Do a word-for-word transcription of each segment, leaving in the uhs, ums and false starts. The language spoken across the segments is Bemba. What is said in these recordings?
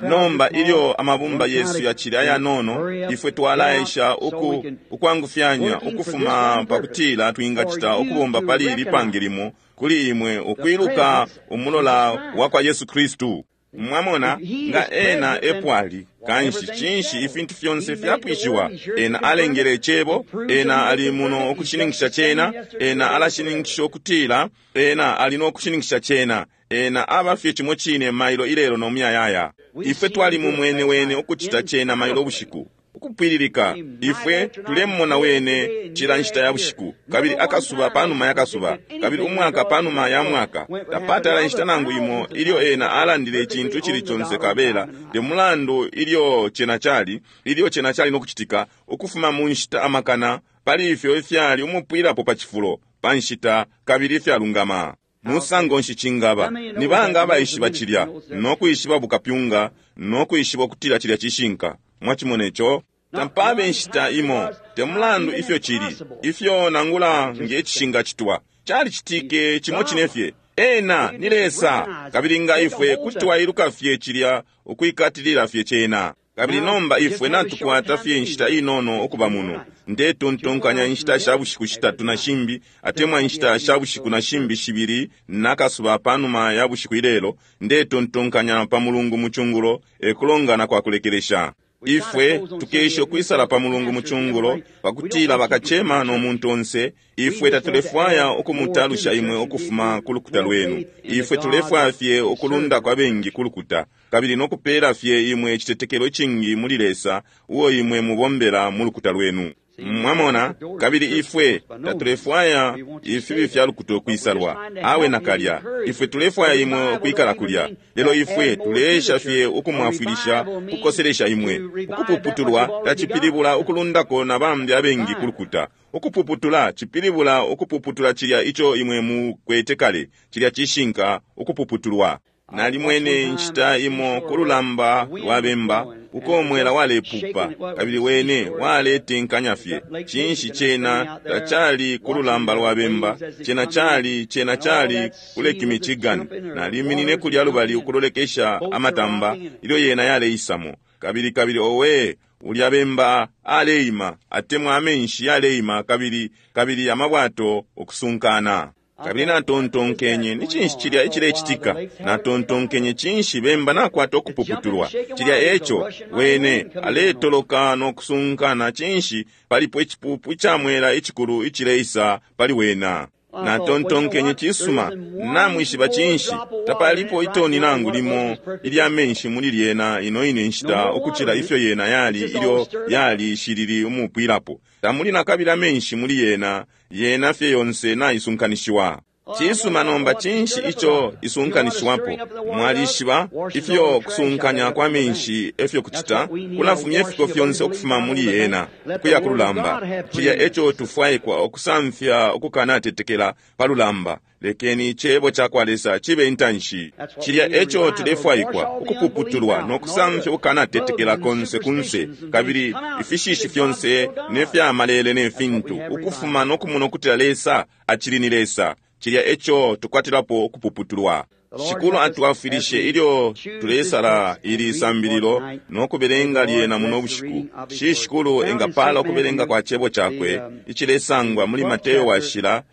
Nomba ilyo amabumba yesu yacili ayanono, ifwe twalaesha uku ukwangufyanya ukufuma pakutila twingacita ukubomba pali ili pange limo kuli imwe ukwiluka umulola wa kwa Yesu Kristu. Mwamona, nga ena epwali kanshi cinshi ifintu fyonse fyapwishiwa. Ena alengele icebo, ena ali muno ukushininkisha cena, ena alashininkisha ukutila ena ali no kushininkisha cena. Ena aba fye cimo cine mailo ilelo no muyayaya. Ifwe twali mumwene wene ukucita cena mailo ubushiku ukupwililika. Ifwe tulemona wene cila nshita ya bushiku, kabili akasuba panuma ya kasuba, kabili umwaka panuma ya mwaka. Tapatala inshita nangu imo ilyo ena alandile icintu icili conse kabela te mulandu ilyo cena cali, ilyo cena cali no kucitika, ukufuma mu nshita amakana pali ifyo ifyali umupwilapo pa cifulo pa nshita kabili ifyalungama. Musango nshi cingaba? Ni banga abaishiba cilya no kwishiba bukapyunga no kwishiba ukutila cilya cishinka? Mwachimona ico? Tampabe nshita imo, te mulandu ifyo cili, ifyo nangula nge cishinga citwa, calicitike cimo cine fye. Ena ni Lesa, kabili nga ifwe kuti twailuka fye cilya, ukwikatilila fye cena. Kabili nomba ifwe natukwata fye inshita inono ukuba muno. Ndetontonkanya inshita sha bushiku shitatu na shimbi, atemwa inshita sha bushiku na shimbi shibili nakasuba panuma ya bushiku ilelo. Ndetontonkanya pa Mulungu mucungulo ekulongana kwa kulekelesha. Ifwe tukesha ukwisala pa Mulungu mucungulo pakutila bakachema no muntu onse. Ifwe tatulefwaya ukumutalusha imwe ukufuma ku lukuta lwenu. Ifwe tulefwaya fye ukulunda kwa bengi ku lukuta, kabili nokupela fye imwe icitetekelo icingi muli Lesa uo imwe mubombela mu lukuta lwenu. Mwamona, kabili ifwe tatulefwaya ifibi fya lukuta ukwisalwa awe nakalya. Ifwe tulefwaya imwe ukwikala kulya, lelo ifwe tuleesha fye ukumwafwilisha, kukoselesha imwe. Ukupuputulwa tacipilibula ukulundako na bambi abengi ku lukuta. Ukupuputula cipilibula ukupuputula cilya ico imwe mukwete kale, cilya cishinka ukupuputulwa. Nalimwene inshita imo ku lulamba lwa bemba uko umwela walepupa, kabili wene waletenkanya fye. Cinshi cena tacali ku lulamba lwa bemba, cena cali, cena cali ku Lake Michigan. Naliminine kulya lubali ukulolekesha amatamba ilyo yena yaleisamo, kabili kabili owe ulya bemba aleima, atemwa amenshi yaleima, kabili kabili amabwato ukusunkana. Kabili natontonkenye, ni cinshi cilya icilecitika? Natontonkenye, cinshi bemba nakwata ukupuputulwa? Cilya eco wene aletoloka no kusunkana. Cinshi palipo icipupu icamwela icikulu icileisa pali wena? Natontonkenye, cisuma, namwishiba cinshi, tapalipo itoni nangu limo ilya menshi muli lyena ino ine nshita ukucila ifyo yena yali ilyo yali shilili umupwilapo. Tamuli nakabili amenshi muli yena, yena fye yonse naisunkanishiwa. Cisuma, nomba cinshi ico isunkanishiwapo? Mwalishiba ifyo kusunkanya kwa menshi efyo kucita, kulafumya ifiko fyonse ukufuma muli yena kuya ku lulamba. Cilya eco tufwaikwa ukusamfya ukukanatetekela pa lulamba. Lekeni icebo ca kwa Lesa cibe intanshi. Cilya eco tulefwaikwa ukupuputulwa no kusamfya ukukanatetekela konse kunse, kabili ifishishi fyonse ne fya malele ne fintu, ukufuma no kumona ukutila Lesa acili ni Lesa. Cilya eco tukwatilapo ukupuputulwa. Shikulu atwafwilishe ilyo tulesala ili sambililo no kubelenga lyena muno bushiku. Shi Shikulu engapala ukubelenga kwa cebo cakwe icilesangwa muli Mateo washila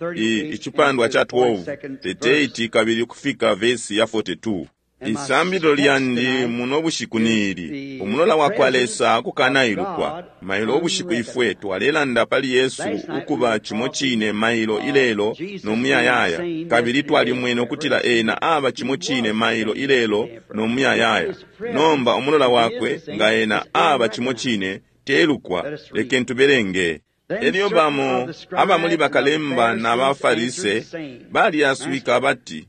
icipandwa ca twelve thirty-eight kabili ukufika vesi ya forty-two. Isambililo lyandi muno bushiku ni ili, umulola wa kwa Lesa kukanailukwa. Mailo ubushiku ifwe twalelanda pali Yesu ukuba cimo cine mailo ilelo no muyayaya, kabili twalimwene ukutila ena aba cimo cine mailo ilelo no muyayaya. Nomba umulola wakwe nga ena aba cimo cine telukwa. Lekeni tubelenge. Elyo bamo abamuli bakalemba na baFarise balyaswika bati,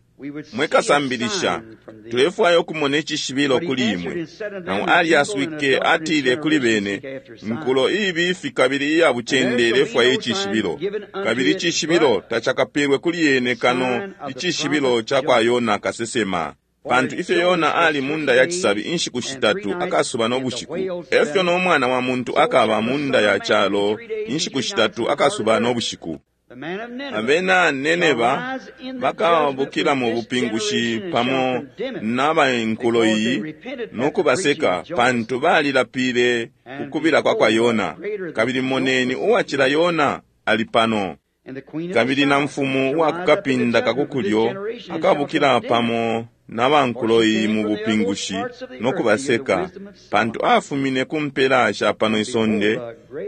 mwekasambilisha, tulefwaya ukumona icishibilo kuli imwe. Nao alyaswike atile kuli bene, nkulo iibifi kabili iya bucende ilefwaya icishibilo, kabili icishibilo tacakapelwe kuli yene kano icishibilo ca kwa Yona kasesema. Pantu ifyo Yona ali munda ya cisabi inshiku shitatu akasuba no bushiku, efyo no mwana wa muntu akaba munda ya calo inshiku shitatu akasuba no bushiku. Abena Nineva bakabukila mu bupingushi pamo n'abainkulo iyi no kubaseka, pantu balilapile kukubila kwa kwa Yona. Kabili moneni, uwacila Yona ali pano. Kabili na mfumu uwa kukapinda kakukulyo akabukila pamo n'abankulo iyi mu bupingushi no kubaseka, pantu afumine ku mpela sha pano isonde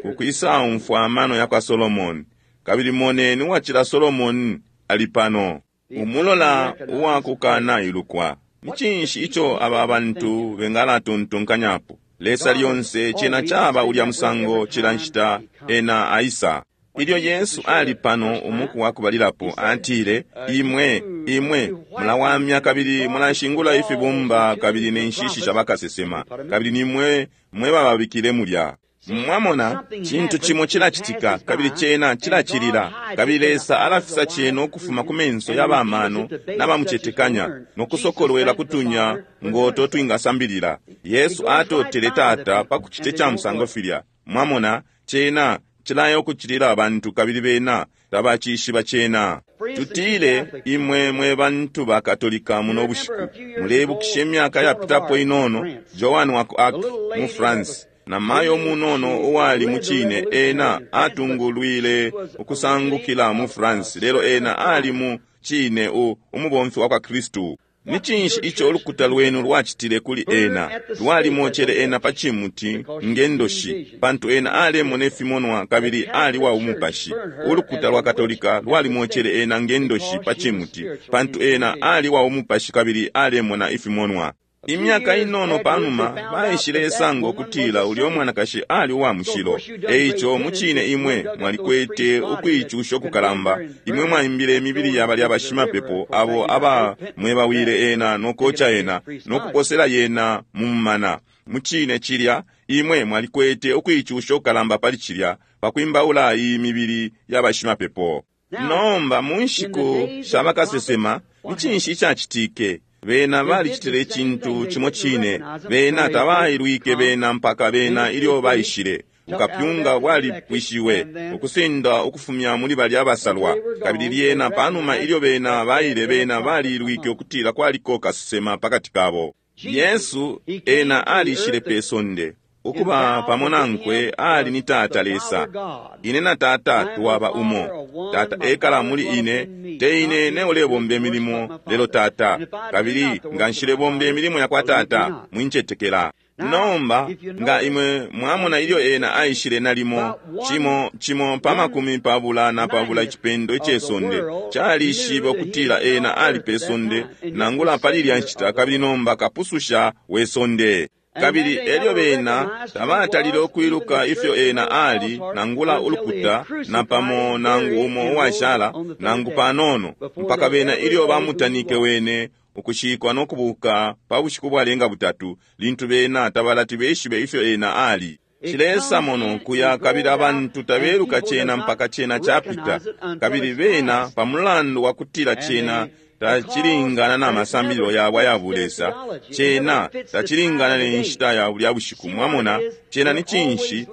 ku kwisaumfwa amano ya kwa Solomoni. Kabili moneni, uwacila Solomoni ali pano. Umulola uwakukana ilukwa. Ni cinshi ico aba bantu bengalatontonkanyapo? Lesa lyonse cena caba ulya musango cila nshita ena aisa. Ilyo Yesu ali pano umuku wa kubalilapo, atile, imwe imwe mulawamya kabili mulashingula ifibumba kabili ne nshishi sha bakasesema, kabili nimwe mwe bababikile mulya. Mwamona, cintu cimo cilacitika kabili cena cilacilila, kabili Lesa alafisa cena ukufuma ku menso ya bamano n'abamucetekanya no kusokolwela kutunya ngoto twingasambilila. Yesu atotele Tata pa kucite ca musango filya. Mwamona, cena cilaya ukucilila abantu kabili bena tabacishiba cena. Tutile imwe mwe bantu ba Katolika muno bushiku mulebukisha imyaka yapitapo inono, Joan wa ku Arc mu France, na mayo munono uwali mucine ena atungulwile ukusangukila mu France, lelo ena ali mu cine u umubomfi wa kwa Kristu. Ni cinshi ico ulukuta lwenu lwacitile kuli ena? Lwalimocele ena pa cimuti ngendoshi, pantu ena alemona ifimonwa kabili ali wa umupashi. Ulukuta lwa Katolika lwalimocele ena ngendoshi pa cimuti, pantu ena ali wa umupashi kabili alemona ifimonwa. Imyaka inono panuma baishile sanga ukutila ulyo mwanakashi ali uwa mushilo. Eico mucine imwe mwalikwete ukuicusha ukukalamba. Imwe mwaimbile imibili ya balya bashimapepo abo aba mwebawile ena nokoca ena nokuposela yena mu mumana. Mucine cilya imwe mwalikwete ukuicusha ukukalamba pali cilya pakwimbaula iyi mibili ya bashimapepo. Nomba mu nshiku sha bakasesema ni cinshi icacitike? Bena balicitile icintu cimo cine. Bena tabailwike bena mpaka bena ilyo baishile. Bukapyunga bwalipwishiwe ukusenda ukufumya muli balya abasalwa. Kabili lyena panuma ilyo bena baile, bena balilwike ukutila kwaliko kasesema pakati kabo. Yesu ena alishile pe sonde ukuba pamo nankwe ali ni Tata Lesa. Ine na Tata twaba umo. Tata ekala muli ine, te ine ne ulebomba imilimo, lelo Tata. Kabili nga nshilebomba imilimo ya kwa Tata, mwincetekela. Nomba nga imwe mwamona ilyo ena aishile nalimo cimo cimo pa makumi pabula na pabula icipendo ice sonde calishibe ukutila ena ali pe sonde nangula pali ilya nshita, kabili nomba kapususha we sonde. Kabili elyo bena tabatalile ukwiluka ifyo ena ali nangula ulukuta na pamo nangu umo uwashala nangu panono, mpaka bena ilyo bamutanike wene ukushikwa no kubuka pa bushiku bwalenga butatu, lintu bena tabalati beshibe ifyo ena ali. Cilesa mono kuya kabili abantu tabeluka cena mpaka cena capita. Kabili bena pa mulandu wa kutila cena tacilingana na masambililo yabo aya bulesa, cena tacilingana ne nshita ya bulya bushiku. Mwamona, cena ni cinshi?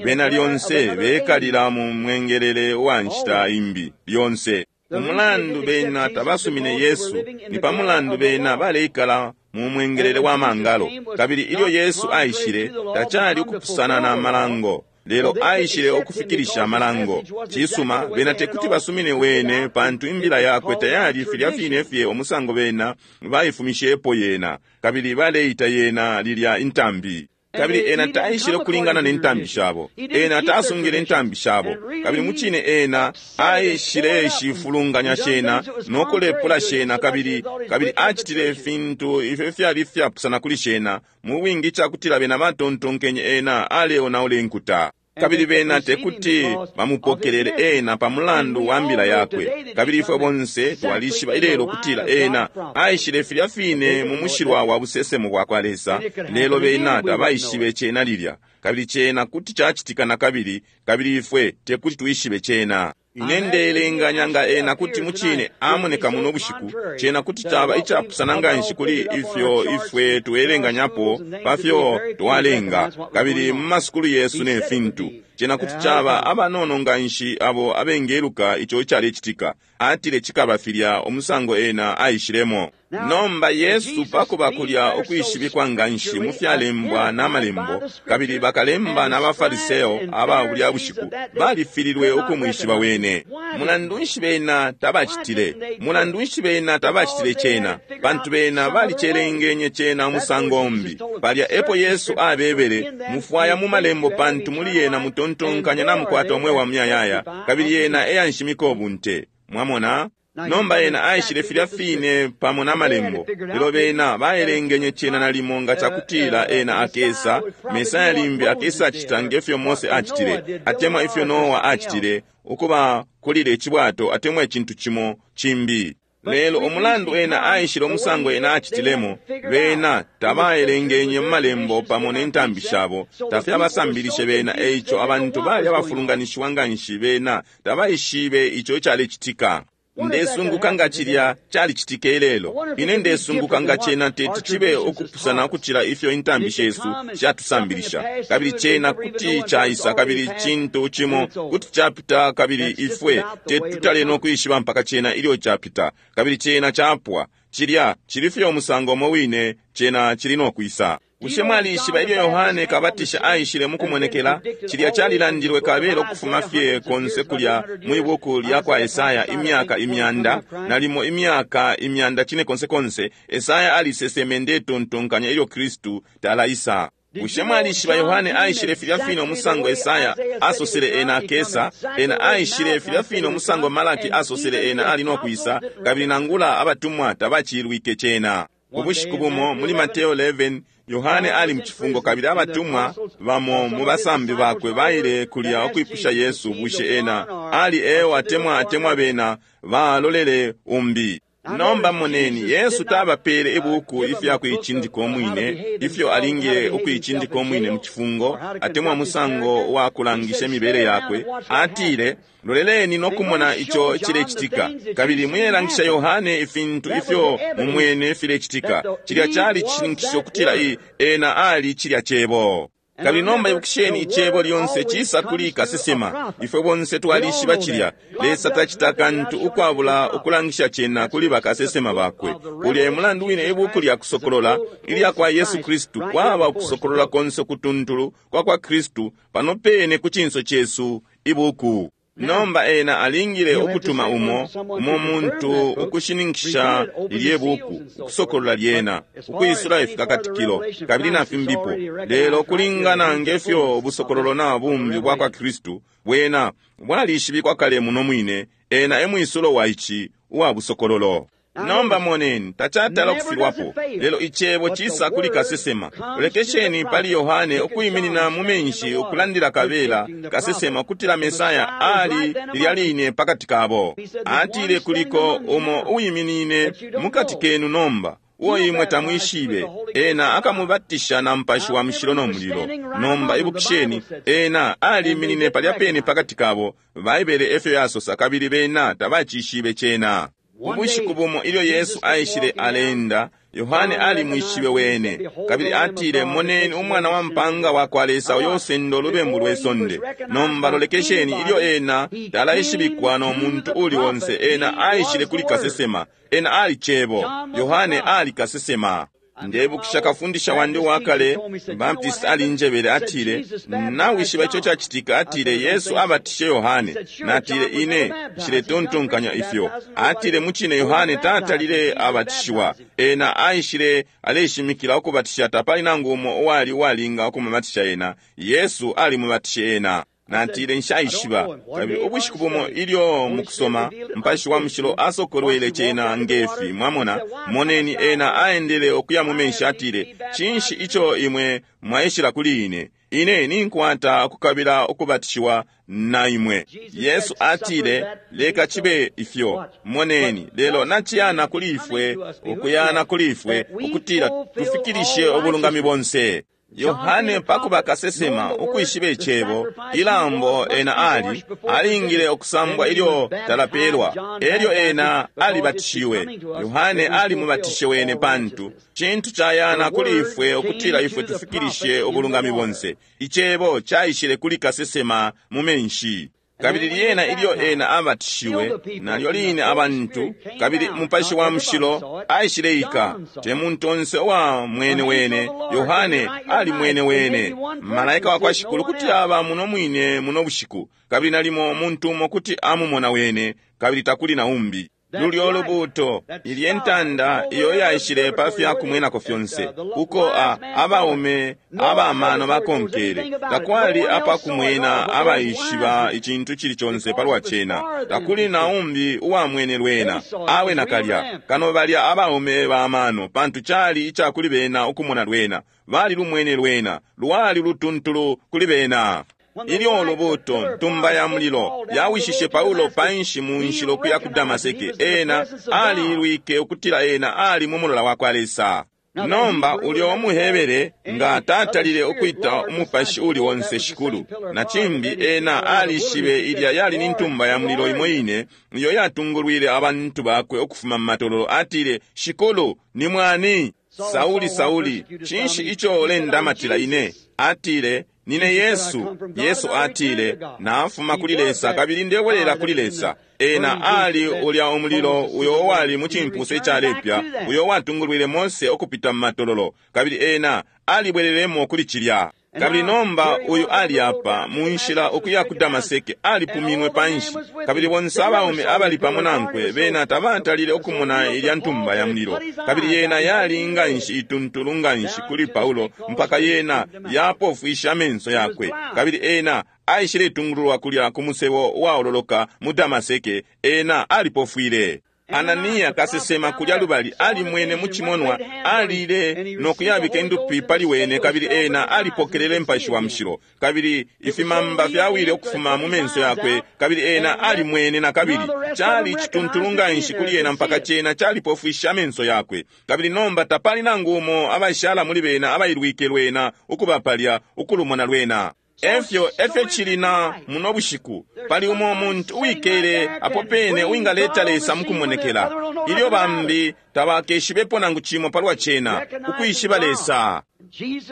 Bena lyonse bekalila mu mwengelele wa nshita imbi lyonse. Umulandu bena tabasumine Yesu ni pa mulandu bena baleikala mu mwengelele wa mangalo. Kabili ilyo Yesu aishile, tacali ukupusana na malango, lelo aishile ukufikilisha amalango. Cisuma, bena tekuti basumine wene, pantu imbila yakwe tayali filya fine fye umusango bena baifumishepo yena, kabili baleita yena lilya intambi. Kabili ena taishile kulingana ne ntambi shabo, ena tasungile intambi shabo. Kabili mucine ena aishile shifulunganya shena no kulepula shena, kabili kabili acitile ifintu ifyo fyali fyapusana kuli shena mu bwingi icakutila bena batontonkenye ena aleonaula inkuta. Kabili bena tekuti bamupokelele ena pa mulandu wa mbila yakwe. Kabili ifwe bonse twalishiba ilelo kutila ena aishile filya fine mu mushilwa wa busesemo bwa kwa Lesa, lelo bena tabaishibe cena lilya. Kabili cena kuti cacitika na kabili, kabili ifwe tekuti twishibe cena. Ine ndeelenganya nga ena kuti mucine amoneka muno bushiku, cena kuti caba icapusana nganshi kuli ifyo ifwe tuelenganyapo pafyo twalenga, kabili mu masukulu yesu ne fintu. Cena kuti caba abanono nganshi abo abengeluka ico icalecitika. Atile cikaba filya umusango ena aishilemo. Nomba Yesu pakuba kulya ukwishibikwa nganshi mu fyalembwa na malembo, kabili bakalemba na bafariseo aba bulya bushiku balifililwe ukumwishiba wene. Mulandu nshi bena tabacitile? Mulandu nshi bena tabacitile cena? Pantu bena balicelengenye cena umusango umbi. Palya epo Yesu abebele, mufwaya mu malembo pantu muli yena mutontonkanya na mukwata umweo wa muyayaya, kabili yena eyanshimika ubunte. Mwamona? Nomba ena aishile filya fine pamo na malembo, lelo bena baelengenye cena nalimo nga cakutila ena akesa, Mesaya limbi akesa acita ngefyo Mose acitile, atemwa ifyo Noa acitile, ukuba kulile icibwato atemwa icintu cimo cimbi. Lelo umulandu ena aishile umusango ena acitilemo, bena tabaelengenye mu malembo pamo ne ntambi shabo, tafyabasambilishe bena, eico abantu bali abafulunganishiwa nganshi bena tabaishibe ico icalecitika. Ndesunguka nga cilya calicitike lelo. Ine ndesunguka nga cena teti cibe ukupusana ukucila ifyo intambi shesu shatusambilisha. Kabili cena kuti caisa, kabili cintu cimo kuti capita, kabili ifwe tetutale no kwishiba mpaka cena ilyo capita. Kabili cena capwa. Cilya cili fye umusango umo wine cena cili no kwisa. Bushe mwalishiba ilyo Yohane Kabatisha aishile mukumonekela, cilya calilandilwe kabelo ukufuma fye konse kulya mwi buku lya kwa Esaya imyaka imyanda, nalimo imyaka imyanda cine konse konse, Esaya aliseseme ndetontonkanya ilyo Kristu talaisa. Bushe mwalishiba Yohane aishile filya fine umusango Esaya asosele ena akesa, ena aishile filya fine umusango Malaki asosele ena ali no kwisa, kabili nangula abatumwa tabacilwike cena. Ubushiku bumo muli Mateo eleven, Yohane ali mucifungo kabili abatumwa bamo mu basambi bakwe baile kulya ukwipusha Yesu bushe ena ali ewo atemwa atemwa bena balolele umbi. Nomba moneni, Yesu tabapele ibuku ifya kuicindika umwine, ifyo alingile ukuicindika umwine mu cifungo atemwa musango wa kulangisha imibele yakwe. Atile, loleleni no kumona ico cilecitika, kabili muyelangisha Yohane ifintu ifyo mumwene filecitika. Cilya cali cishininkisho kutila ena ali cilya cebo. Kabili nomba ibukisheni, icebo lyonse cisa kuli kasesema. Ifwe bonse twalishiba cilya. Lesa tacita kantu ukwabula ukulangisha cena kuli bakasesema bakwe. Ulya e mulandu wine ibuku lya kusokolola ilya kwa Yesu Kristu kwaba ukusokolola konse kutuntulu kwa kwa Kristu pano pene ku cinso cesu ibuku. Nomba ena alingile ukutuma umo umo muntu ukushininkisha lilye buku, ukusokolola lyena, ukwisula ifikakatikilo kabili na fimbipo. Lelo kulingana ngefyo ubusokololo na bumbi bwa kwa Kristu bwena bwalishibikwa kale muno mwine, ena e mwisulo wa ici uwa busokololo. Nomba moneni, tacatala kufilwapo, lelo icebo cisa kuli kasesema. Lekesheni pali Yohane ukuiminina mu menshi ukulandila kabela kasesema kutila Mesaya ali lilya line pakati kabo. Atile kuliko umo uiminine mukati kenu nomba, uo imwe tamwishibe, ena akamubatisha na Mupashi wa Mushilo no mulilo. Nomba ibukisheni, ena aliminine palya pene pakati kabo, Baibele efyo yasosa, kabili bena tabacishibe cena. Ubushiku bumo ilyo Yesu aishile alenda, Yohane alimwishibe wene, kabili atile, moneni umwana wa mpanga wa kwa Lesa uyo usenda ulubembu lwe sonde. Nomba lolekesheni, ilyo ena talaishibikwa no muntu uli onse, ena aishile kuli kasesema. Ena ali cebo. Yohane ali kasesema. Ndebukisha kafundisha wandi wakale Baptist alinjebele, atile, nawishiba ico cacitika? Atile, Yesu abatishe Yohane. Natile, ine nshiletontonkanya ifyo. Atile, mucine Yohane tatalile abatishiwa. Ena aishile aleshimikila ukubatisha, tapali nangu umo uwali uwalinga ukumubatisha ena. Yesu alimubatishe ena. Natile, nshaishiba. Kabili ubushiku bumo ilyo mukusoma, Mupashi wa Mushilo asokolwele cena ngefi. Mwamona, moneni ena aendele ukuya mu menshi, atile, cinshi ico imwe mwaishila kuli ine? Ine ninkwata ukukabila ukubatishiwa na imwe. Yesu atile, leka cibe ifyo. Moneni, lelo naciyana kuli ifwe, ukuyana kuli ifwe, ukutila tufikilishe ubulungami bonse. Yohane pakuba kasesema ukwishiba icebo, ilambo ena ali alingile ukusambwa ilyo talapelwa, elyo ena alibatishiwe. Yohane alimubatishe wene pantu cintu cayana kuli ifwe ukutila ifwe tufikilishe ubulungami bonse. Icebo caishile kuli kasesema mu menshi. Kabili lyena ilyo ena abatishiwe, nalyo line abantu, kabili Mupashi wa Mushilo aishileika. Te muntu onse uwa mwene wene, Yohane ali mwene wene. Malaika wa kwa Shikulu kuti aba muno mwine muno bushiku, kabili nalimo umuntu umo kuti amumona wene, kabili takuli na umbi. Lulyo lubuto, ilye ntanda iyo yaishile pa fya kumwenako fyonse, uko a, abaume abamano bakonkele, takwali apakumwena abaishiba icintu cili conse palwa cena, takuli na umbi uwamwene lwena, awe nakalya, kano balya abaume bamano, pantu cali ica kuli bena ukumona lwena, bali lumwene lwena, lwali lutuntulu kuli bena. Ilyo ulubuto ntumba ya mulilo yawishishe Paulo panshi mu nshila ukuya ku Damaseke, ena alilwike ukutila ena ali mu mulola wa kwa Lesa. Nomba ulyo umuhebere nga tatalile ukwita umupashi uli onse Shikulu, na cimbi ena alishibe ilya yali ni ntumba ya mulilo imo ine iyo yatungulwile abantu bakwe ukufuma mu matololo, atile, Shikulu ni mwani? Sauli, Sauli, cinshi ico ulendamatila ine? Atile, nine Yesu. Yesu atile, nafuma kuli Lesa kabili ndebwelela kuli Lesa. Ena ali ulya umulilo uyo wali mu cimpusa icalepya, uyo watungulwile Mose ukupita mu matololo, kabili ena alibwelelemo kuli cilya. Kabili nomba uyu ali apa mu nshila ukuya ku Damaseke, alipuminwe panshi, kabili bonse abaume abali pamo nankwe bena tabatalile ukumona ilya ntumba ya mulilo. Kabili yena yali nganshi ituntulu nganshi kuli Paulo mpaka yena yapofwisha amenso yakwe, kabili ena aishiletungululwa kulya ku musebo uwaololoka mu Damaseke. Ena alipofwile. Ananiya kasesema kulya lubali alimwene mu cimonwa, alile no kuyabika indupi pali wene, kabili ena alipokelele Mupashi wa Mushilo, kabili ifimamba fyawile ukufuma mu menso yakwe, kabili ena alimwene na kabili. Cali cituntulu nganshi kuli ena mpaka cena calipofwisha amenso yakwe. Kabili nomba tapali nangu umo abashala muli bena abailwike lwena ukuba palya ukulumona lwena. Efyo efyo cili na muno bushiku, pali umo muntu uwikele apo pene uwingaleta Lesa mukumonekela, ilyo bambi tabakeshibepo nangu cimo palwa cena, ukwishiba Lesa.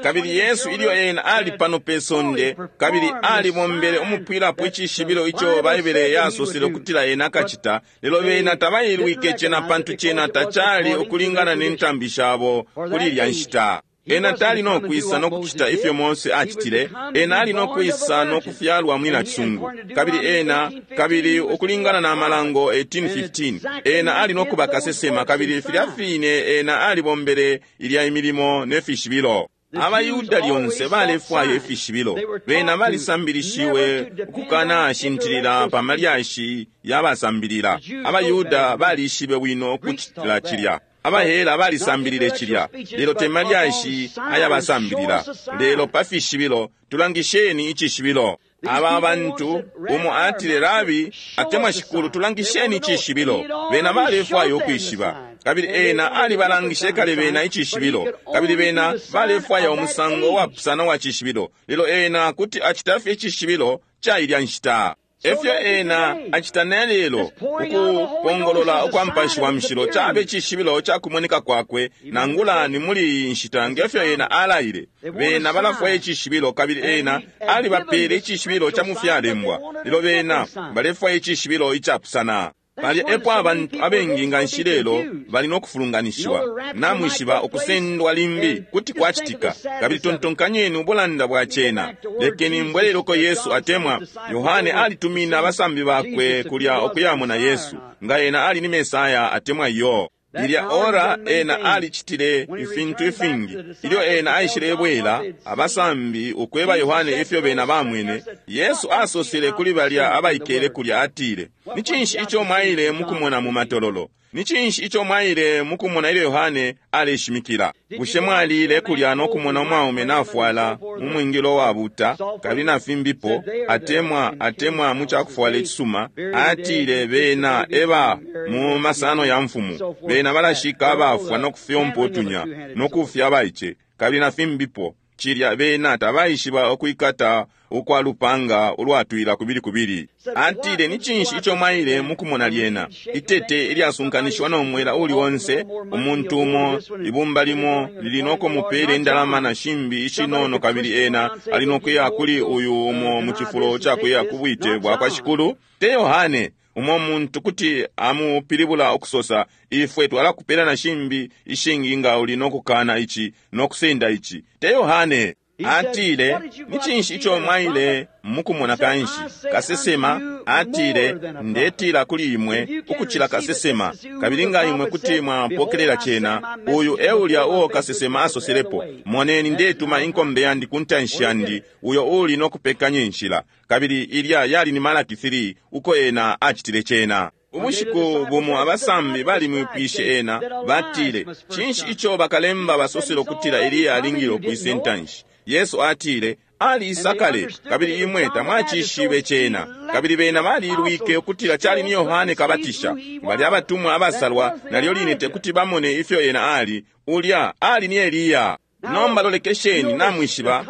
Kabili Yesu ilyo ena ali pano pe sonde, kabili alibombele umupwilapo icishibilo ico Baibele yasosele ukutila ena akacita, lelo bena tabailwike cena pantu cena tacali ukulingana ne ntambi shabo kuli ilya nshita. Ena tali no kwisa no kucita ifyo Mose acitile, ena ali no kwisa no kufyalwa muli nacisungu. Kabili ena, kabili ukulingana na Malango eighteen fifteen, ena ali no kuba kasesema, kabili filya fine ena alibombele ilya imilimo ne fishibilo. Abayuda lyonse balefwaya ifishibilo. Bena balisambilishiwe ukukanashintilila pa malyashi yabasambilila. Abayuda balishibe bwino ukucitila cilya. Abahela balisambilile cilya, lelo te malyashi ayabasambilila, lelo pa fishibilo. Tulangisheni icishibilo. Aba bantu umo atile, Rabi, atemwa Shikulu, tulangisheni icishibilo. Bena balefwaya ukwishiba, kabili ena alibalangishe kale bena icishibilo, kabili bena balefwaya umusango wapusana wa cishibilo, lelo ena kuti acita fye icishibilo ca ilya nshita. Efyo ena acita nelelo, ukupongolola ukwa Mupashi wa Mushilo cabe cishibilo ca kumoneka kwakwe, nangula ni muli iyi nshita ngefyo ena alaile. Bena balafwaya icishibilo, kabili ena alibapele icishibilo ca mufyalembwa, lelo bena balefwaya icishibilo icapusana. Palya epo abantu abengi nganshi lelo bali no kufulunganishiwa. Namwishiba ukusendwa limbi kuti kwacitika, kabili tontonkanyeni ubulanda bwa cena. Lekeni mbweleleko Yesu atemwa Yohane alitumina abasambi bakwe kulya ukuyamona Yesu, nga ena ali ni Mesaya atemwa iyo. Ilya ora ena alicitile ifintu ifingi. Ilyo ena aishile bwela abasambi ukweba Yohane ifyo bena bamwene, Yesu asosele kuli balya abaikele kulya atile, ni cinshi ico mwaile mukumona mu matololo? Ni cinshi ico mwaile mukumona ilyo Yohane aleshimikila? Bushe mwalile kulya no kumona umwaume nafwala umwingilo wabuta kabili na fimbipo, atemwa atemwa mu cakufwala icisuma? Atile bena eba mu masano ya mfumu, bena balashika abafwa no kufyompa utunya no kufya abaice kabili na fimbipo. Cilya bena tabaishiba ukwikata ukwa lupanga ulwatwila kubili kubili. Atile, ni cinshi ico mwaile mukumona lyena? Itete ilyasunkanishiwa no mwela uli onse, umuntu umo, ibumba limo lili no kumupela indalama na shimbi ishinono, kabili ena ali no kuya kuli uyu umo mu cifulo ca kuya ku bwite bwa kwa Shikulu. Te Yohane. Umo muntu kuti amupilibula ukusosa, ifwe twalakupela na shimbi ishingi nga uli no kukana ici no kusenda ici. Te Yohane. Atile, ni cinshi ico mwaile mukumona kanshi? Kasesema. Atile, ndetila kuli imwe ukucila kasesema, kabili nga imwe kuti mwapokelela cena, uyu e ulya uo kasesema asoselepo, moneni ndetuma inkombe yandi ku ntanshi yandi, uyo uli no kupekanya inshila. Kabili ilya yali ni Malaki three, uko ena acitile cena. Ubushiku bumo abasambi balimwipwishe ena, batile, cinshi ico bakalemba basosele ukutila Eliya alingile ukwisa intanshi? Yesu atile, aliisa kale, kabili imwe tamwacishibe cena. Kabili bena balilwike ukutila cali ni Yohane Kabatisha. Bali abatumwa abasalwa, nalyo line tekuti bamone ifyo ena ali. Ulya ali ni Eliya. Nomba lolekesheni, namwishiba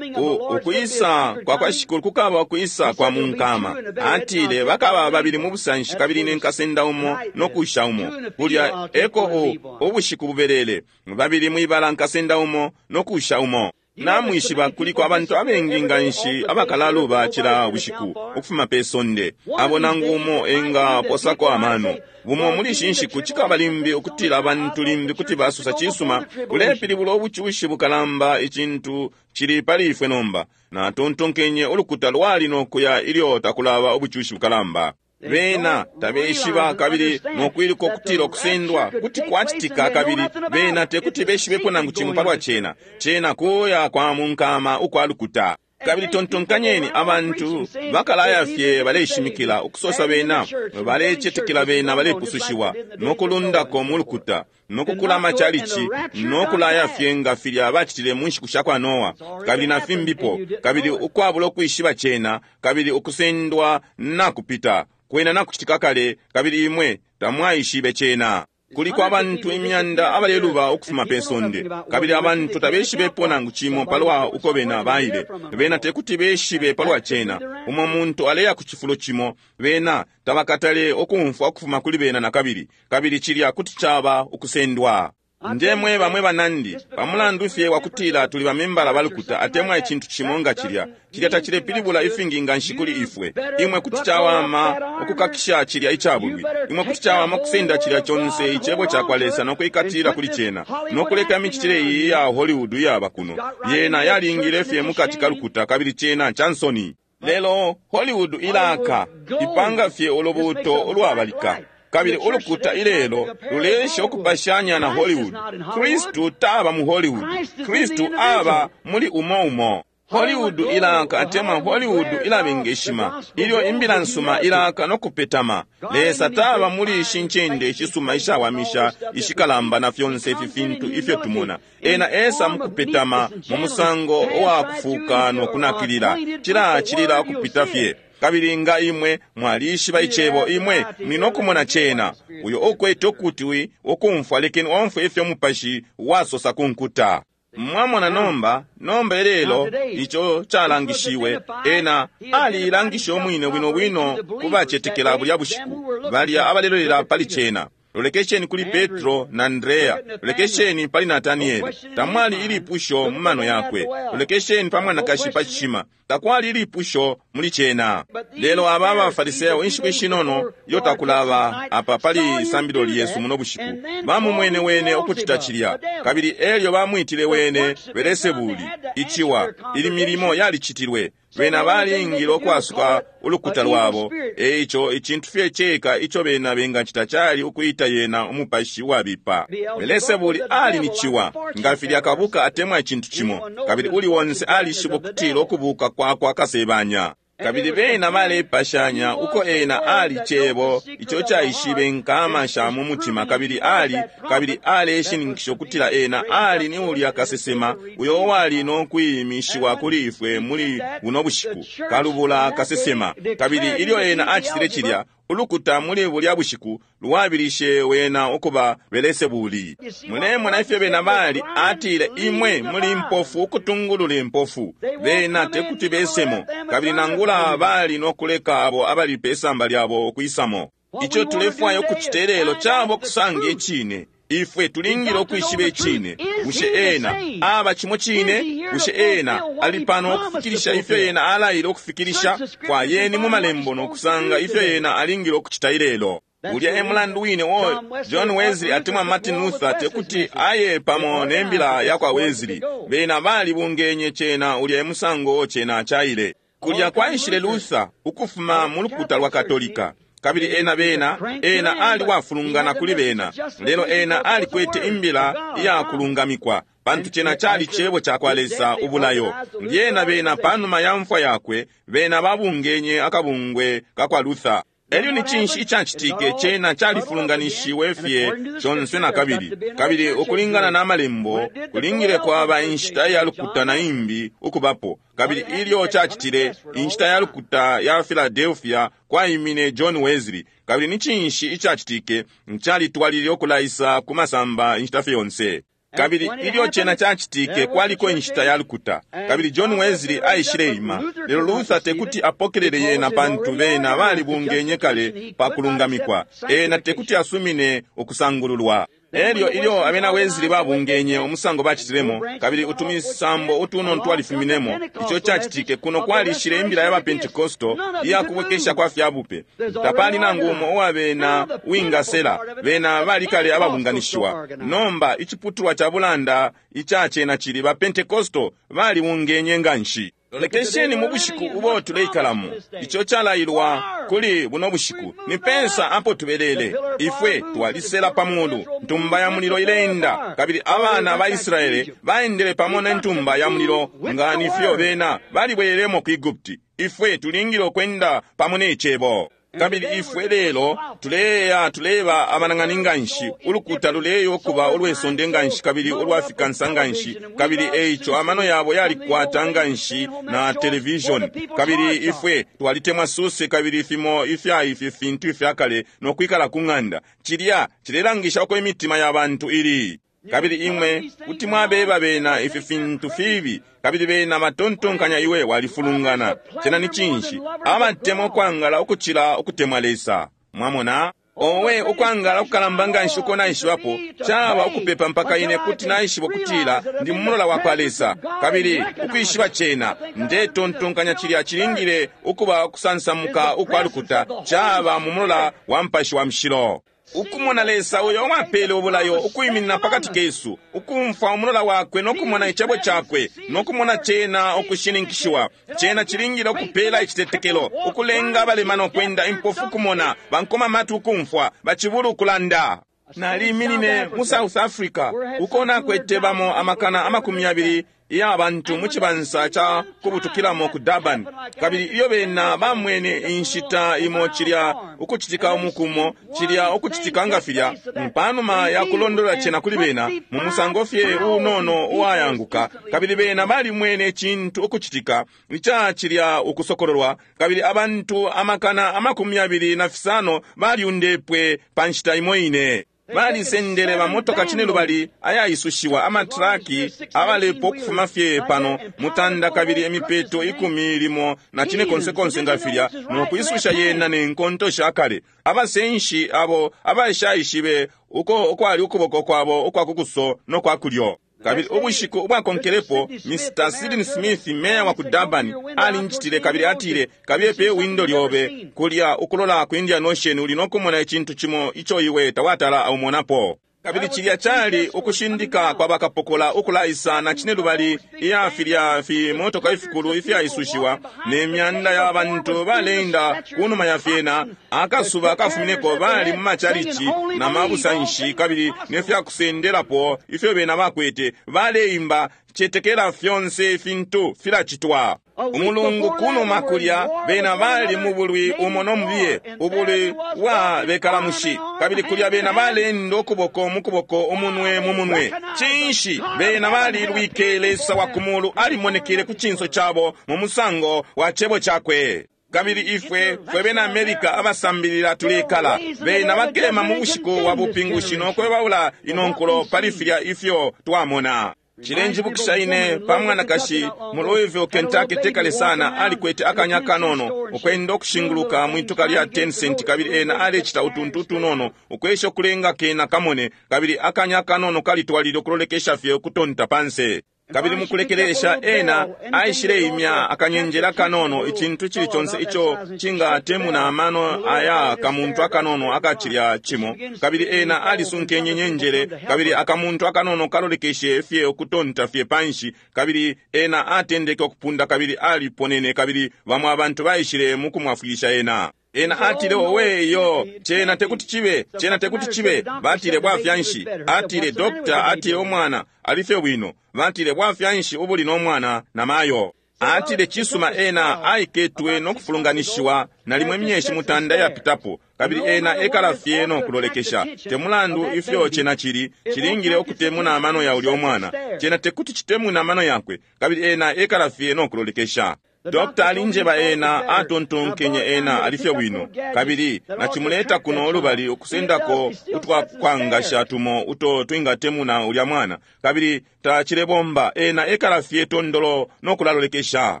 ukwisa kwa kwa Shikulu kukaba ukwisa kwa munkama. Atile bakaba babili mu busanshi, kabili ne nkasenda umo no kusha umo. Kulya eko ubushiku bubelele, babili mwibala nkasenda umo no kusha umo. Namwishiba kuliko abantu abengi nganshi abakalaluba cila bushiku ukufuma pe sonde, abo nangu umo engaposako amano. Bumo muli ishi nshiku cikaba limbi ukutila abantu limbi kuti basosa, cisuma, ulepilibula ubucushi bukalamba, icintu cili pali ifwe nomba. Natontonkenye ulukuta lwali no kuya ilyo takulaba ubucushi bukalamba. Bena tabeshiba kabili nokwiluka ukutila ukusendwa kuti kwacitika, kabili bena tekuti beshibepo nangu cimo palwa cena. Cena kuya kwa munkama ukwa lukuta. Kabili tontonkanyeni, abantu bakalaya fye baleshimikila ukusosa bena balecetekela bena balepusushiwa, nokulundako mu lukuta, nokukula amachalichi, nokulaya fye nga filya bacitile mu nshiku sha kwa Noa, kabili na fimbipo, kabili ukwabula ukwishiba cena, kabili ukusendwa nakupita kwena nakucitika kale, kabili imwe tamwaishibe cena. Kuliko abantu imyanda abaleluba ukufuma pe sonde, kabili abantu tabeshibepo nangu cimo palwa uko bena baile. Bena tekuti beshibe palwa cena. Umo muntu aleya ku cifulo cimo, bena tabakatale ukumfwa ukufuma kuli bena nakabili, kabili cilya kuti caba ukusendwa. Ndemwe bamwe banandi, pamulandu fye wakutila tuli bamembala balukuta atemwa icintu cimo nga cilya, cilya tacilepilibula ifingi nganshi kuli ifwe. Imwe kuti cawama ukukakisha cilya icabulwi. Imwe kuti cawama ukusenda cilya conse icebo ca kwa Lesa no kuikatila kuli cena, no kuleka imicitile iyi ya Hollywood iyaba kuno. Yena yalingile fye mukati ka lukuta, kabili cena ca nsoni. Lelo Hollywood ilaka, ipanga fye ulubuuto ulwabalika. Kabili ulukuta ilelo lulesha ukupashanya na Hollywood. Kristu taba mu Hollywood. Kristu aba muli umo umo. Hollywood ilaka atemwa Hollywood ilabengeshima, ilyo imbila nsuma ilaka no kupetama. Lesa taba muli ishi ncende ishisuma ishawamisha ishikalamba na fyonse ifi fintu ifyo tumona. Ena esa mukupetama mu musango wa kufuka no kunakilila, cilacilila ukupita fye. Kabili nga imwe mwalishiba icebo, imwe muli no kumona cena. Uyo ukwete ukutwi ukumfwa, lekeni omfwe ifyo Mupashi wasosa ku nkuta. Mwamona nomba, nomba ilelo ico calangishiwe, ena aliilangishe umwine bwino bwino ku bacetekela bulya bushiku, balya abalelolela pali cena. Lolekesheni kuli Petro na Andrea, lolekesheni pali Natanieli, tamwali ilipusho mu mano yakwe. Lolekesheni pa mwanakashi pa cishima, takwali ilipusho muli cena. Lelo aba abaFariseyo inshiku ishinono ilyo takulaba apa pali isambilo lyesu muno bushiku, bamumwene wene ukucita cilya, kabili elyo bamwitile wene Belesebuli, iciwa. Ili milimo yalicitilwe, bena balingile ukwasuka ulukuta lwabo. Eico icintu fye ceka ico bena bengacita cali ukuita yena umupashi wabipa. Belesebuli ali ni ciwa, nga filya kabuka atemwa icintu cimo, kabili uli wonse alishiba ukutila ukubuka kwakwa kasebanya. Kabili bena balepashanya uko ena ali cebo ico caishibe nkama sha mu mutima, kabili ali kabili aleshininkisha ukutila ena ali ni ulya kasesema uyo wali no kwimishiwa kuli ifwe muli buno bushiku, kalubula kasesema. Kabili ilyo ena acitile cilya, Ulukuta muli bulya bushiku lwabilishe wena ukuba Belesebuli. Mulemona ifyo bena bali, atile imwe muli mpofu ukutungulula impofu. Bena tekuti besemo, kabili nangula bali nokuleka abo abali pesamba lyabo ukwisamo. Ico tulefwaya ukucita lelo caba kusanga icine. Ifwe tulingile ukwishiba icine. Bushe ena aba cimo cine? Bushe ena ali pano ukufikilisha ifyo ena alaile ukufikilisha? Fwayeni mu malembo nokusanga ifyo ena alingile ukucita ilelo. Ulya e mulandu wine wo John Wesley atemwa Martin Luther tekuti aye pamo ne mbila ya kwa Wesley. Bena balibungenye cena, ulya e musango cena caile. Kulya kwaishile Luther ukufuma mu lukuta lwa Katolika. Kabili ena bena, ena ali wafulungana kuli bena, lelo ena alikwete imbila iya kulungamikwa, pantu cena cali cebo ca kwa Lesa ubulayo. Lyena bena panuma ya mfwa yakwe, bena babungenye akabungwe ka kwa Luther. Elyo ni cinshi icacitike? Cena califulunganishiwe fye conse na kabili. Kabili ukulingana na malembo, kulingile kwaba inshita ya lukuta na imbi ukubapo. Kabili ilyo cacitile, inshita ya lukuta ya Philadelphia kwaimine John Wesley. Kabili ni cinshi icacitike? Calitwalilile ukulaisa ku masamba inshita fye yonse. Kabili ilyo cena cacitike, kwaliko inshita ya lukuta. Kabili John Wesley aishileima, lelo Luther tekuti apokelele yena pantu bena balibungenye kale pa kulungamikwa. Ena tekuti asumine ukusangululwa. Elyo ilyo abena Wesley babungenye umusango bacitilemo, kabili utumisambo utunono twalifuminemo, ico cacitike kuno kwalishile imbila ya ba Pentecostal iya kubwekesha kwa fyabupe. Tapali nangu umo uwa bena uwingasela, bena balikale ababunganishiwa. Nomba iciputulwa ca bulanda ica cena cili ba Pentecostal balibungenye nganshi. Lolekesheni mu bushiku ubo tuleikalamo, ico calailwa kuli buno bushiku. Ni pensa apo tubelele. Ifwe twalisela pa mulu, ntumba ya mulilo ileenda, kabili abana ba Israele baendele pamo ne ntumba ya mulilo nga nifyo bena balibwelelemo ku Egupti. Ifwe tulingile ukwenda pamo ne cebo. Kabili ifwe lelo tuleya tuleba abanang'ani nganshi, ulukuta luleya ukuba ulwesonde nganshi kabili ulwafikansa nganshi, kabili eico amano yabo yalikwata nganshi na television. Kabili ifwe twalitemwa suse kabili fimo ifya ifi fintu ifyakale nokwikala ku ng'anda. Cilya cilelangisha uko imitima ya bantu ili. Kabili imwe kuti mwabeba bena ifi fintu fibi, kabili bena batontonkanya iwe walifulungana. Cena ni cinshi? Abatemwa ukwangala ukucila ukutemwa Lesa. Mwamona? Owe, ukwangala ukukalamba nganshi uko naishibapo caba ukupepa mpaka ine kuti naishiba ukutila ndi mumulola wa kwa Lesa. Kabili ukwishiba cena, ndetontonkanya cilya cilingile ukuba ukusansamuka ukwa lukuta, caba mu mulola wa Mupashi wa Mushilo. Ukumona Lesa uyo wapele ubulayo ukwiminina pakati kesu, ukumfwa umulola wakwe nokumona icebo cakwe, nokumona cena ukushininkishiwa. Cena cilingile ukupela icitetekelo, ukulenga abalema ukwenda, impofu kumona, bankoma matu ukumfwa, bacibulu ukulanda. Naliminine mu South Africa uko nakwete bamo amakana amakumi yabili ya bantu mu cibansa ca kubutukilamo ku Durban. Kabili ilyo bena bamwene inshita imo cilya ukucitika umukumo, cilya ukucitika nga filya, panuma ya kulondola cena kuli bena mu musango fye unono uwayanguka, kabili bena balimwene icintu ukucitika ica cilya ukusokololwa, kabili abantu amakana amakumi yabili na fisano balyundepwe pa nshita imo ine. Balisendele bamotoka cine lubali ayaisushiwa amatraki abalepo ukufuma fye pano mutanda kabili emipeto ikumi limo na cine konse konse nga filya, nokwisusha yena ne nkonto sha kale. Abasenshi abo abashaishibe uko ukwali ukuboko kwabo ukwa kukuso no kwa kulyo. Kabili ubushiku ubwakonkelepo, Mister Sidney Smith, meya wa ku Durban, alinjitile kabili atile, kabiye pe windo lyobe kulya ukulola ku Indian Ocean, uli nokumona icintu cimo ico iwe tawatala aumonapo. Kabili cilya cali ukushindika kwa bakapokola ukulaisa na cine lubali iya filya fimotoka ifikulu ifyaisushiwa ne myanda ya bantu baleenda kunuma ya fyena. Akasuba kafumineko bali mu macalici na mabusanshi kabili ne fyakusendelapo ifyo bena bakwete, baleimba cetekela fyonse ifintu filacitwa. Umulungu kunuma kulya bena bali mu bulwi umo no mubiye, ubulwi bwa bekalamushi, kabili kulya bena balenda ukuboko mu kuboko, umunwe mu munwe. Cinshi? Bena balilwike Lesa wa kumulu alimonekele ku cinso cabo mu musango wa cebo cakwe. Kabili ifwe fwe bena America abasambilila tulekala bena bakema mu bushiku bwa bupingushi nokwebaula ino nkulo pali filya ifyo twamona. Cilenjibukisha ine pa mwanakashi mu Louisville, Kentucky tekale sana, alikwete akanya kanono ukwenda ukushinguluka mwituka lya ten cent, kabili ena alecita utuntu utunono ukwesha ukulenga kena kamone, kabili akanya kanono kalitwalile ukulolekesha fye ukutonta panse. Kabili mukulekelesha ena aishileimya akanyenjela kanono, icintu icili conse ico cingatemuna amano aya kamuntu akanono akacilya cimo, kabili ena alisunkenye nyenjele, kabili akamuntu akanono kalolekeshe fye ukutonta fye panshi, kabili ena atendeke ukupunda kabili aliponene, kabili bamwe abantu baishile mukumwafwilisha ena. Ena atile, owe yo, cena tekuti chibe, cena tekuti chibe. Batile bwafyanshi. Atile dokta, atile umwana alife bwino. Batile bwafyanshi ubuli no mwana na mayo. Atile chisuma ena aiketwe no kufulunganishiwa nalimwe myeshi mutanda yapitapo, kabili ena ekala fye no kulolekesha. Temulandu ifyo cena chili, chilingile ukutemuna amano ya ulyo mwana. Cena tekuti chitemuna amano yakwe, kabili ena ekala fye no kulolekesha. Dokta alinjeba ena atontonkenye ena alifye bwino, kabili nachimuleta kuno olubali ukusendako utwakwangasha tumo uto twingatemuna ulya mwana, kabili tachilebomba. Ena ekala fye tondolo nokulalolekesha.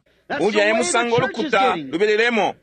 Ulya e musango olukuta lubelelemo.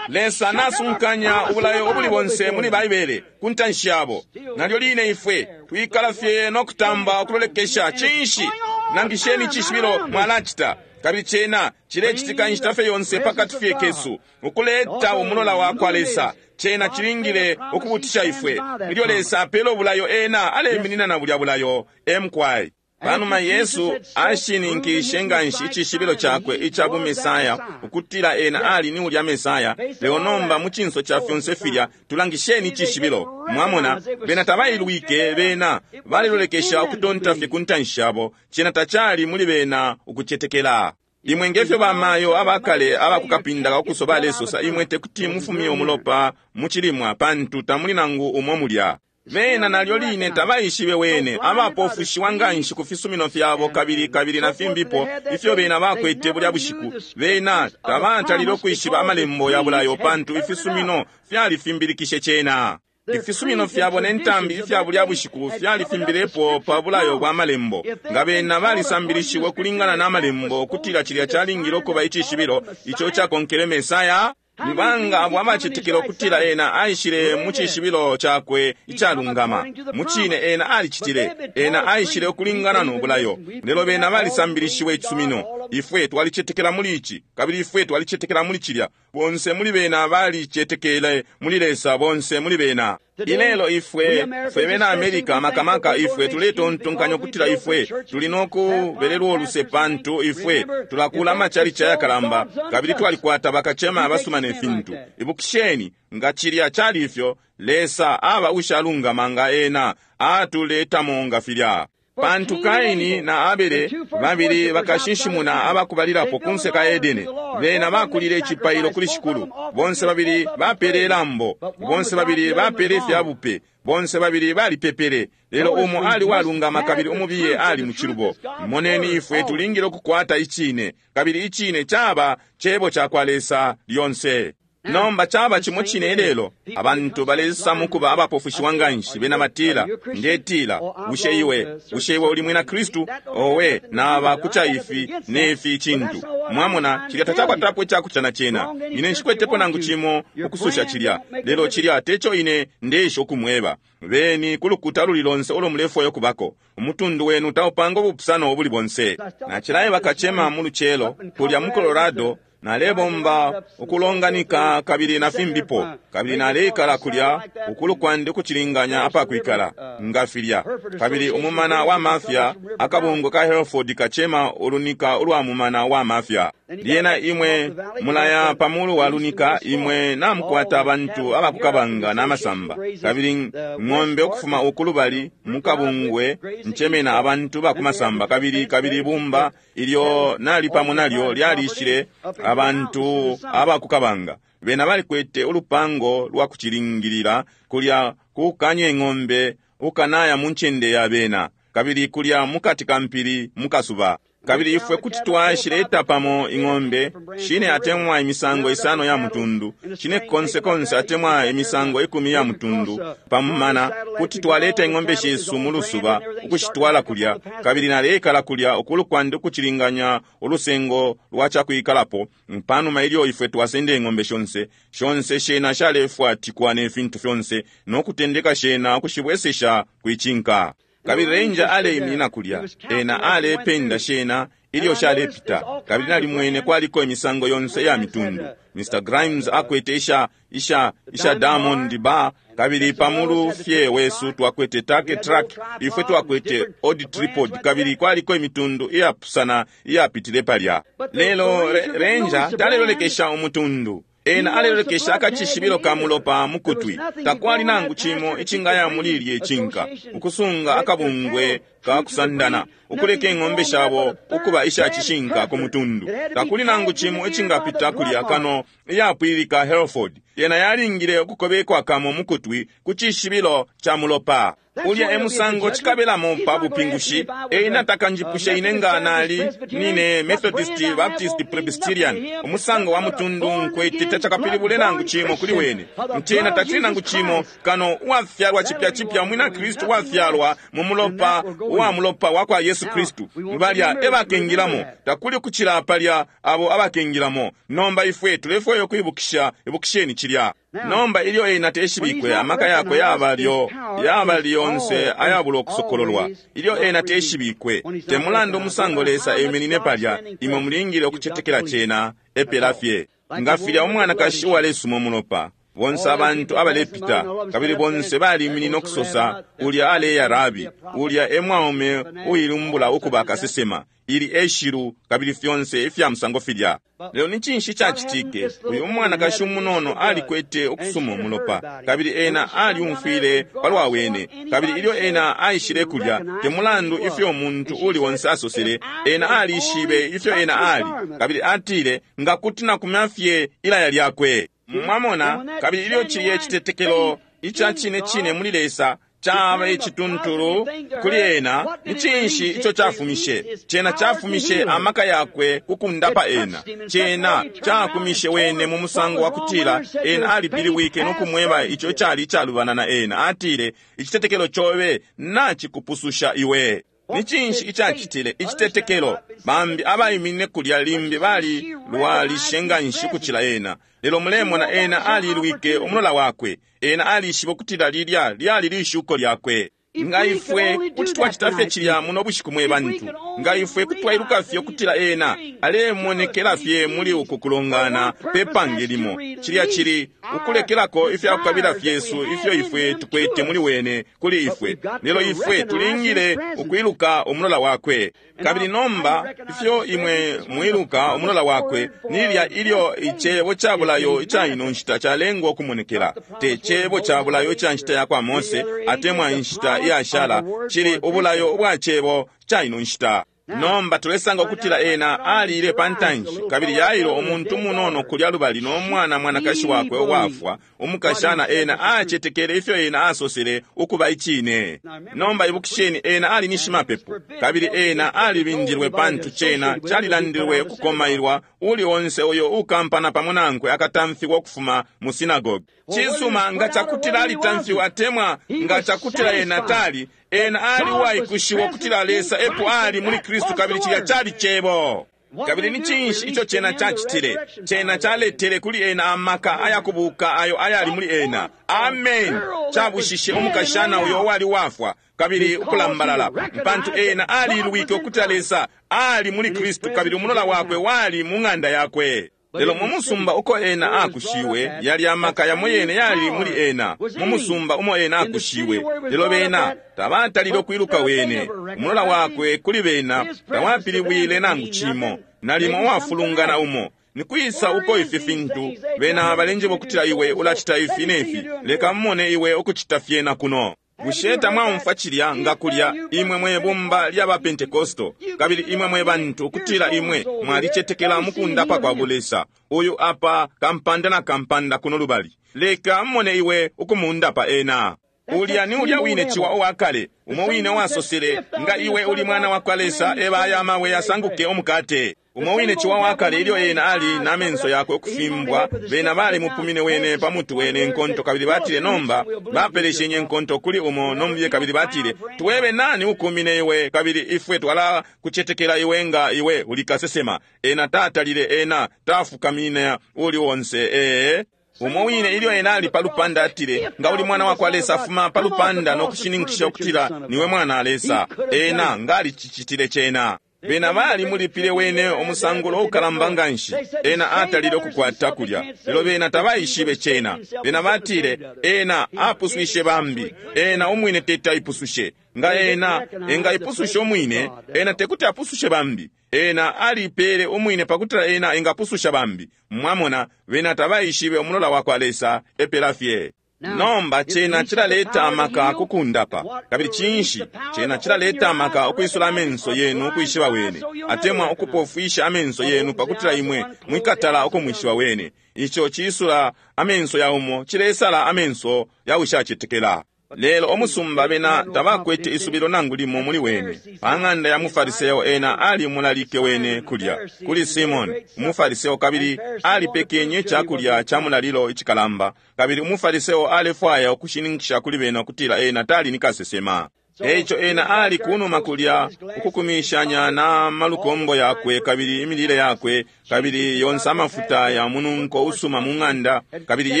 Lesa nasunkanya ubulayo obuli bonse muli Baibele ku ntanshi yabo. Nalyo line ifwe twikala fye nokutamba ukulolekesha. Cinshi? Nangisheni icishibilo mwalacita. Kabili cena cilecitika inshita fye yonse pakati fye kesu ukuleta umulola wakwa Lesa. Cena cilingile ukubutisha ifwe. Ilyo Lesa apela ubulayo, ena aleminina na bulya bulayo. Emkwai. Panuma Yesu ashininkishe nganshi icishibilo cakwe ica bu Mesaya, ukutila ena ali ni ulya Mesaya. Lelo nomba mu cinso ca fyonse filya, tulangisheni icishibilo. Mwamona, bena tabailwike, bena balilolekesha ukutonta fye ku ntanshi yabo. Cena tacali muli bena ukucetekela. Imwe ngefyo bamayo abakale abakukapinda ukuso balesosa, imwe tekuti mufumye umulopa mu chilimwa pantu tamuli nangu umo mulya. Bena nalyo line tabaishibe wene, abapofushiwa nganshi ku fisumino fyabo kabili kabili na fimbipo ifyo bena bakwete bulya bushiku. Bena tabatalile ukwishiba amalembo ya bulayo pantu ifisumino fyalifimbilikishe cena. Ifisumino fyabo ne ntambi ifya bulya bushiku fyalifimbilepo pa bulayo bwa malembo. Nga bena balisambilishiwe kulingana na malembo kutila cilya calingile ukuba icishibilo ico cakonkele Mesaya. Nibanga abo abacetekela ukutila ena aishile mu cishibilo cakwe icalungama. Mucine ena alicitile. Ena aishile ukulingana no bulayo. Lelo bena balisambilishiwe icisumino. Ifwe twalicetekela muli ici, kabili ifwe twalicetekela muli cilya. Bonse muli bena balicetekele muli Lesa, bonse muli bena. Ilelo ifwe fwe bena America makamaka ifwe tuletontonkanya ukutila ifwe tuli nokubelelwa oluse pantu ifwe tulakula amachalichi ayakalamba kabili twalikwata bakachema abasuma ne fintu. Ibukisheni, nga cilya cali ifyo, Lesa aba ushalungama nga ena atuletamo nga filya. Pantu Kaini na Abele babili bakashinshimuna abakubalilapo kunse ka Edene. Bena bakulile icipailo kuli Shikulu. Bonse babili bapele ilambo, bonse babili bapele ifyabupe, bonse babili balipepele. Lelo umo ali walungama kabili umubiye ali muchilubo. Moneni, ifwe tulingile ukukwata icine, kabili icine caba cebo cakwa Lesa lyonse. Nomba chaba chimo chine ilelo abantu balesa mukuba abapofushiwa nganshi. Bena batila, ndetila, bushe iwe bushe iwe uli mwina Kristu? Owe, naba kucha ifi nefi chintu. Mwamona, chilya tachakwatapo ichakuchana chena. Ine nshikwetepo nangu chimo ukususha chilya, lelo chilya techo ine ndesha ukumweba. Beni kulukuta luli lonse ulo mulefwayo kubako. Umutundu wenu taupanga ubupusano obuli bonse. Nachilaye bakachema mu luchelo kulya mu Colorado. Nalebomba ukulonganika kabili na fimbipo, kabili naleikala kulya ukulu kwandi ukuchilinganya apakwikala nga filya. Kabili umumana wa mafia, akabungwe ka Hereford kachema ulunika ulwa mumana wa mafia. Lyena imwe mulaya pamulu wa lunika, imwe namukwata abantu abakukabanga n'amasamba. Kabili ng'ombe ukufuma ukulubali mukabungwe nchemena abantu bakumasamba. Kabili kabili ibumba ilyo nali pamo nalyo lyalishile abantu abakukabanga. Bena balikwete ulupango lwa kuchilingilila kulya kukanye ng'ombe ukanaya mu ncende ya bena, kabili kulya mukati ka mpili mukasuba. Kabili ifwe kuti twashileta pamo ing'ombe shine atemwa imisango isano ya mutundu, shine konse konse atemwa imisango ikumi ya mutundu pamumana, kuti twaleta ing'ombe shesu mu lusuba ukushitwala kulya. Kabili naleikala kulya ukulu kwandi ukucilinganya ulusengo lwa cakwikalapo. Panuma ilyo ifwe twasenda ing'ombe shonse shonse shena shalefwatikwa ne fintu fyonse no kutendeka shena ukushibwesesha kwicinka. Kabili ranger aleiminina kulya, ena alependa shena ilyo shalepita. Kabili nalimwene kwaliko imisango yonse ya mitundu. Mister Grimes akwete isha isha isha Diamond Bar, kabili pamulu fye wesu twakwete Turkey Track, ifwe twakwete Old Tripod, kabili kwaliko imitundu iyapusana iyapitile palya. Lelo ranger talelolekesha umutundu, ena alelolekesha akacishibilo ka mulopa mukutwi. Takwali nangu cimo icingaya muli ilye cinka, ukusunga akabungwe ka kusandana, ukuleka ing'ombe shabo ukuba isha cishinka ku mutundu. Takuli nangu cimo icingapita kulya kano iyapwilika Hereford. Yena yalingile ukukobekwa kamo mukutwi ku cishibilo cha mulopa. Ulya emusango chikabelamo pa bupingushi. Ena takanjipushe ine nga nali nine Methodist, Baptist, Presbyterian. Umusango wa mutundu nkwete tachakapilibule nangu chimo kuli wene. Ntena tachili nangu chimo kano uwafyalwa chipya chipya mwina Kristu wafyalwa mu mulopa wa mulopa wa kwa Yesu Kristu. Balya ebakengilamo, takuli kuchila palya abo abakengilamo. Nomba ifwe tulefwayo kuibukisha, ibukisheni chilya. Nomba ilyo ena teshibikwe, amaka yakwe yabalyo yaba lyonse ayabula okusokololwa. Ilyo ena teshibikwe, temulandu umusango Lesa eminine palya, imwe mulingile okucetekela cena epela fye. Nga filya umwanakashi uwalesuma umulopa, bonse abantu abalepita, kabili bonse baliminine okusosa, ulya aleya Rabi, ulya emwaume uilumbula ukuba kasesema, ili eshilu, kabili fyonse ifya musango filya. Lelo ni cinshi cacitike? Uyu umwanakashi umunono alikwete ukusuma umulopa, kabili ena aliumfwile palwa wene. Kabili ilyo ena aishile kulya, temulandu ifyo umuntu uli onse asosele, ena alishibe ifyo ena ali. Kabili atile, nga kuti nakumya fye ilaya lyakwe. Mwamona, kabili ilyo chiliye chitetekelo icha chine chine muli Lesa chaba icituntulu kuli ena, ni cinshi ico chafumishe? Cena chafumishe amaka yakwe kukundapa ena. Cena chakumishe wene mu musango wa kutila ena alipiliwike no kumweba ico cali icalubana na ena. Atile, icitetekelo chobe nachikupususha iwe. Ni cinshi icacitile icitetekelo? Bambi abaiminine kulya limbi bali lwalishe nga nshi kucila ena. Lelo mulemona ena alilwike umulola wakwe. Ena alishiba ukutila lilya lyali lishuko lyakwe. Nga ifwe kuti twacita fye cilya muno bushiku mwe bantu, nga ifwe kuti twailuka fye ukutila ena alemonekela fye muli uku kulongana pe pange limo, cilya cili ukulekelako ifya kukabila fyesu ifyo ifwe tukwete muli wene kuli ifwe. Lelo ifwe tulingile ukwiluka umulola wakwe. Kabili nomba ifyo imwe mwiluka umulola wakwe nilya ilyo icebo ca bulayo ica ino nshita calengwa ukumonekela. Te cebo ca bulayo ica nshita ya kwa Mose atemwa inshita iyashala, cili ubulayo ubwa cebo ca ino nshita. Nomba tulesanga ukutila ena alile pantanshi, kabili Yairo umuntu munono kulya lubali no mwana mwanakashi wakwe uwafwa umukashana, ena acetekele ifyo ena asosele ukuba icine. Nomba ibukisheni, ena ali ni shimapepo, kabili ena alibindilwe pantu cena calilandilwe ukukomailwa uli onse uyo ukampana pamo nankwe akatamfiwa ukufuma mu sinagoge. Cisuma, nga cakutila alitamfiwa atemwa nga cakutila ena tali, ena ali uwaikushiwa ukutila Lesa epo ali muli Kristu, kabili cilya cali cebo. Kabili ni cinshi ico cena cacitile? Cena caletele kuli ena amaka ayakubuka ayo ayali muli ena. Amen. Cabushishe umukashana uyo uwali wafwa kabili ukulambalala, pantu ena alilwike ukutila Lesa ali muli Kristu, kabili umulola wakwe wali mu ng'anda yakwe. Lelo mu musumba uko ena akushiwe, yali amaka yamo yene yali muli ena, mu musumba umo ena akushiwe. Lelo bena tabatalile ukwiluka wene. Umulola wakwe kuli bena tawapilibwile nangu cimo, nalimo uwafulungana umo. Nikwisa uko ifi fintu bena balenjeba ukutila iwe ulacita ifi nefi, leka mmone iwe ukucita fyena kuno. Bushe tamwaumfwa cilya nga kulya imwe mwe bumba lya ba Pentekosto, kabili imwe mwe bantu ukutila imwe mwalicetekela mukundapa kwa bulesa, uyu apa kampanda na kampanda kuno lubali, leka mmone iwe ukumundapa ena. Ulya ni ulya wine ciwa uwakale, umo wine wasosele, nga iwe uli mwana wa kwa Lesa, eba aya amabwe yasanguke umukate. Umo wine ciwa wakale ilyo ena ali na menso yakwe ukufimbwa, bena balimupumine wene pa mutu wene nkonto, kabili batile nomba bapeleshenye nkonto kuli umo nomubiye, kabili batile twebe nani ukumine iwe, kabili ifwe twala kucetekela iwe nga iwe uli kasesema. Ena tatalile, ena tafukamine uli onse. Ee, umo wine ilyo ena ali palupanda atile, nga uli mwana wa kwa Lesa, fuma palupanda no kushininkisha ukutila niwe mwana wa Lesa. Ena ngali cicitile cena. Bena bali mulipile wene umusangulo ukalamba nganshi. Ena atalile ukukwata kulya, lelo bena tabaishibe cena. Bena batile ena apuswishe bambi, ena umwine teti aipusushe. Nga ena engaipususha umwine, ena tekuti apusushe bambi. Ena alipele umwine pakutila ena engapususha bambi. Mwamona, bena tabaishibe umulola wa kwa Lesa epela fye. Nomba cena cilaleta amaka kukundapa, kabili cinshi cena cilaleta amaka ukwisula amenso yenu ukwishiba wene, atemwa ukupofwisha amenso yenu pakutila imwe mwikatala ukumwishiba wene. Ico cisula amenso ya umo, cilesala amenso ya ushacetekela. Lelo omusumba bena tabakwete isubilo nangu limo muli wene. Pa ng'anda ya mufariseo ena alimulalike wene kulya kuli Simoni umufariseo, kabili alipekenye icakulya ca mulalilo icikalamba, kabili umufariseo alefwaya ukushininkisha kuli bena ukutila ena tali ni kasesema. Eico ena ali kunuma kulya ukukumishanya na malukombo yakwe kabili imilile yakwe kabili yonse amafuta ya mununko usuma mu ng'anda. Kabili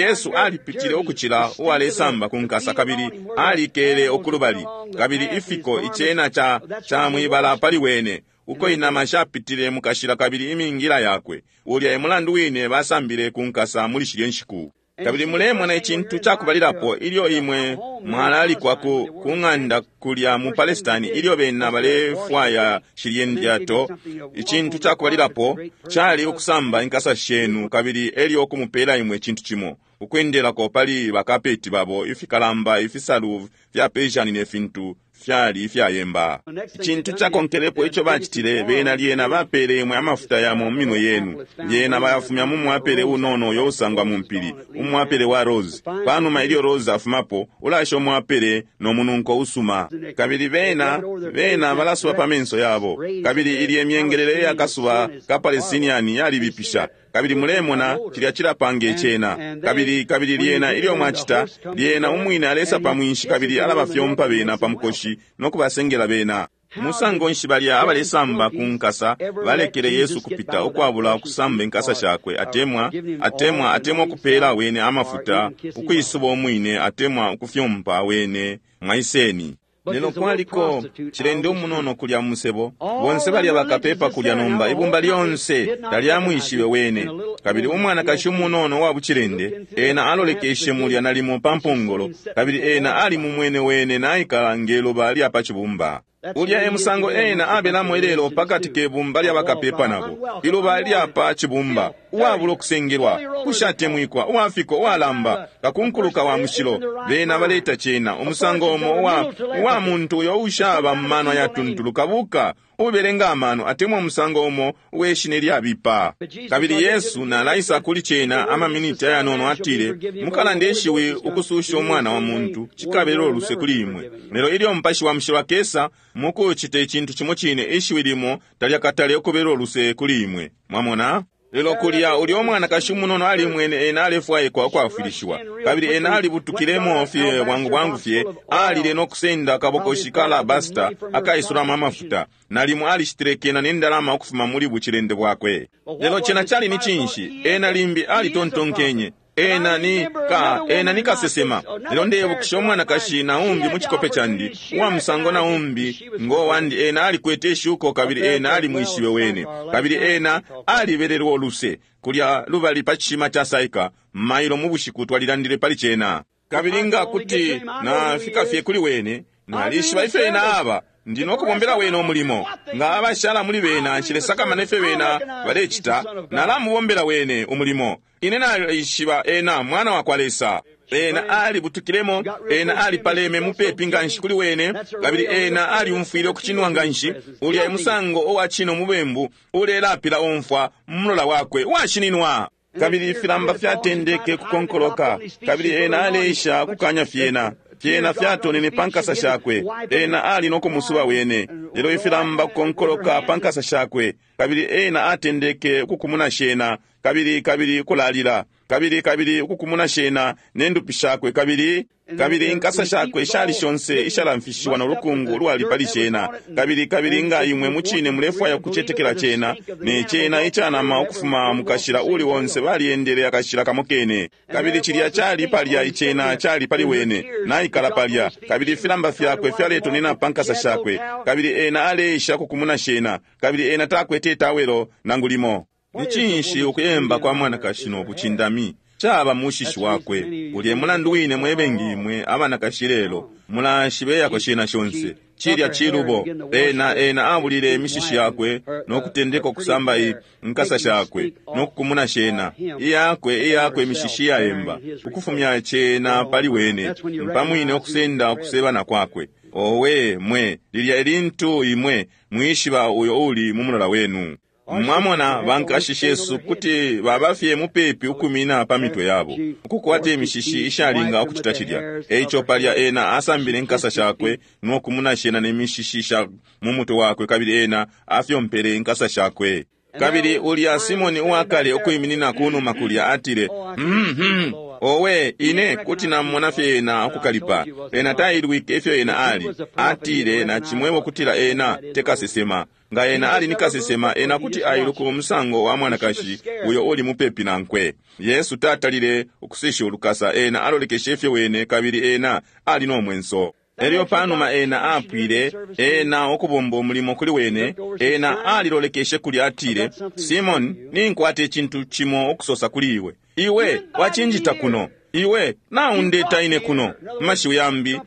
Yesu alipitile ukucila uwalesamba ku nkasa, kabili alikele ukulubali, kabili ifiko icena ca ca mwibala pali wene, uko inama shapitile mukashila kabili imingila yakwe. Ulya e mulandu wine basambile ku nkasa muli shilye nshiku. Kabili mulemona icintu cakubalilapo ilyo imwe mwalalikwa ku, ku ng'anda kulya mu Palestine, ilyo bena balefwaya shilye ndyato, icintu cakubalilapo cali ukusamba inkasa shenu, kabili elyo kumupela imwe icintu cimo ukwendelako pali bakapeti babo ifikalamba, ifisalu fya Persian ne fintu fyali ifyayemba. Icintu cakonkelepo ico bacitile, bena lyena bapele imwe amafuta yamo mu minwe yenu, lyena bayafumya mu mwapele unono uyo usangwa mu mpili, umwapele wa rose. Panuma ilyo rose afumapo, ulasha umwapele no mununko usuma, kabili bena bena balasuba pa menso yabo. Kabili ilye myengelele yakasuba ka Palestinian yalibipisha, kabili mulemona cilya cilapanga icena. Kabili kabili lyena ilyo mwacita, lyena umwine alesa pa mwinshi kabili alabafyompa bena pa mukoshi no kubasengela bena. Musango nshi balya abalesamba ku nkasa balekele Yesu kupita ukwabula ukusamba inkasa shakwe, atemwa atemwa atemwa kupela wene amafuta ukwisuba umwine, atemwa ukufyompa wene mwaiseni. Lelo kwaliko cilende umunono kulya musebo, bonse balya bakapepa kulya nomba ibumba lyonse talyamwishibe wene. Kabili umwanakashi umunono wa bucilende ena alolekeshe mulya nalimo pa mpongolo, kabili ena ali mumwene wene naikala ngeluba lya pa cibumba. Ulya e musango ena abelamo ilelo pakati ke bumba lya bakapepa nabo, iluba lya pa cibumba, uwabula ukusengelwa, ushatemwikwa, uwafiko, uwalamba, kakunkuluka wa mushilo. Bena baleta cena umusango umo uwa, uwa muntu uyo ushaba mu mano ayatuntulu, kabuka ubelenga amano, atemwa umusango umo uweshina ilyabipa. Kabili Yesu nalaisa kuli cena amaminiti ayanono, atile, mukalande ishiwi ukususha umwana wa muntu, cikabelo luse kuli imwe. Lelo ilyo Mupashi wa Mushilo akesa mukucita icintu cimo cine, ishiwi limo talyakatale ukubelo luse kuli imwe. Mwamona? Lelo kulya ulya umwanakashi umunono alimwene ena alefwaikwa ukwafwilishiwa, kabili ena alibutukilemo fye bwangu bwangu fye, alile no kusenda akabokoshi ka alabasta akaisulamo amafuta, nalimo alishitile kena ne ndalama ukufuma muli bucilende bwakwe. Lelo cena cali ni cinshi? Ena limbi alitontonkenye ena ni ka ena ni kasesema. Lelo ndeyebukisha umwanakashi na umbi mu cikope candi, uwa musango na umbi ngo wandi, ena alikwete ishuko kabili ena alimwishibe wene, kabili ena alibelelwa uluse kulya lubali pa cishima ca Saika mailo mu bushiku twalilandile pali cena. Kabili nga kuti nafika fye kuli wene, nalishiba ifyo ena aba, ndi nokubombela wene umulimo. Nga abashala muli bena nshilesakamana ifyo bena balecita, nalamubombela wene umulimo. Ine nalishiba ena mwana wa kwa Lesa. Ena alibutukilemo, ena alipaleme mupepi nganshi kuli wene, kabili ena aliumfwile ukucinwa nganshi. Ulya emusango uwa cino mubembu ulelapila omfwa mumulola wakwe uwashininwa. Kabili ifilamba fyatendeke kukonkoloka, kabili ena aleisha kukanya fyena. Fyena fyatonene pa nkasa shakwe. Ena ali no kumusuba wene, lelo ifilamba kukonkoloka pa nkasa shakwe. Kabili ena atendeke ukukumuna shena, kabili kabili ukulalila, kabili kabili ukukumuna shena ne ndupi shakwe, kabili kabili inkasa shakwe shali shonse ishalamfishiwa no lukungu lwali pali shena. Kabili kabili nga imwe mucine mulefwaya kucetekela cena, ne cena icanama ukufuma mukashila uli wonse baliendele akashila kamo kene. Kabili cilya cali palya, icena cali pali wene, naikala palya, kabili ifilamba fyakwe fyaletonena pa nkasa shakwe, kabili ena aleisha kukumuna shena, kabili ena takwete itawelo nangu limo. Ni cinshi ukuyemba kwa mwanakashi no bucindami caba mushishi wakwe? Ulye mulandu wine mwebengi imwe abanakashi lelo mulashibeyako shena shonse. Cilya cilubo. Ena ena abulile imishishi yakwe no kutendeka ukusamba inkasa shakwe no kukumuna shena iyakwe iyakwe imishishi yaemba, ukufumya cena pali wene, mpamwine okusenda okusebana kwakwe. Owe mwe, lilya elintu imwe mwishiba uyo uli mu mulola wenu. Mwamona bankashi shesu kuti babafye mupepi ukumina pa mitwe yabo, ukukwata imishishi ishalinga ukucita cilya. Eico palya ena asambile inkasa shakwe no kumuna shena ne mishishi sha mu mutwe wakwe, kabili ena afyompele inkasa shakwe. Kabili ulya Simoni uwakale ukwiminina kunuma kulya atile, mm-hmm, owe ine kuti namona fye ena ukukalipa. Ena tailwike ifyo ena ali. Atile, nacimwebo kutila ena tekasesema. Nga ena ali ni kasesema, ena kuti ailuka umusango wa mwanakashi uyo uli mupepi nankwe. Yesu tatalile ukusisha ulukasa, ena alolekeshe fye wene, kabili ena ali no mwenso. Elyo panuma ena apwile ena ukubomba umulimo kuli wene, ena alilolekeshe kuli atile, Simon, ninkwata icintu cimo ukusosa kuli iwe. Iwe wacinjita kuno, iwe naundeta ine kuno. Mashiwi yambi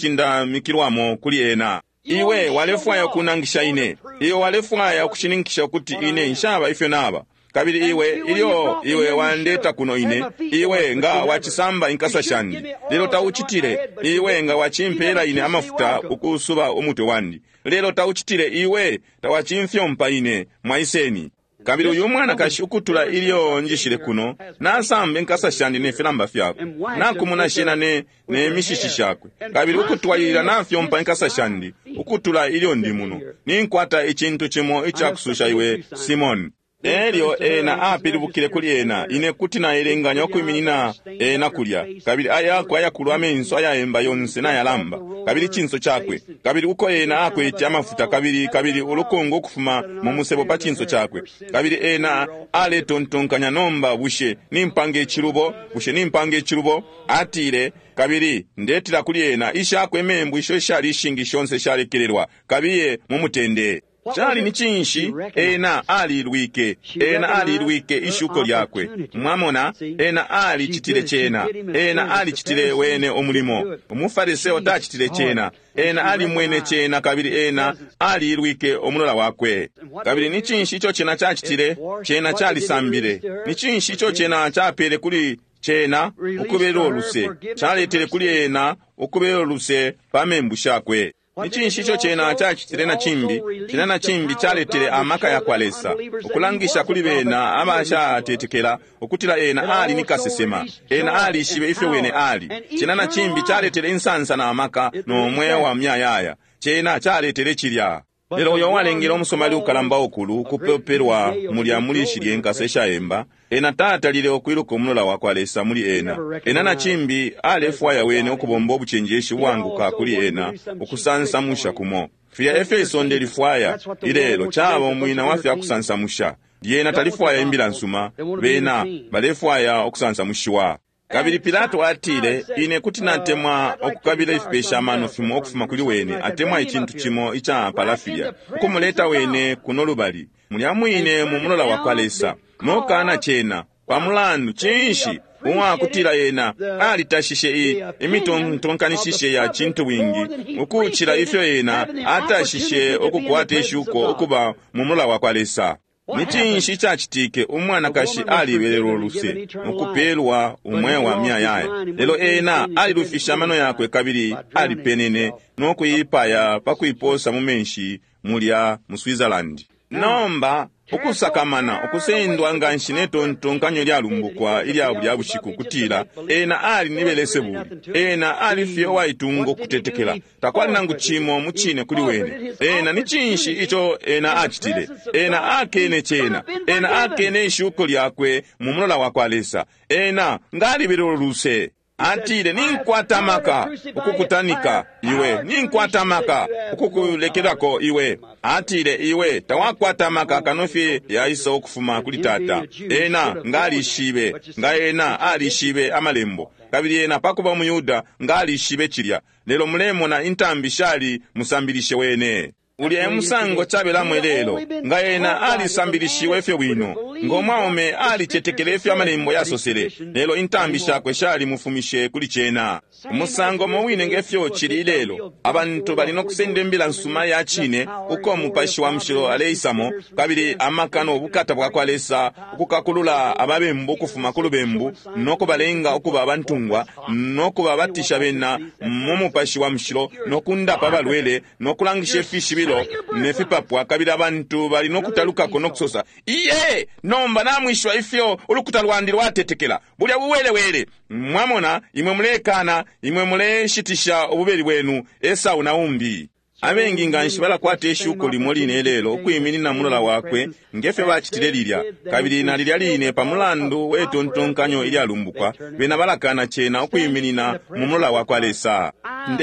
icakucindamikilwamo kuli ena. Iwe walefwaya ukunangisha ine, iwe walefwaya ukushininkisha ukuti ine nshaba ifyo naba. Kabili iwe ilyo iwe wandeta kuno ine, iwe nga wacisamba inkasa shandi, lelo taucitile. Iwe nga wacimpela ine amafuta ukusuba umutwe wandi, lelo taucitile. Iwe tawacimfyompa ine, mwaiseni. Kabili uyu mwanakashi ukutula ilyo njishile kuno, nasamba inkasa shandi ne filamba fyakwe, nakumuna shena ne, ne mishishi shakwe, kabili ukutwalilila nafyompa inkasa shandi ukutula ilyo ndi muno. Ninkwata icintu cimo icakususha iwe, Simoni. Elyo ena apilibukile kuli ena, ine kuti naelenganya ukwiminina ena kulya, kabili ayakwe ayakulu amenso ayaemba yonse nayalamba, kabili cinso cakwe, kabili uko ena akwete amafuta, kabili kabili ulukungu ukufuma mu musebo pa cinso cakwe, kabili ena aletontonkanya, nomba bushe nimpanga icilubo? Bushe nimpanga icilubo? Atile, kabili ndetila kuli ena, ishakwe membu isho ishali ishingi shonse shalekelelwa, kabiye mu mutende. Cali ni cinshi? Ena alilwike, ena alilwike ishuko lyakwe. Mwamona, ena alicitile cena, ena alicitile wene umulimo. Umufariseo tacitile cena, ena alimwene cena, kabili ena alilwike umulola wakwe. Kabili ni cinshi ico cena cacitile? Cena calisambile. Ni cinshi ico cena capele kuli cena? Ukubela uluse. Caletele kuli ena ukubela uluse pa membu shakwe. Ni cinshi ico cena cacitile na cimbi? Cena na cimbi caletele amaka ya kwa Lesa ukulangisha kuli bena abashatetekela ukutila ena ali ni kasesema, ena alishibe ifyo wene ali. Cena na cimbi caletele insansa na amaka no mweo wa myayaya. Cena caletele cilya. Lelo uyo walengele umusomali ukalamba ukulu ukupepelwa mulya muli shilye nkasa ishaemba, ena tatalile ukwiluka umulola wa kwa Lesa muli ena. Ena na cimbi alefwaya wene ukubomba ubucenjeshi bwanguka kuli ena ukusansamusha kumo. Filya efyo isonde lifwaya ilelo, caba umwina wa fya kusansamusha. Lyena talifwaya imbila nsuma, bena balefwaya ukusansamushiwa. Kabili Pilato atile, ine kuti natemwa ukukabila ifipesha amano fimo ukufuma kuli wene, atemwa icintu cimo ica palafilya, ukumuleta wene kuno lubali, mulya mwine mu mulola wa kwa Lesa, nokana cena pamulandu cinshi uwakutila ena alitashishe i imitontonkanishishe ya cintu bwingi ukucila ifyo ena atashishe ukukwata ishuko ukuba mu mulola wa kwa Lesa. Ni cinshi icacitike? Umwanakashi alibelelwa uluse mukupelwa umweo wa myayaya, lelo ena alilufishe amano yakwe kabili alipenene no kuipaya pa kuiposa mu menshi mulya mu Switzerland. Nomba Ukusakamana, ukusendwa nganshi ne tontonkanyo lyalumbukwa ilya bulya bushiku, kutila ena ali ni Belesebuli. Ena ali fye uwaitunga ukutetekela, takwali nangu cimo mu cine kuli wene. Ena ni cinshi ico ena acitile? Ena akene cena, ena akene ishuko lyakwe mu mulola wa kwa Lesa. Ena ngalibelelo luse. Atile, ninkwata maka ukukutanika iwe, ninkwata maka ukukulekelako iwe. Atile, iwe tawakwata maka kano fye yaisa ukufuma kuli Tata. Ena ngalishibe, nga ena alishibe amalembo, kabili ena pakuba umuyuda ngalishibe cilya. Lelo mulemona intambi shali musambilishe wene. Ulya emusango cabelamo ilelo, nga ena alisambilishiwe ifyo bwino, ngo mwaume alicetekele ifyo amalembo yasosele, lelo intambi shakwe shali mufumishe kuli cena. Umusango mo wine ngefyo cili ilelo, abantu bali nokusenda imbila nsuma ya cine uko Mupashi wa Mushilo aleisamo, kabili amaka no bukata bwa kwa Lesa ukukakulula ababembu ukufuma ku lubembu no kubalenga ukuba abantungwa no kubabatisha bena mu Mupashi wa Mushilo no kundapa abalwele no kulangisha ifishibilo ne fipapwa, kabili abantu bali nokutalukako nokusosa, iye, nomba namwishiwa ifyo ulukuta lwandi lwatetekela. Bulya buwelewele. Mwamona, imwe mulekana, imwe muleshitisha ububeli bwenu, Esau na umbi. Abengi nganshi balakwata ishuko limo line lelo ukwiminina mulola wakwe ngefyo bacitile lilya, kabili na lilya line pa mulandu we tontonkanyo ilyalumbukwa, bena balakana cena ukwiminina mu mulola wa kwa Lesa.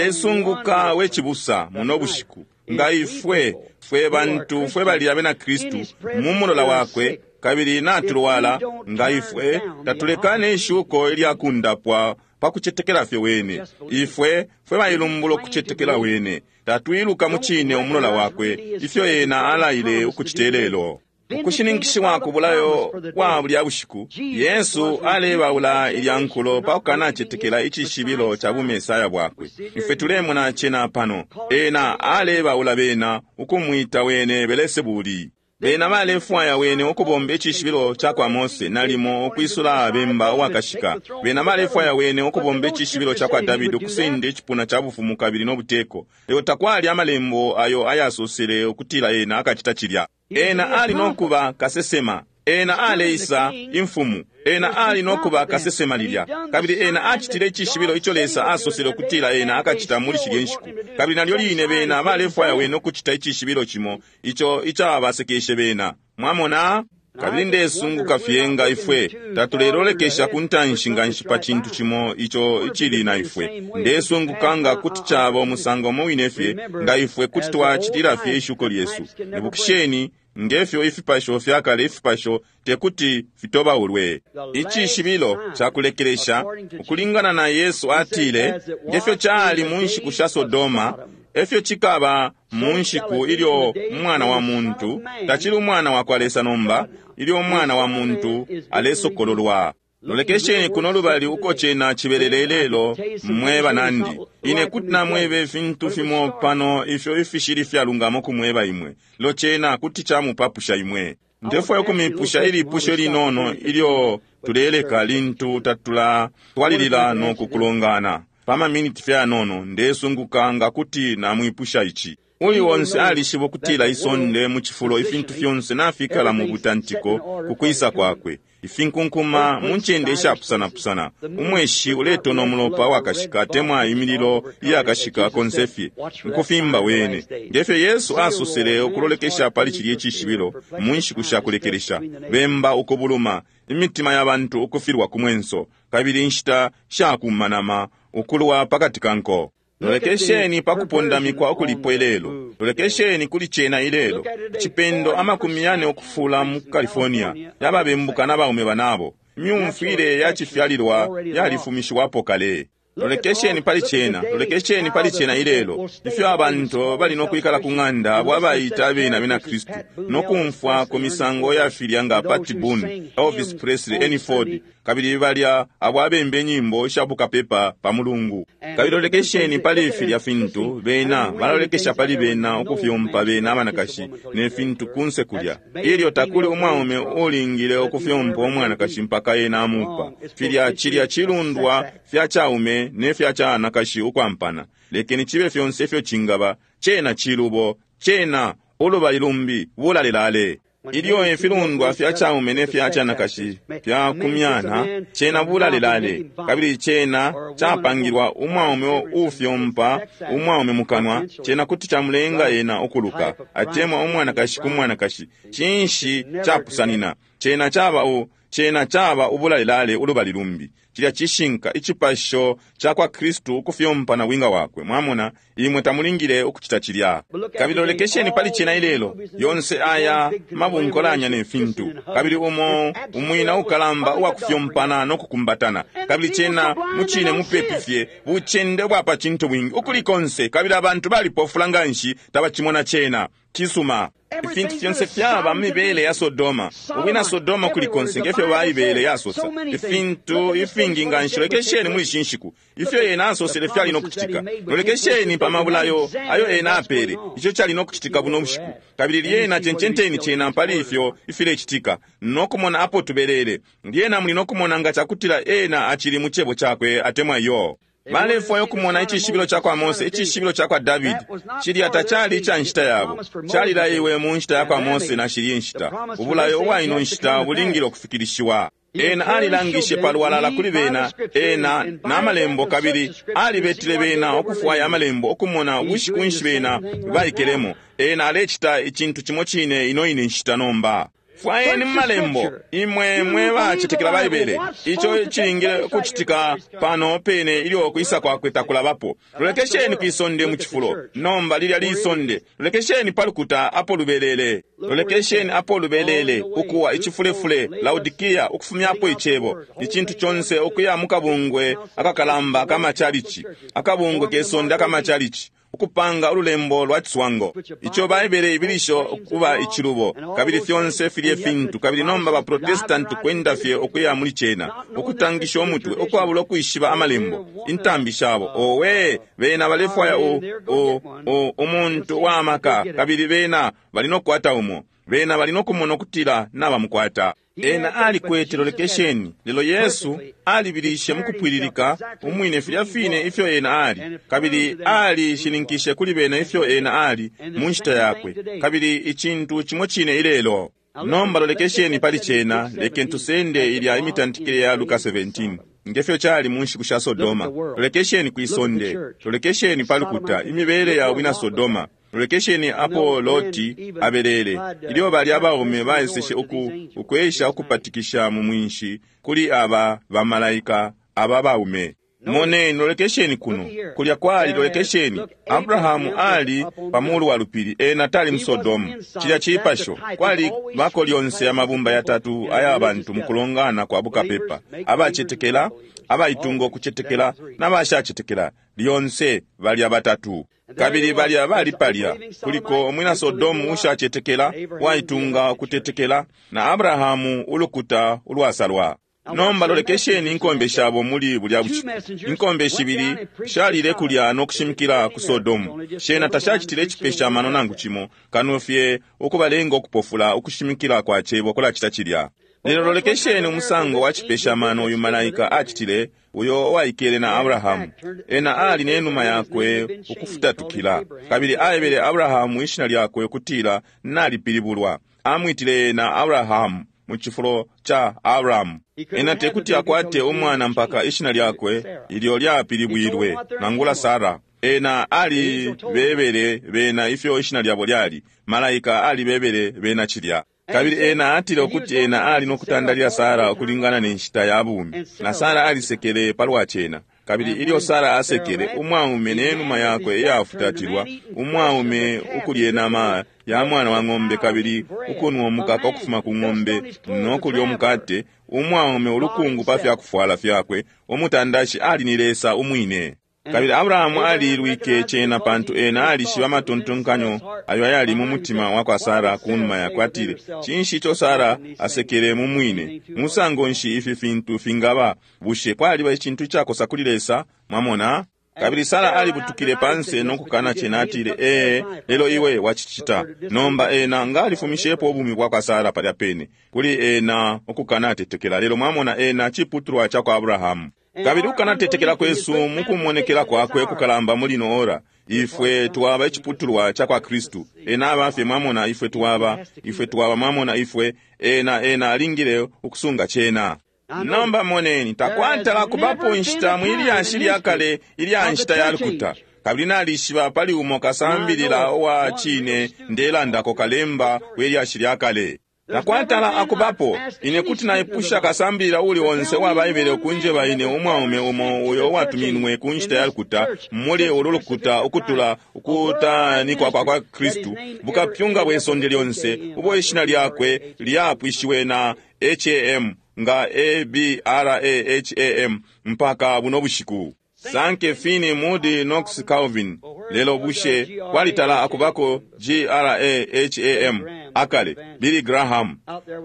Ndesunguka we cibusa muno bushiku, nga ifwe fwe bantu fwe bali abena Kristu mu mulola wakwe, kabili natulwala, nga ifwe tatulekane ishuko ilyakundapwa pa kucetekela fye wene. Ifwe fwe bailumbula ukucetekela wene, tatwiluka mu cine umulola wakwe ifyo ena alaile ukucita lelo. Ukushininkishiwa ku bulayo bwa bulya bushiku, Yesu alebaula ilya nkulo pa kukanacetekela icishibilo ca bumesaya bwakwe. Ifwe tulemona cena pano, ena alebaula bena ukumwita wene Belesebuli. Bena balefwaya wene ukubomba icishibilo ca kwa Mose, nalimo ukwisula bemba uwakashika. Bena balefwaya wene ukubomba icishibilo ca kwa Davidi, ukusenda icipuna ca bufumu kabili no buteko. Lelo takwali amalembo ayo ayasosele ukutila ena akacita cilya. Ena ali nokuba kasesema, ena aleisa imfumu, ena ali nokuba kasesema lilya, kabili ena acitile icishibilo ico Lesa asosele ukutila ena akacita muli shilye nshiku. Kabili nalyo line bena balefwaya wene ukucita icishibilo cimo ico icabasekeshe bena. Mwamona? Kabili ndesunguka fye nga ifwe tatulelolekesha ku ntanshi nganshi pa cintu cimo ico icili na ifwe. Ndesunguka nga kuti caba umusango umo wine fye nga ifwe kuti twacitila fye ishuko lyesu. Ibukisheni ngefyo ifipasho fyakale, ifipasho tekuti fitobaulwe. Icishibilo cakulekelesha ukulingana na Yesu atile, ngefyo cali mu nshiku sha Sodoma, efyo cikaba mu nshiku ilyo umwana wa muntu, tacili umwana wa kwa Lesa nomba, ilyo umwana wa muntu alesokololwa. Lolekesheni kuno lubali uko cena cibelele lelo, mwe banandi. Ine kuti namwebe ifintu fimo pano ifyo ifishili fyalungamo kumweba imwe, lo cena kuti camupapusha imwe. Ndefwaya ukumipusha ilipusho linono ilyo tuleleka lintu tatula twalilila no kukulongana. Pa maminiti fye anono, ndesunguka nga kuti namwipusha ici. Uli onse alishiba ukutila isonde mu cifulo ifintu fyonse nafikala mu butantiko ku kwisa kwakwe. Ifinkunkuma mu ncende ishapusanapusana, umweshi uletona umulopa wakashika temwa imililo iyakashika konse fye ukufimba wene, ngefyo Yesu asosele ukulolekesha pali cilya icishibilo mu nshiku sha kulekelesha. Bemba ukubuluma, imitima ya bantu ukufilwa ku mwenso, kabili inshita shakumanama ukulwa pakati ka nko. Lolekesheni pa kupondamikwa ukulipo ilelo. Lolekesheni kuli cena ilelo. Icipendo amakumi yane ukufula mu California yababembuka na baume banabo. Imyumfwile ya cifyalilwa yalifumishiwapo kale. Lolekesheni pali cena, lolekesheni pali cena ilelo. Ifyo abantu bali no kwikala ku ng'anda abo abaita abena abena Kristu no kumfwa ku misango ya filya nga Pat Boone, Elvis Presley, Ernie Ford, kabili balya abo abembe nyimbo isha bukapepa pa mulungu. Kabili lolekesheni pali filya fintu bena balolekesha pali bena ukufyompa bena abanakashi ne fintu kunse kulya. Ilyo takuli umwaume ulingile ukufyompa umwanakashi mpaka ena amupa. Filya cilya cilundwa fya caume ne fya canakashi ukwampana. Lekeni cibe fyonse ifyo cingaba, cena cilubo, cena ulubali lumbi bulalelale. Ilyo ifilundwa fya chaume ne fya chanakashi fya kumyana, cena bulalelale, kabili cena chapangilwa umwaume ufyompa umwaume mukanwa, cena kuti chamulenga ena ukuluka, atemwa umwanakashi ku mwanakashi. Cinshi chapusanina? Cena chaba u cena chaba ubulalelale ulubali lumbi. Cilya cishinka icipasho cakwa Kristu ukufyompa na winga wakwe. Mwamona, imwe tamulingile ukucita cilya. Kabili lolekesheni pali cena ilelo, yonse aya mabunkolanya ne fintu, kabili umo umwina ukalamba uwakufyompana no kukumbatana, kabili cena mucine mupepi fye bucende bwa pa cintu bwingi ukuli konse, kabili abantu balipofula nganshi tabacimona cena. Cisuma. Ifintu fyonse fyaba mibele ya Sodoma, ubwina Sodoma kuli konse ngefyo Baibele yasosa. Ifintu ifingi nganshi, lolekesheni muli ishi nshiku ifyo ena asosele fyali no kucitika. Lolekesheni pa mabulayo ayo ena apele, ico cali no kucitika buno bushiku. Kabili lyena cencenteni cena pali ifyo ifilecitika no kumona apo tubelele. Lyena muli no kumona nga cakutila ena acili mu cebo cakwe atemwa iyo. Balefwaya ukumona icishibilo cakwa Mose, icishibilo cakwa Davidi. Cilya tacali ica nshita yabo, calilaiwe mu nshita yakwa Mose na shilye nshita. Ubulayo ubwa ino nshita bulingile ukufikilishiwa. Ena alilangishe palwalala kuli bena ena na malembo, kabili alibetile bena ukufwaya amalembo ukumona bushiku nshi bena baikelemo. Ena alecita icintu cimo cine ino ine nshita nomba. Fwayeni mu malembo, imwe mwe bacetekela Baibele, ico cilingile kucitika pano pene ilyo kwisa kwakwe takulabapo. Lolekesheni kwisonde mu cifulo nomba lilya lisonde. Lolekesheni pa lukuta apo lubelele, lolekesheni apo lubelele, ukuwa icifulefule, Laodikia, ukufumyapo icebo, icintu conse ukuya mu kabungwe akakalamba akamachalichi, akabungwe kesonde akamachalichi, ukupanga ululembo lwa ciswango ico Baibele ibilisho kuba icilubo, kabili fyonse filye fintu. Kabili nomba ba Protestanti kwenda fye ukuya muli cena, ukutangisha umutwe ukwabula ukwishiba amalembo, intambi shabo. Owe, bena balefwaya u, u, u, umuntu wa maka, kabili bena bali no kukwata umo. Bena bali no kumona ukutila nabamukwata. Ena alikwete, lolekesheni, lelo Yesu alibilishe mukupwililika umwine filya fine ifyo ena ali, kabili alishininkishe kuli bena ifyo ena ali mu nshita yakwe, kabili icintu cimo cine ilelo. Nomba lolekesheni pali cena, lekeni tusende ilya imitantikile ya Luka seventeen, ngefyo cali mu nshiku sha Sodoma. Lolekesheni kwisonde, lolekesheni pa lukuta, imibele ya bwina Sodoma. Lolekesheni apo Loti abelele, ilyo bali abaume baeseshe uku ukwesha ukupatikisha mu mwinshi kuli aba bamalaika aba baume. Moneni, lolekesheni kuno, kulya kwali, lolekesheni, Abrahamu ali pamulu wa lupili, ena tali mu Sodomu. Cilya cipasho, kwali bako lyonse amabumba yatatu aya bantu mukulongana kwa bukapepa, abacetekela, abaitunga ukucetekela, n'abashacetekela, lyonse balya batatu. Kabili balya bali palya, kuliko umwina Sodomu ushacetekela, waitunga ukutetekela, na Abrahamu ulukuta ulwasalwa. Nomba lolekesheni inkombe shabo muli bulya bushiku. Inkombe shibili shalile kulya no kushimikila ku Sodomu. Shena tashacitile icipesha mano nangu cimo, kano fye ukubalenga ukupofula ukushimikila kwa cebo kulacita cilya. Lelo lolekesheni umusango wa cipesha mano uyu malaika acitile, uyo waikele na Abrahamu. Ena ali nenuma yakwe ukufutatukila, kabili aebele Abrahamu ishina lyakwe ukutila nalipilibulwa. Amwitile ena Abrahamu mu cifulo ca Abrahamu. Ena tekuti akwate umwana mpaka ishina lyakwe ilyo lyapilibwilwe, nangula Sara. Ena alibebele bena ifyo ishina lyabo lyali. Malaika alibebele bena cilya. Kabili ena atile ukuti ena ali no kutandalila Sara ukulingana ne nshita ya bumi, na Sara alisekele palwa cena. Kabili ilyo Sara asekele, umwaume nenuma yakwe iyafutatilwa, umwaume ukulye nama ya mwana wa ng'ombe kabili ukunwa umukaka ukufuma ku ng'ombe no kulya umukate, umwaume ulukungu pa fyakufwala fyakwe, umutandashi ali ni Lesa umwine. Kabili Abrahamu alilwike cena pantu ena alishiba amatontonkanyo ayo ayali mu mutima wa kwa Sara kunuma yakwe. Atile, cinshi ico Sara asekele mu mwine? Musango nshi ifi fintu fingaba? Bushe kwaliba icintu icakosa kuli Lesa? Mwamona? Kabili Sara alibutukile panse no kukana cena, atile, ee, lelo iwe wacicita. Nomba ena nga alifumishepo ubumi bwa kwa Sara palya pene, kuli ena ukukana atetekela. Lelo mwamona, ena ciputulwa ca kwa Abrahamu. Kabili ukanatetekela kwesu mukumonekela kwakwe kukalamba muli ino ora, ifwe twaba iciputulwa ca kwa Kristu. Ena aba fye, mwamona, ifwe twaba, ifwe twaba, mwamona, ifwe, ena, ena alingile ukusunga cena. Nomba moneni, takwatala kubapo inshita mwilyashi lya kale ilya nshita ya lukuta. Kabili nalishiba pali umo kasambilila uwa cine ndelandako, kalemba welyashi lya kale. Takwatala akubapo, ine kuti naipusha kasambilila uli onse uwa Baibele ukunjeba ine umwaume umo uyo uwatuminwe ku nshita ya lukuta muli ulu lukuta ukutula ukutanikwa kwa kwa Kristu, bukapyunga bwe sonde lyonse ubo ishina lyakwe lyapwishiwe na H A M nga A B R A H A M mpaka buno bushiku. Sanke Finney, Moody, Knox, Calvin. Lelo bushe kwalitala akubako G R A H A M akale Billy Graham,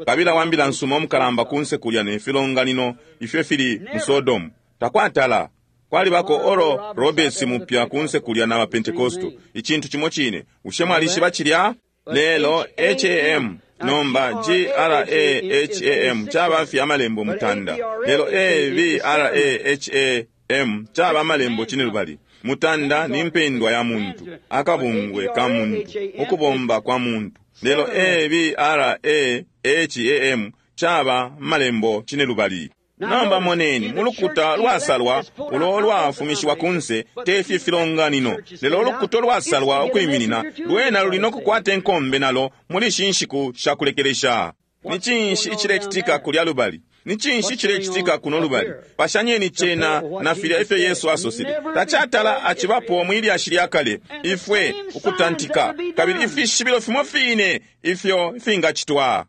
kabila wambila nsuma omukalamba kunse kulya ne filonganino ifyo fili mu Sodom. Takwatala kwalibako Oral Roberts mupya kunse kulya na Pentecosto. Icintu cimo cine. Bushe mwalishiba cilya? Lelo H A M nomba G R A H A M caba fye amalembo mutanda. Lelo A B R A H A M caba amalembo cinelubali. Mutanda ni mpendwa ya muntu, akabungwe ka muntu, ukubomba kwa muntu. Lelo A B R A H A M caba malembo cinelubali. Nomba moneni, mulukuta lwasalwa ulo lwafumishiwa kunse tefi filonganino. Lelo ulukuta lwasalwa ukwiminina lwena luli nokukwata enkombe nalo muli ishi nshiku shakulekelesha. Ni cinshi icilekitika kulya lubali? Ni cinshi cilekitika kuno lubali? Pashanyeni cena na filya ifyo Yesu asosele. Tacatala acibapo mwilyashi lya kale ifwe ukutantika, kabili ifishibilo fimo fine ifyo fingacitwa.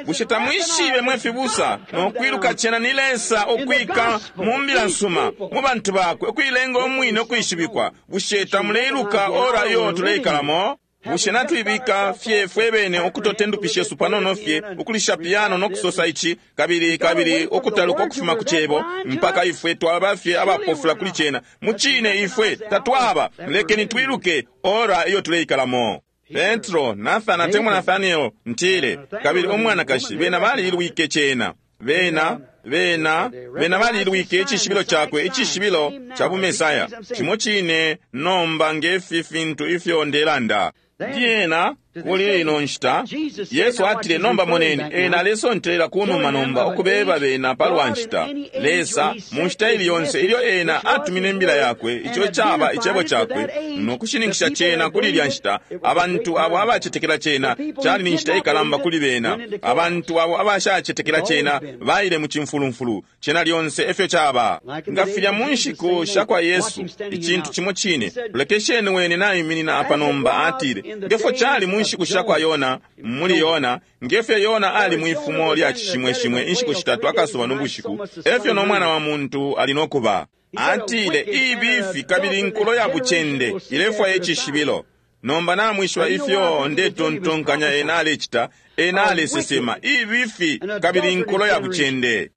Bushe tamwishibe mwe fibusa nokwiluka cena ni Lesa ukwika mu mbila nsuma mu bantu bakwe, ukuilenga umwine ukwishibikwa? Bushe tamuleiluka ora iyo tuleikalamo? Bushe natwibika fye fwebene ukutote ndupi shesu panono fye ukulisha piano nokusosa ici kabili kabili ukutaluka ukufuma ku cebo mpaka ifwe twaba fye abapofula kuli cena? Mucine ifwe tatwaba. Lekeni twiluke ora iyo tuleikalamo. Petro, Nathan atemwa Nathaniel ntile, kabili umwanakashi bena balilwike cena. Bena bena bena balilwike icishibilo chakwe, icishibilo cha bumesaya. Cimo cine nomba ngefi fintu ifyo ndelanda. Lyena kuli ino nshita Yesu atile, nomba moneni, ena alesontelela kunuma nomba ukubeba bena palwa nshita. Lesa mu nshita ili yonse ilyo ena atumine imbila yakwe, ico caba icebo cakwe, nokushininkisha cena kuli ilya nshita. Abantu abo abacetekela cena cali ni nshita ikalamba kuli bena. Abantu abo abashacetekela cena baile mu cimfulumfulu. Cena lyonse efyo caba. Nga filya mu nshiku sha kwa Yesu, icintu cimo cine. Lolekesheni wene naiminina apa nomba, atile, ngefyo cali mu nshiku sha kwa Yona, muli Yona, ngefyo Yona ali mwifumo lya cishimweshimwe inshiku shitatu akasuba n'ubushiku, efyo n'omwana wa muntu ali nokuba. Atile, ibifi kabili nkulo ya bucende ilefwaya icishibilo. Nomba namwishiba ifyo ndetontonkanya ena alecita, ena alesesema ibifi kabili nkulo ya bucende.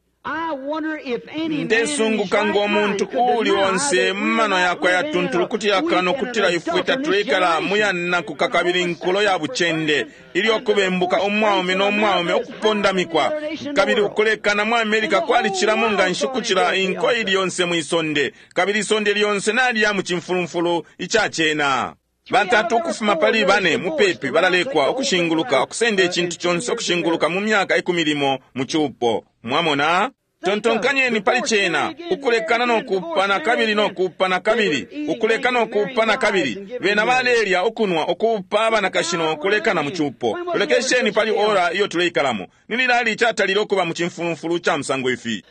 Ndesunguka ngo muntu uuli onse mumano yakwe yatuntulu kuti yakano kutila ifwe tatuleikala muyanakuka kabili nkulo ya bucende ilyo kubembuka umwaume n'omwaume ukupondamikwa kabili ukulekana mu Amerika kwalicilamo nga nshi ukucila inko ili yonse mwisonde, kabili isonde lyonse naliya mu cimfulumfulu icacena. Batatu ukufuma pali bane mupepi balalekwa ukushinguluka ukusenda icintu conse ukushinguluka mu myaka ikumi limo mu cupo. Mwamona? Tontonkanyeni pali cena, ukulekana nokupana kabili nokupana kabili, ukuleka nokupana kabili. Bena balelya ukunwa ukupa abanakashi nokulekana mu cupo. Lolekesheni pali ora iyo tuleikalamo. Ni lilali icatalile ukuba mu cimfulumfulu ca musango ifi?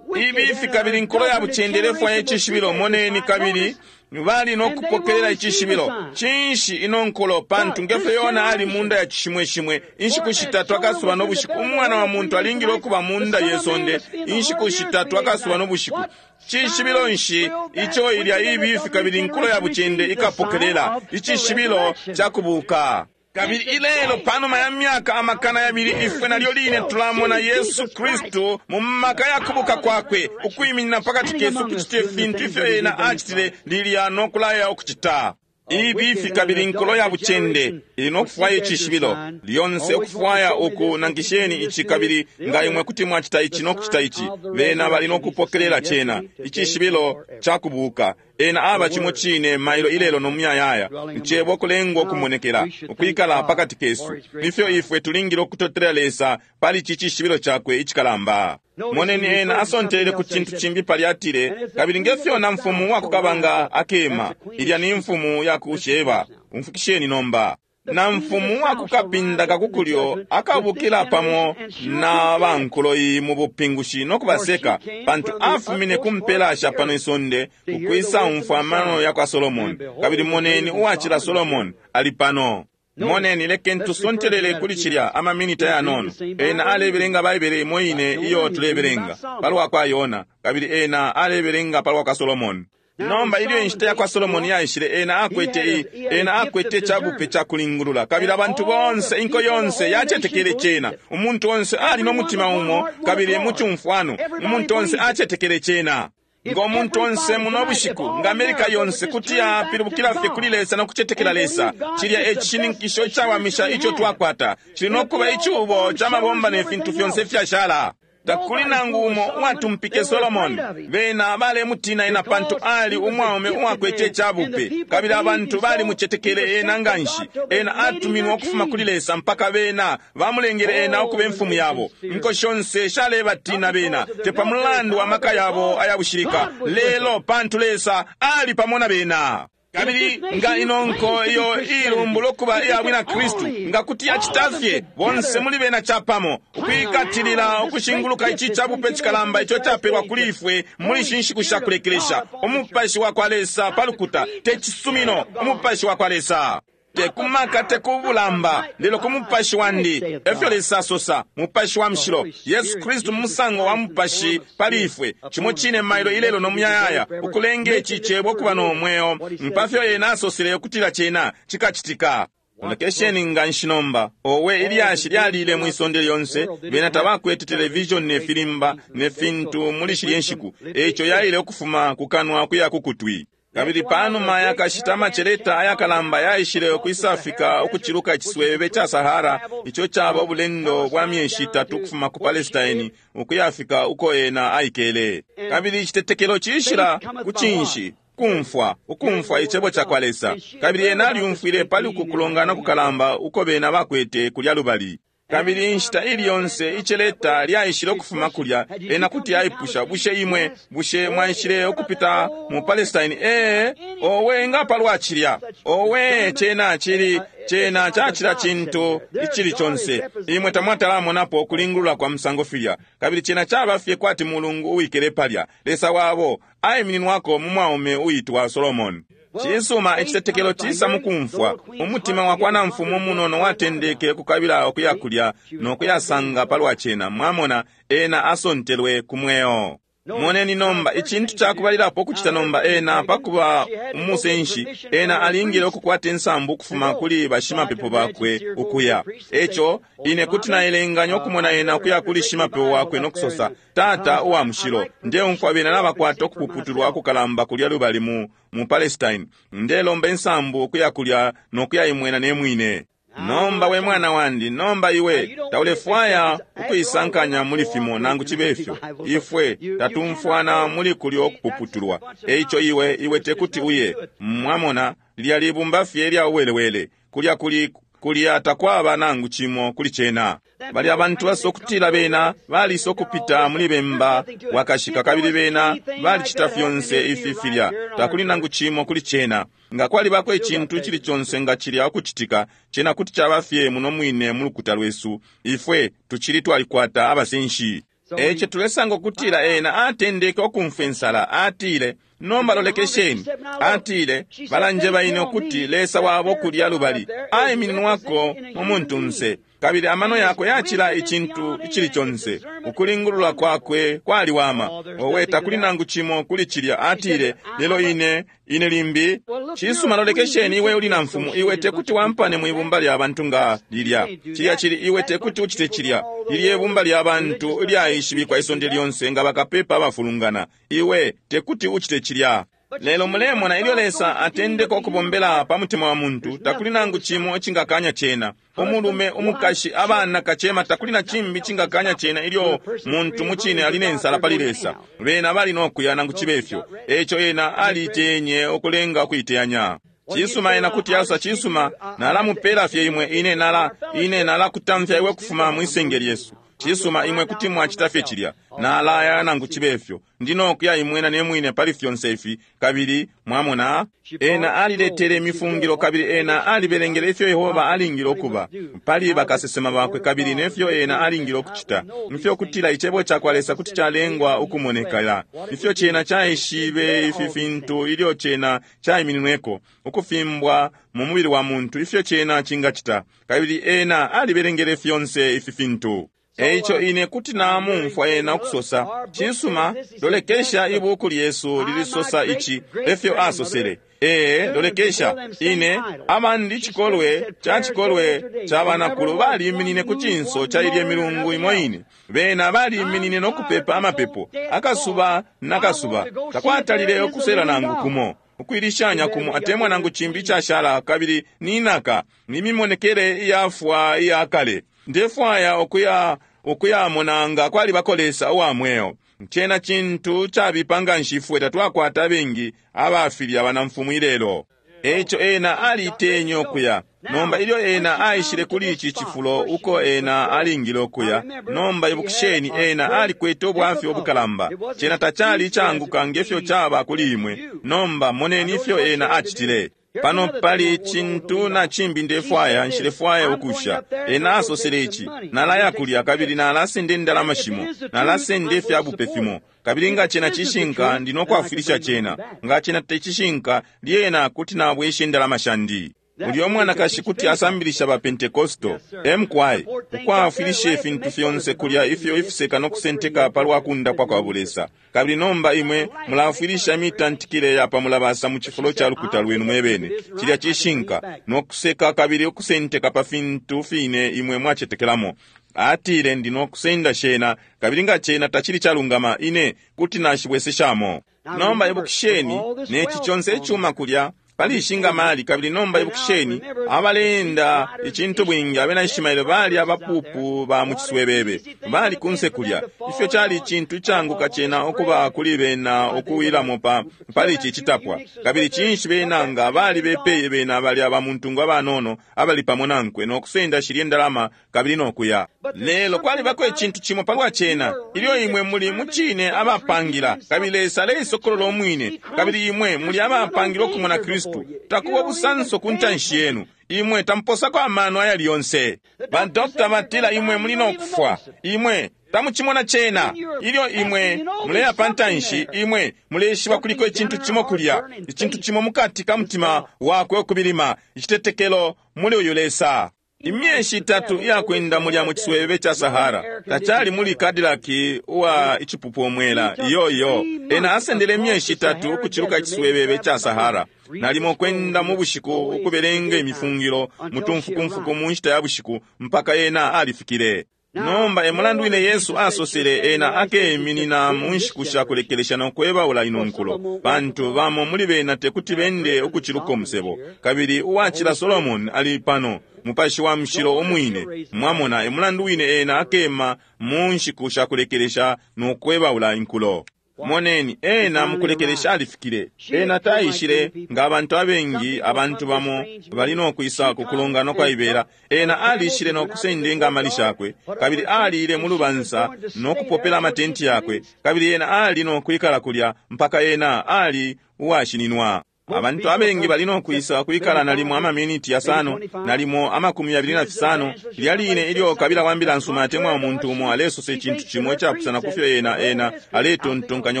Ibifi kabili nkulo ya bucende ilefwaya icishibilo. Moneni kabili bali nokupokelela icishibilo. Cinshi ino nkulo? Pantu ngefyo Yona ali munda ya cishimweshimwe inshiku shitatu akasuba n'obushiku, umwana wa muntu alingile okuba munda yesonde inshiku shitatu akasuba n'obushiku. Cishibilo nshi ico ilya ibifi kabili nkulo ya bucende ikapokelela? Icishibilo ca kubuka. Kabili ilelo panuma ya myaka amakana yabili ifwe nalyo line tulamona Yesu Kristu mu maka ya kubuka kwakwe ukwiminina pakati kesu kucite fintu ifyo ena acitile lilya nokulaya ukucita. Ibifi kabili inkulo ya bucende ili no kufwaya icishibilo lyonse, ukufwaya uku nangisheni ici, kabili nga imwe kuti mwacita ici no kucita ici, bena bali no kupokelela cena, icishibilo ca kubuka. Ena aba cimo cine mailo, ilelo no muyayaya, icebo kulengwa ukumonekela, ukwikala pakati kesu. Ifyo ifwe tulingile ukutotela Lesa pali ici cishibilo cakwe icikalamba! Moneni, ena asontelele ku cintu cimbi palya, atile, kabili ngefyo na mfumu wakukabanga akema. Ilya ni mfumu ya ku Sheba. Umfukisheni nomba. Na mfumu wakukapinda kakukulyo akabukila pamo na bankulo iyi mu bupingushi no kubaseka, pantu afumine ku mpela sha pano isonde ukwisa umfwa amano ya kwa Solomoni, kabili moneni uwacila Solomoni ali pano. Moneni, lekeni tusontelele kuli cilya amaminita yanono. Ena alebelenga Baibele imo ine iyo tulebelenga palwa kwa Yona, kabili ena alebelenga palwa kwa Solomoni. Nomba ilyo inshita ya kwa Solomoni yaishile, ena akwete i ena akwete cabupe ca kulingulula, kabili abantu bonse, inko yonse yacetekele cena. Umuntu onse ali no mutima umo kabili mu cumfwano, umuntu onse acetekele cena. Ngo muntu onse muno bushiku, nga Amerika yonse kuti yapilibukila fye kuli Lesa no kucetekela Lesa, cilya e cishininkisho icawamisha ico twakwata. Cili no kuba icubo ca mabomba ne fintu fyonse ifyashala. Takuli nangu umo uwatumpike Solomoni. Bena balemutina ena pantu ali umwaume uwakwete icabupe, kabili abantu balimucetekele ena nganshi. Ena atuminwe ukufuma kuli Lesa mpaka bena bamulengele ena ukuba imfumu yabo. Inko shonse shalebatina bena, te pa mulandu wa maka yabo ayabushilika, lelo pantu Lesa ali pamo na bena. Kabili nga ino nko iyo ilumbula ukuba iya bwina Kristu, nga kuti yacita fye bonse muli bena capamo ukwikatilila ukushinguluka ici cabupe cikalamba ico capelwa kuli ifwe muli ishi nshiku sha kulekelesha, umupashi wa kwa Lesa pa lukuta, te cisumino, umupashi wa kwa Lesa, te kumaka, te kubulamba, lelo ku mupashi wandi, efyo Lesa asosa, mupashi wa mushilo, Yesu Kristu mu musango wa mupashi pali ifwe, cimo cine mailo, ilelo no muyayaya, ukulenga ici cebo kuba no mweo mpafyo ena asosele ukutila cena cikacitika. Lolekesheni nga nshi nomba. Owe, ilyashi lyalile mwi sonde lyonse. Bena tabakwete televishoni ne filimba ne fintu muli shilye nshiku, eico yaile ukufuma ku kanwa kuya ku kutwi. Kabili panuma yakashita amaceleta ayakalamba yaishile ukwisafika ukuciluka iciswebebe ca Sahara, ico caba ubulendo bwa myeshi itatu ukufuma ku Palestine ukuyafika uko ena aikele. Kabili icitetekelo cishila ku cinshi? Kumfwa, ukumfwa icebo ca kwa Lesa. Kabili ena alyumfwile pali uku kulongana kukalamba uko bena bakwete kulya lubali. Kabili inshita ili yonse iceleta lyaishile ukufuma kulya, ena kuti aipusha, bushe imwe, bushe mwaishile ukupita mu Palestine? Ee, owe, nga palwa cilya! Owe, cena cili, cena cacila cintu icili conse. Imwe tamwatalamonapo ukulingulula kwa musango filya. Kabili cena caba fye kwati mulungu uwikele palya, Lesa wabo aimininwako mu mwaume uitwa Solomoni. Cisuma, icitetekelo cisa mukumfwa. Umutima wa kwa namfumu munono watendeke kukabila ukuya kulya no kuyasanga palwa cena. Mwamona, ena asontelwe ku mweo. Moneni nomba, icintu cakubalilapo ukucita nomba, ena pakuba umusenshi, ena alingile ukukwata insambu ukufuma kuli bashimapepo bakwe ukuya. Eco ine kuti naelenganya ukumona ena ukuya kuli shimapepo wakwe no kusosa, Tata uwa mushilo, ndeumfwa bena nabakwata ukupuputulwa kukalamba kulya lubali mu, mu Palestine. Ndelomba insambu ukuya kulya no kuyaimwena ne mwine. Nomba we mwana wandi, nomba iwe taulefwaya ukuisankanya muli fimo nangu cibe fyo. Ifwe tatumfwana muli kulyo kupuputulwa. Eico iwe, iwe tekuti uye. Mwamona, lilya libumba fye lya uwelewele. Kulya kuli kulya takwaba nangu cimo kuli cena. Bali abantu basokutila bena balisa ukupita muli bemba wakashika, kabili bena balicita fyonse ifi filya. Takuli nangu cimo kuli cena. Nga kwalibako icintu icili conse nga cilya ukucitika, cena kuti caba fye muno mwine mu lukuta lwesu. Ifwe tucili twalikwata abasenshi. Eco tulesanga ukutila ena atendeke ukumfwa insala. Atile, nomba lolekesheni. Atile, balanjeba ine ukuti Lesa wabo kulya lubali aimininwako mu muntunse, kabili amano yakwe yacila icintu icili conse. Ukulingulula kwakwe kwaliwama. Owe, takuli nangu cimo kuli cilya. Atile, lelo ine ine limbi. Cisuma, lolekesheni, iwe uli na mfumu, iwe tekuti wampane mwibumba lya bantu nga lilya. Cilya cili, iwe tekuti ucite cilya. Lilye ibumba lya bantu lyaishibikwa isonde lyonse nga bakapepa abafulungana. Iwe tekuti ucite cilya. Lelo mulemona ilyo Lesa atendeka ukubombela pa mutima wa muntu, takuli nangu cimo icingakanya cena. Umulume, umukashi, abana, kacema, takuli na cimbi icingakanya cena ilyo muntu mucine ali ne nsala pali Lesa. Bena bali nokuya nangu cibe fyo. Eco ena alitenye ukulenga ukuiteyanya. Cisuma, ena kuti asosa, cisuma, nalamupela fye imwe, ine nala ine nalakutamfya iwe kufuma mwisenge lyesu. Cisuma, imwe kuti mwacita fye cilya. Nalaya nangu cibe fyo. Ndi nokuya imwena ne mwine pali fyonse ifi. Kabili mwamona, ena aliletele imifungilo, kabili ena alibelengele ifyo Yehova alingile ukuba pali bakasesema bakwe, kabili nefyo ena alingile ukucita, ifyo kutila icebo cakwa Lesa kuti calengwa ukumonekela, ifyo cena caishibe ifi fintu ilyo cena caimininweko ukufimbwa mu mubili wa muntu, ifyo cena cingacita. Kabili ena alibelengele fyonse ifi fintu. Eico ine kuti namumfwa ena ukusosa, cisuma, lolekesha ibuku lyesu lilisosa ici, efyo asosele. Ee, lolekesha, ine abandi chikolwe cha chikolwe cha banakulu baliminine ku cinso cha ilye milungu imo ine. Bena baliminine no kupepa amapepo akasuba nakasuba, takwatalile ukusela nangu kumo, ukwilishanya kumo atemwa nangu cimbi icashala, kabili ninaka nimimonekele iyafwa iya kale. Ndefwaya ukuya ukuyamona nga kwalibako Lesa uwa mweo. Cena cintu cabipa nga nshi ifwe tatwakwata abengi abafilya banamfumu ilelo. Eico ena alitenye ukuya. Nomba ilyo ena aishile kuli ici cifulo uko ena alingile ukuya, nomba ibukisheni, ena alikwete ubwafya ubukalamba. Cena tacali icanguka ngefyo caba kuli imwe. Nomba moneni ifyo ena acitile. Pano pali cintu na cimbi ndefwaya, nshilefwaya ukusha. Ena asosele ici, nalaya kulya kabili nalasenda indalama shimo, nalasenda ifyabupe fimo, kabili nga cena cishinka ndi nokwafwilisha cena, nga cena tecishinka lyena kuti nabwesha indalama shandi. Ulyo mwanakashi kuti asambilisha ba Pentekosto emkwai ukwafwilisha ifintu fyonse kulya ifyo ifiseka no kusenteka palwa kundapwa kwa bulesa. Kabili nomba imwe mulafwilisha imitantikile ya pamulabasa mu cifulo ca lukuta lwenu mwebene, cilya cishinka, no kuseka kabili ukusenteka pa fintu fine imwe mwacetekelamo. Atile, ndi no kusenda shena, kabili nga cena tacili calungama, ine kuti nashibweseshamo. Nomba ibukisheni, neci conse icuma kulya pali ishinga mali. Kabili nomba ibukisheni, abaleenda icintu bwingi abena Ishimaele bali abapupu ba mu ciswebebe, bali kunse kulya. Ifyo cali icintu icanguka cena ukuba kuli bena ukuwilamo pa pali ici citapwa. Kabili cinshi bena nga bali bepeye bena bali abamuntungwa abanono abali pamo nankwe no kusenda shilye ndalama kabili no kuya. Lelo kwalibako icintu cimo palwa cena, ilyo imwe muli mucine abapangila, kabili Lesa aleisokolola umwine, kabili imwe muli abapangila ukumona Kristu, takuba busanso ku ntanshi yenu. Imwe tamposako amano ayali yonse. Badokta batila imwe muli no kufwa. Imwe tamucimona cena. Ilyo imwe muleya pa ntanshi, imwe muleshiba kuliko icintu cimo kulya, icintu cimo mukati ka mutima wakwe ukubilima, icitetekelo muli uyu Lesa. Imyeshi itatu iyakwenda mulya mu ciswebebe cha Sahara, tacali muli Cadillac uwa icipupu omwela, iyo iyo. Ena asendele imyeshi itatu ukuciluka iciswebebe cha Sahara, nalimo kwenda mu bushiku ukubelenga imifungilo mutumfukumfuku mu nshita ya bushiku mpaka ena alifikile. Nomba emulandu wine Yesu asosele ena akeminina mu nshiku sha kulekelesha no kwebaula ino nkulo, pantu bamo muli bena tekuti bende ukuciluka umusebo. Kabili uwacila Solomon ali pano, Mupashi wa Mushilo umwine. Mwamona, emulandu wine ena akema mu nshiku sha kulekelesha no kwebaula inkulo. Moneni, ena mukulekelesha alifikile. Ena taishile nga abantu abengi, abantu bamo bali no kwisa ku kulongana kwaibela. Ena alishile no kusenda ingamali shakwe, kabili alile mu lubansa no kupopela amatenti yakwe, kabili ena ali no kwikala kulya mpaka ena ali uwashininwa. Abantu abengi bali no kwisa kwikala nalimo amaminiti yasano, nalimo amakumi yabili na fisano. Lilya line ilyo kabila wa mbila nsuma atemwa umuntu umo alesosa icintu cimo icapusana kufyo ena ena aletontonkanya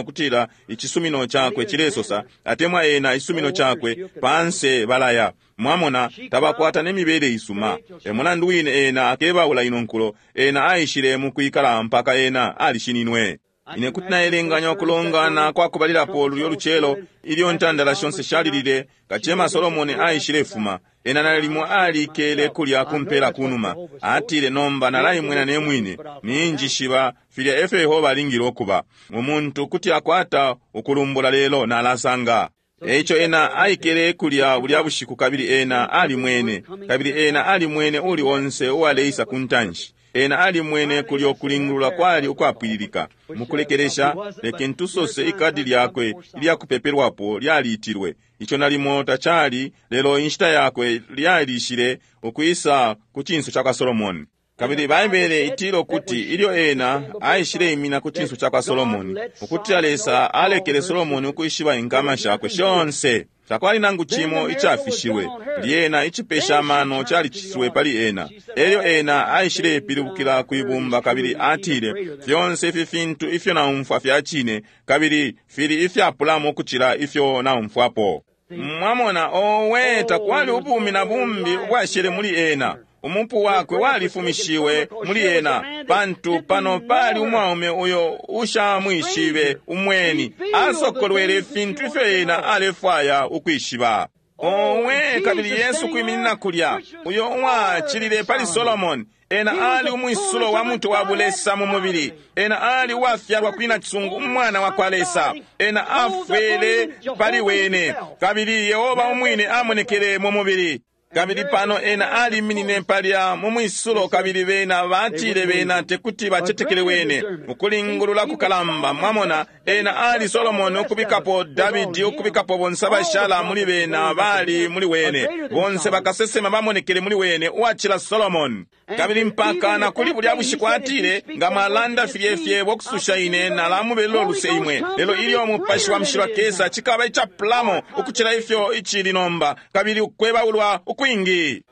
ukutila icisumino cakwe cilesosa, atemwa ena icisumino cakwe panse balaya. Mwamona, tabakwata nemibele isuma. Emulandu wine ena akebaula ino nkulo, ena aishile mu kwikala mpaka ena alishininwe. Ine kuti naelenganya ukulongana kwa kubalilapo lulyo lucelo ilyo ntandala shonse shalilile, kacema Solomoni aishile fuma. Ena nalimo alikele kulya kumpela kunuma. Atile, nomba nalaimwena ne mwine, ninjishiba filya efyo Yehova alingile ukuba. Umuntu kuti akwata ukulumbula, lelo nalasanga. Eico ena aikele kulya bulya bushiku, kabili ena alimwene, kabili ena alimwene uli onse uwaleisa ku ntanshi. Ena alimwene kulyo kulingulula kwali ukwapwililika. Mukulekelesha, lekeni tusose ikadi lyakwe ilyakupepelwapo lyaliitilwe. Ico nalimo tacali, lelo inshita yakwe lyalishile ukwisa ku cinso cakwa Solomoni. Kabili Baibele itila ukuti ilyo ena aishileimina ku cinso cakwa Solomoni, ukutila Lesa alekele Solomoni ukwishiba inkama shakwe shonse. Takwali nangu cimo icafishiwe. Lyena icipesha amano caliciswe pali ena. Elyo ena aishilepilibukila kwibumba kabili atile, fyonse ifi fintu ifyo naumfwa fya cine, kabili fili ifyapulamo ukucila ifyo naumfwapo. Mwamona, owe, takwali ubumi na bumbi ubwashele muli ena. Umupu wakwe walifumishiwe muli ena, pantu pano pali umwaume uyo ushamwishibe umweni, asokolwele ifintu ifyo ena alefwaya ukwishiba. Owe, kabili Yesu kwiminina kulya, uyo uwacilile pali Solomoni, ena ali umwisulo wa muntu wa bulesa mu mubili. Ena ali uwafyalwa kuli nacisungu, umwana wa kwa Lesa. Ena afwele pali wene, kabili Yehova umwine amonekele mu mubili. Kabili pano ena aliminine palya mu mwisulo, kabili bena batile bena tekuti bacetekele wene. Ukulingulula kukalamba, mwamona, ena ali Solomoni ukubikapo Davidi, ukubikapo bonse abashala muli bena bali muli wene. Bonse bakasesema bamonekele muli wene, uwacila Solomoni. Kabili mpaka na kuli bulya bushiku atile, nga mwalanda filye fyebo ukususha ine, nalamubelela uluse imwe. Lelo ilyo Mupashi wa Mushilo akesa, cikaba icapulamo ukucila ifyo icili nomba, kabili ukwebaulwa ukwingi.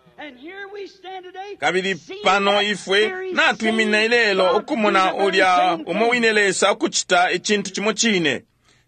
Kabili pano ifwe natwiminina ilelo ukumona ulya umo wine Lesa ukucita icintu cimo cine.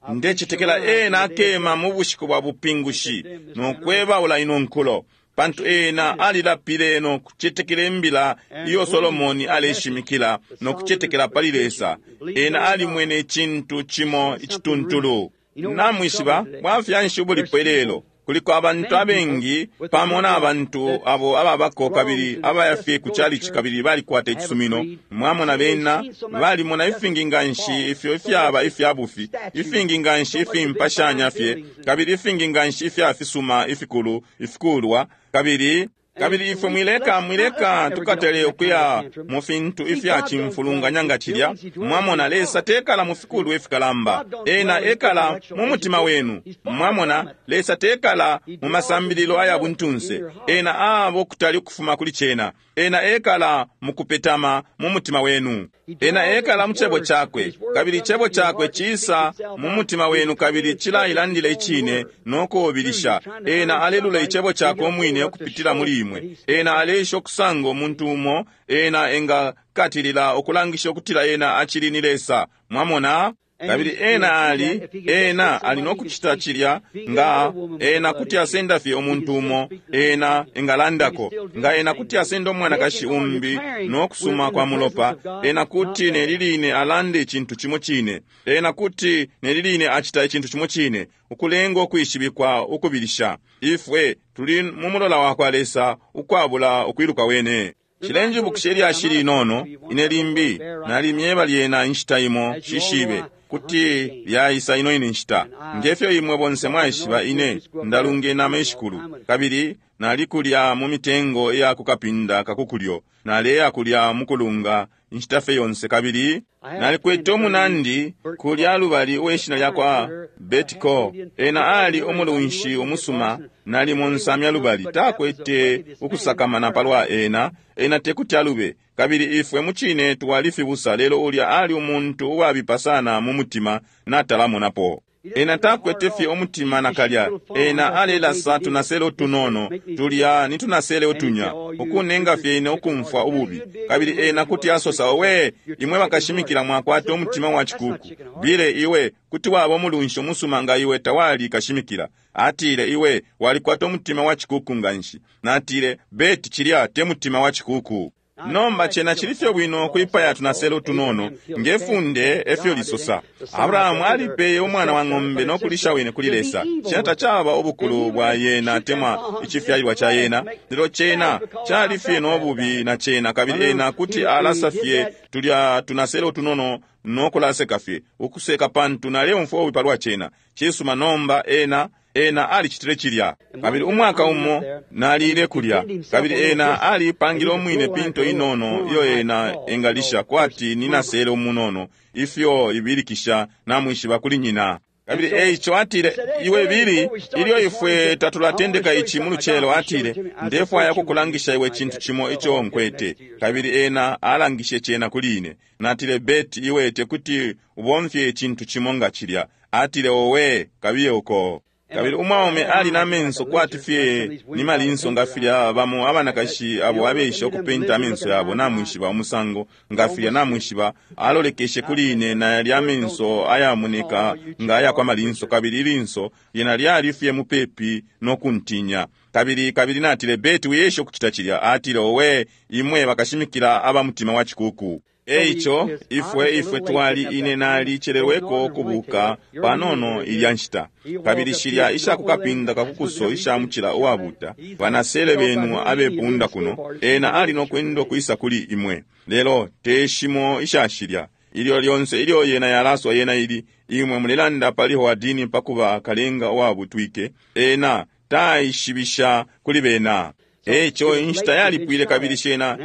Ndecetekela ena akema mu bushiku bwa bupingushi no kwebaula ino nkulo, pantu ena alilapile no kucetekela imbila iyo Solomoni aleshimikila no kucetekela pali Lesa. Ena alimwene icintu cimo icituntulu. Namwishiba bwafya nshi ubulipo ilelo? Kuliko abantu abengi pamo na bantu abo ababako kabili abayafye ku chalichi kabili balikwata icisumino. Mwamona bena balimona ifingi nganshi ifyo ifyaba ifya bufi, ifingi nganshi ifimpashanya fye, kabili ifingi nganshi ifya fisuma ifikulu ifikulwa, kabili kabili ifwe mwileka mwileka tukatele ukuya mu fintu ifya cimfulunganya nga cilya. Mwamona, Lesa tekala mu fikulu ifikalamba, ena ekala mu mutima wenu. Mwamona, Lesa tekala mu masambililo aya buntunse, ena abo kutali ukufuma kuli cena. Ena ekala mu kupetama mu mutima wenu. Ena ekala mu cebo cakwe, kabili icebo cakwe cisa mu mutima wenu kabili cilailandila icine no kuubilisha. Ena alelula icebo cakwe umwine ukupitila muli imwe. Ena aleisha ukusanga umuntu umo ena engakatilila ukulangisha ukutila ena acili ni Lesa. Mwamona? Kabili ena ali, ena ali nokucita cilya nga ena kuti asenda fye umuntu umo ena engalandako, nga ena kuti asenda umwanakashi umbi no kusuma kwa mulopa, ena kuti neliline alande icintu cimo cine, ena kuti neliline acita icintu cimo cine, ukulenga ukwishibikwa ukubilisha. Ifwe tuli mu mulola wa kwa Lesa ukwabula ukwiluka wene. Cilenjibukisha ilyashi linono ine limbi nalimyeba lyena inshita imo, shishibe kuti lyaisa ino ine nshita. Ngefyo imwe bonse mwaishiba, ine ndalunge nama ishikulu, kabili nalikulya mu mitengo iya kukapinda kakukulyo, naleya kulya mukulunga inshita fye yonse. Kabili nalikwete umunandi kulya lubali uweshina lyakwa Betiko. Ena ali umulunshi umusuma, nali munsamya lubali, takwete ukusakamana palwa ena, ena tekuti alube. Kabili ifwe mucine twalifibusa, lelo ulya ali umuntu uwabipa sana mu mutima natalamonapo. Ena takwete fye umutima nakalya. Ena alelasa tunasele utunono tulya ni tunasele utunya, ukunenga fye ine ukumfwa ububi. Kabili ena kuti asosa, owe imwe bakashimikila mwakwata umutima wa chikuku, bile iwe kuti waba umulunshi umusuma nga iwe tawali kashimikila. Atile, iwe walikwata umutima wa chikuku nganshi. Natile, Beti, cilya te mutima wa chikuku. Nomba cena chili fye bwino kwipaya tunasele utunono nge funde efyo lisosa. Abrahamu alipeye umwana wa ng'ombe no kulisha wene kuli Lesa. Cena tacaba ubukulu bwa yena atemwa icifyalilwa ca yena, lelo cena cali fye no bubi na cena, kabili ena kuti alasa fye tulya tunasele utunono no kulaseka fye ukuseka pantu naleumfwa ububi palwa cena. Cisuma, nomba ena ena alicitile cilya. Kabili umwaka umo nalile kulya, kabili ena alipangile umwine pinto inono iyo ena engalisha kwati ni nasele umunono ifyo ibilikisha namwishiba kuli nyina. Kabili eico atile, iwe Bili, ilyo ifwe tatulatendeka ici mu lucelo, atile, ndefwaya kukulangisha iwe cintu cimo ico nkwete. Kabili ena alangishe cena kuli ine. Natile, Bet, iwe tekuti ubomfye icintu cimo nga cilya. Atile, owe, kabiye uko. Kabili umwaume ali na menso kwati fye ni malinso nga filya bamo abanakashi abo abesha ukupenta amenso yabo namwishiba umusango nga filya namwishiba. Alolekeshe kuli ine na yalya amenso ayamoneka nga aya kwa malinso, kabili ilinso lyena lyali fye mupepi no kuntinya. Kabili kabili natile, Beti, wiyesha ukucita cilya. Atile, owe, imwe bakashimikila aba mutima wa cikuku. Eico ifwe ifwe twali ine nalicelelweko ukubuka panono ilya nshita. Kabili shilya ishakukapinda kakukuso isha mucila uwabuta banasele benu abepunda kuno, ena ali nokwenda ukwisa kuli imwe, lelo teshimo ishashilya ilyo lyonse ilyo yena yalaswa yena ili imwe mulelanda pali Hoadini pakuba kalenga uwabutwike, ena taishibisha kuli bena. Eico inshita yalipwile kabili shena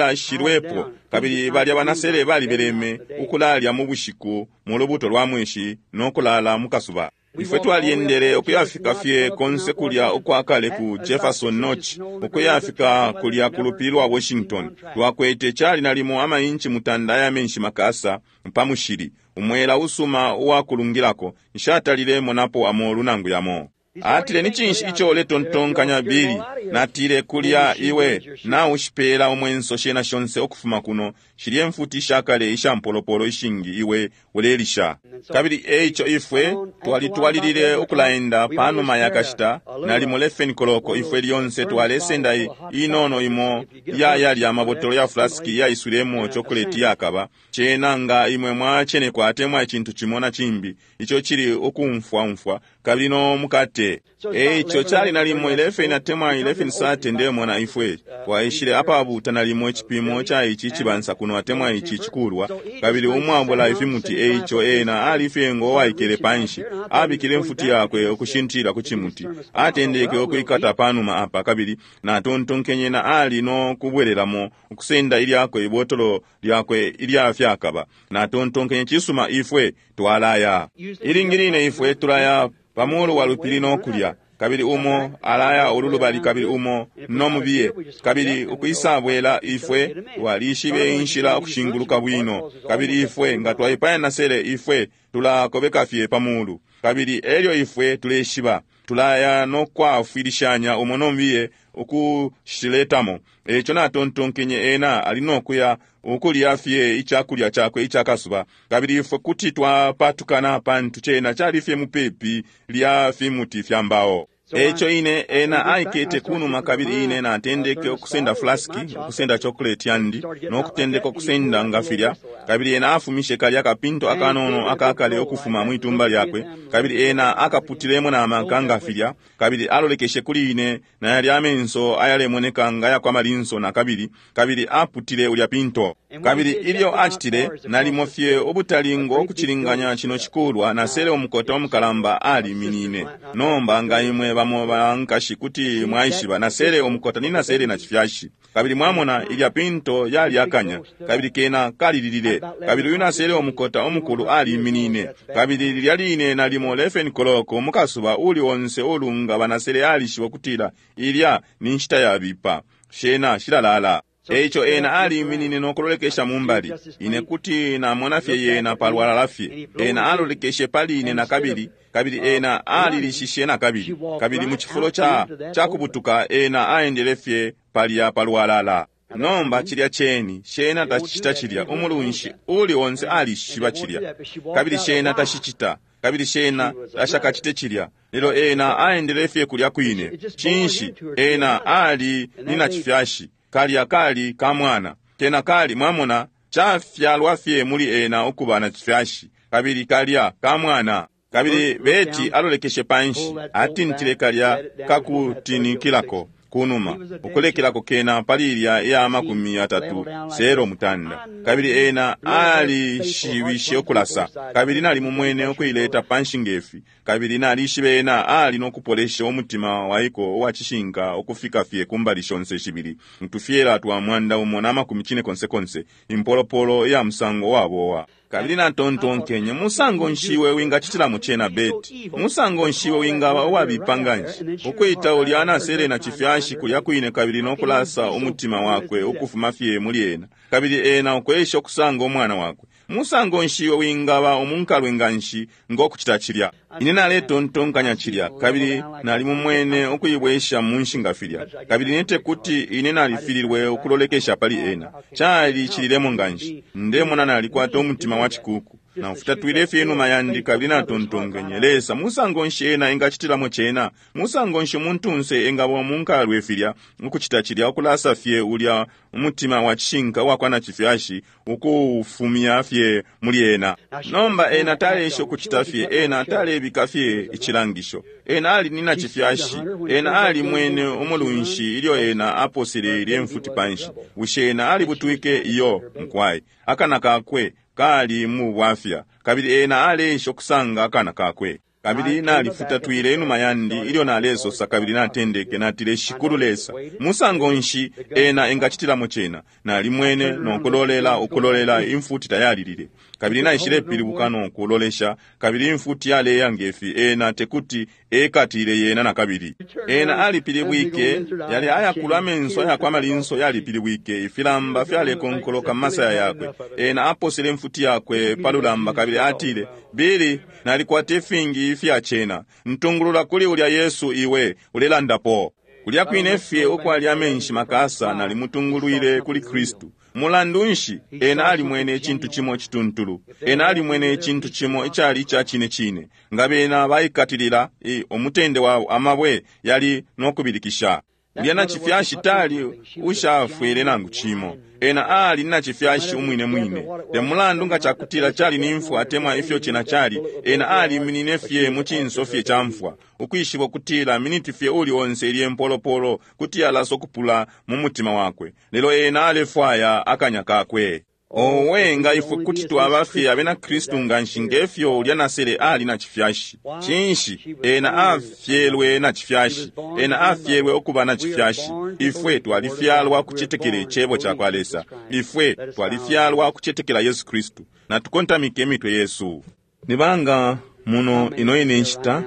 shalilashilwepo, kabili balya banasele balibeleme ukulalya mu bushiku mu lubuto lwa mweshi no kulala mu kasuba. Ifwe twalyendele ukuyafika fye konse kulya ukwakale ku Jefferson Notch, ukuyafika kulya ku lupili lwa Washington. Twakwete cali nalimo amainchi mutanda aya menshi makasa pa mushili, umwela usuma uwakulungilako. Nshatalile monapo amolu nangu yamo. Atile, ni cinshi ico uletontonkanya, Bili? Natile, kulya iwe naushipela umwenso shena shonse ukufuma kuno, shilye mfuti ishakale isha mpolopolo ishingi iwe ulelisha. Kabili eico ifwe twalitwalilile ukulaenda. Panuma ya kashita nalimo lefeni koloko, ifwe lyonse twalesenda inono imo ya yalya amabotolo ya flasiki yaiswilemo chokoleti yakaba cena nga imwe mwacenekwa atemwa icintu cimo na cimbi ico cili ukumfwaumfwa, kabili no mukate. Eico cali nalimo eleven atemwa eleven sate ndemona ifwe twaishile apabuta nalimo icipimo ca ici cibansa kuno atemwa ici cikulwa, kabili umwabula ifimuti. Eico ena ali fye ngo waikele panshi, abikile mfuti yakwe ukushintila ku cimuti, atendeke ukwikata panuma apa, kabili natontonkenye na ali no kubwelelamo ukusenda ilyakwe ibotolo lyakwe ilya fyakaba. Natontonkenye, cisuma, ifwe twalaya. Ilingi line ifwe tulaya pamulu wa lupili no kulya, kabili umo alaya ululubali kabili umo nomubiye, kabili ukwisabwela ifwe twalishibe inshila ukushinguluka bwino, kabili ifwe nga twaipaya nasele ifwe tulakobeka fye pamulu, kabili elyo ifwe tuleshiba tulaya no kwafwilishanya umo nomubiye ukushiletamo. Eco natontonkenye ena ali nokuya ukulya fye icakulya cakwe icakasuba, kabili ifwe kuti twapatukana pantu cena cali fye mupepi lya fimuti fya mbao. Eico ine ena aikete kunuma, kabili ine natendeke ukusenda flaski, ukusenda chocolate yandi no kutendeka ukusenda nga filya, kabili ena afumishe kalya kapinto akanono akakale ukufuma mwitumba lyakwe, kabili ena akaputilemo na maka nga filya, kabili alolekeshe kuli ine na yalya amenso ayalemoneka nga yakwa malinso na kabili, kabili aputile ulya pinto. Kabili ilyo acitile, nalimo fye ubutali ngo kucilinganya cino cikulwa, nasele umukota umukalamba aliminine. Nomba nga imwe bamo bankashi kuti mwaishiba, nasele umukota ni nasele na cifyashi. Kabili mwamona ilya pinto yali akanya, kabili kena kalililile, kabili uyu nasele umukota umukulu aliminine. Kabili lilya line nalimo eleven koloko mukasuba uli onse ulunga banasele alishiba kutila ilya ni nshita yabipa, shena shilalala. Eico ena aliminine no kulolekesha mumbali. Ine kuti namona fye yena palwalala fye. Ena alolekeshe pali ine na kabili, kabili ena alilishishe na kabili, kabili mu cifulo ca cakubutuka ena aendele fye palya palwalala. Nomba cilya cheni shena tacicita cilya, umulunshi uli onse alishiba cilya, kabili shena tashicita, kabili shena tashakacite cilya. Lelo ena aendele fye kulya kwine. Cinshi? Ena ali ni nacifyashi. Kalya kali kamwana. Kena kali, mwamona, chafyalwa fye muli ena ukuba na chifyashi. Kabili kalya kamwana. Kabili Beti alolekeshe panshi, atintile kalya kakutinikilako kunuma, ukulekelako kena pali ilya iya makumi yatatu sero mutanda. Kabili ena alishibishe ukulasa, kabili nalimumwene ukuileta panshi ngefi, kabili nalishibe ena ali nokupolesha umutima waiko uwacishinka ukufika fye kumbali shonse shibili, mutufyela twa mwanda umo na makumi cine konse konse, impolopolo iya musango wabowa. Kabili natontonkenye, musango nshiwe wingachitilamo chena Beti, musango nshiwe wingaba uwabipa nganshi, ukwita ulya anasele na chifyashi kulya kwine kabili nokulasa umutima wakwe ukufuma fye muli ena, kabili ena ukwesha okusanga omwana wakwe. Musango nshiwe wingaba omunkalwe nganshi ngokuchita chilya. Ine naletontonkanya chilya, kabili nalimumwene ukuibwesha munshi nga filya, kabili nete kuti ine nalifililwe ukulolekesha pali ena. Chali chililemo nganshi, ndemona nalikwata umutima wa chikuku. Nafutatwile fye inuma yandi kabili natontonkenye, Lesa, musango nshi ena engachitilamo chena? Musango nshi umuntunse engaba omunkalwe filya, ukuchita chilya, ukulasa fye ulya umutima wa chishinka uwakwa na chifyashi, ukuufumya fye muli ena. Nomba ena talesha ukuchita fye, ena talebika fye ichilangisho. Ena ali ni na chifyashi, ena ali mwene umulunshi ilyo ena aposele ilye mfuti panshi. Bushe ena alibutwike? Iyo, mkwai. Akana kakwe kali mu bwafya, kabili ena alesha okusanga akana kakwe. Kabili nalifutatwile inuma yandi ilyo nalesosa, kabili natendeke natile, Shikulu Lesa, musango nshi ena engachitilamo chena? Nalimwene nokulolela ukulolela, imfuti tayalilile. Kabili naishilepilibuka nokulolesha, kabili imfuti yaleya ngefi, ena tekuti ekatile yena nakabili. Ena alipilibwike, yali ayakulu amenso ayakwa amalinso yalipilibwike, ifilamba fyalekonkoloka mmasaya yakwe. Ena aposele imfuti yakwe palulamba kabili atile, Bili, nalikwata ifingi ifya chena, ntungulula kuli ulya Yesu iwe ulelandapo. Kulya kwine fye ukwali amenshi makasa nalimutungulwile kuli Kristu. Mulandu nshi ena alimwene icintu chimo chituntulu, ena alimwene icintu chimo ichali icha chine chine. Nga bena baikatilila omutende wabo, amabwe yali nokubilikisha. Ulya na chifyashi tali ushafwile nangu chimo, ena ali na chifyashi umwine mwine. Te mulandu nga chakutila chali ni mfwa atemwa ifyo chena chali, ena aliminine fye mu chinso fye cha mfwa, ukwishiba ukutila miniti fye uli onse ilye mpolopolo kuti yalasa okupula mu mutima wakwe. Lelo ena alefwaya akanya kakwe. Owe, nga ifwe kuti twaba fye abena Kristu nganshi ngefyo ulya nasele ali na chifyashi. Chinshi, ena afyelwe na chifyashi, ena afyelwe okuba na chifyashi. Ifwe twalifyalwa kuchetekela ichebo cha kwa Lesa, ifwe twalifyalwa kuchetekela Yesu Kristu. Natukontamike emitwe yesu. Nibanga muno ino ine nshita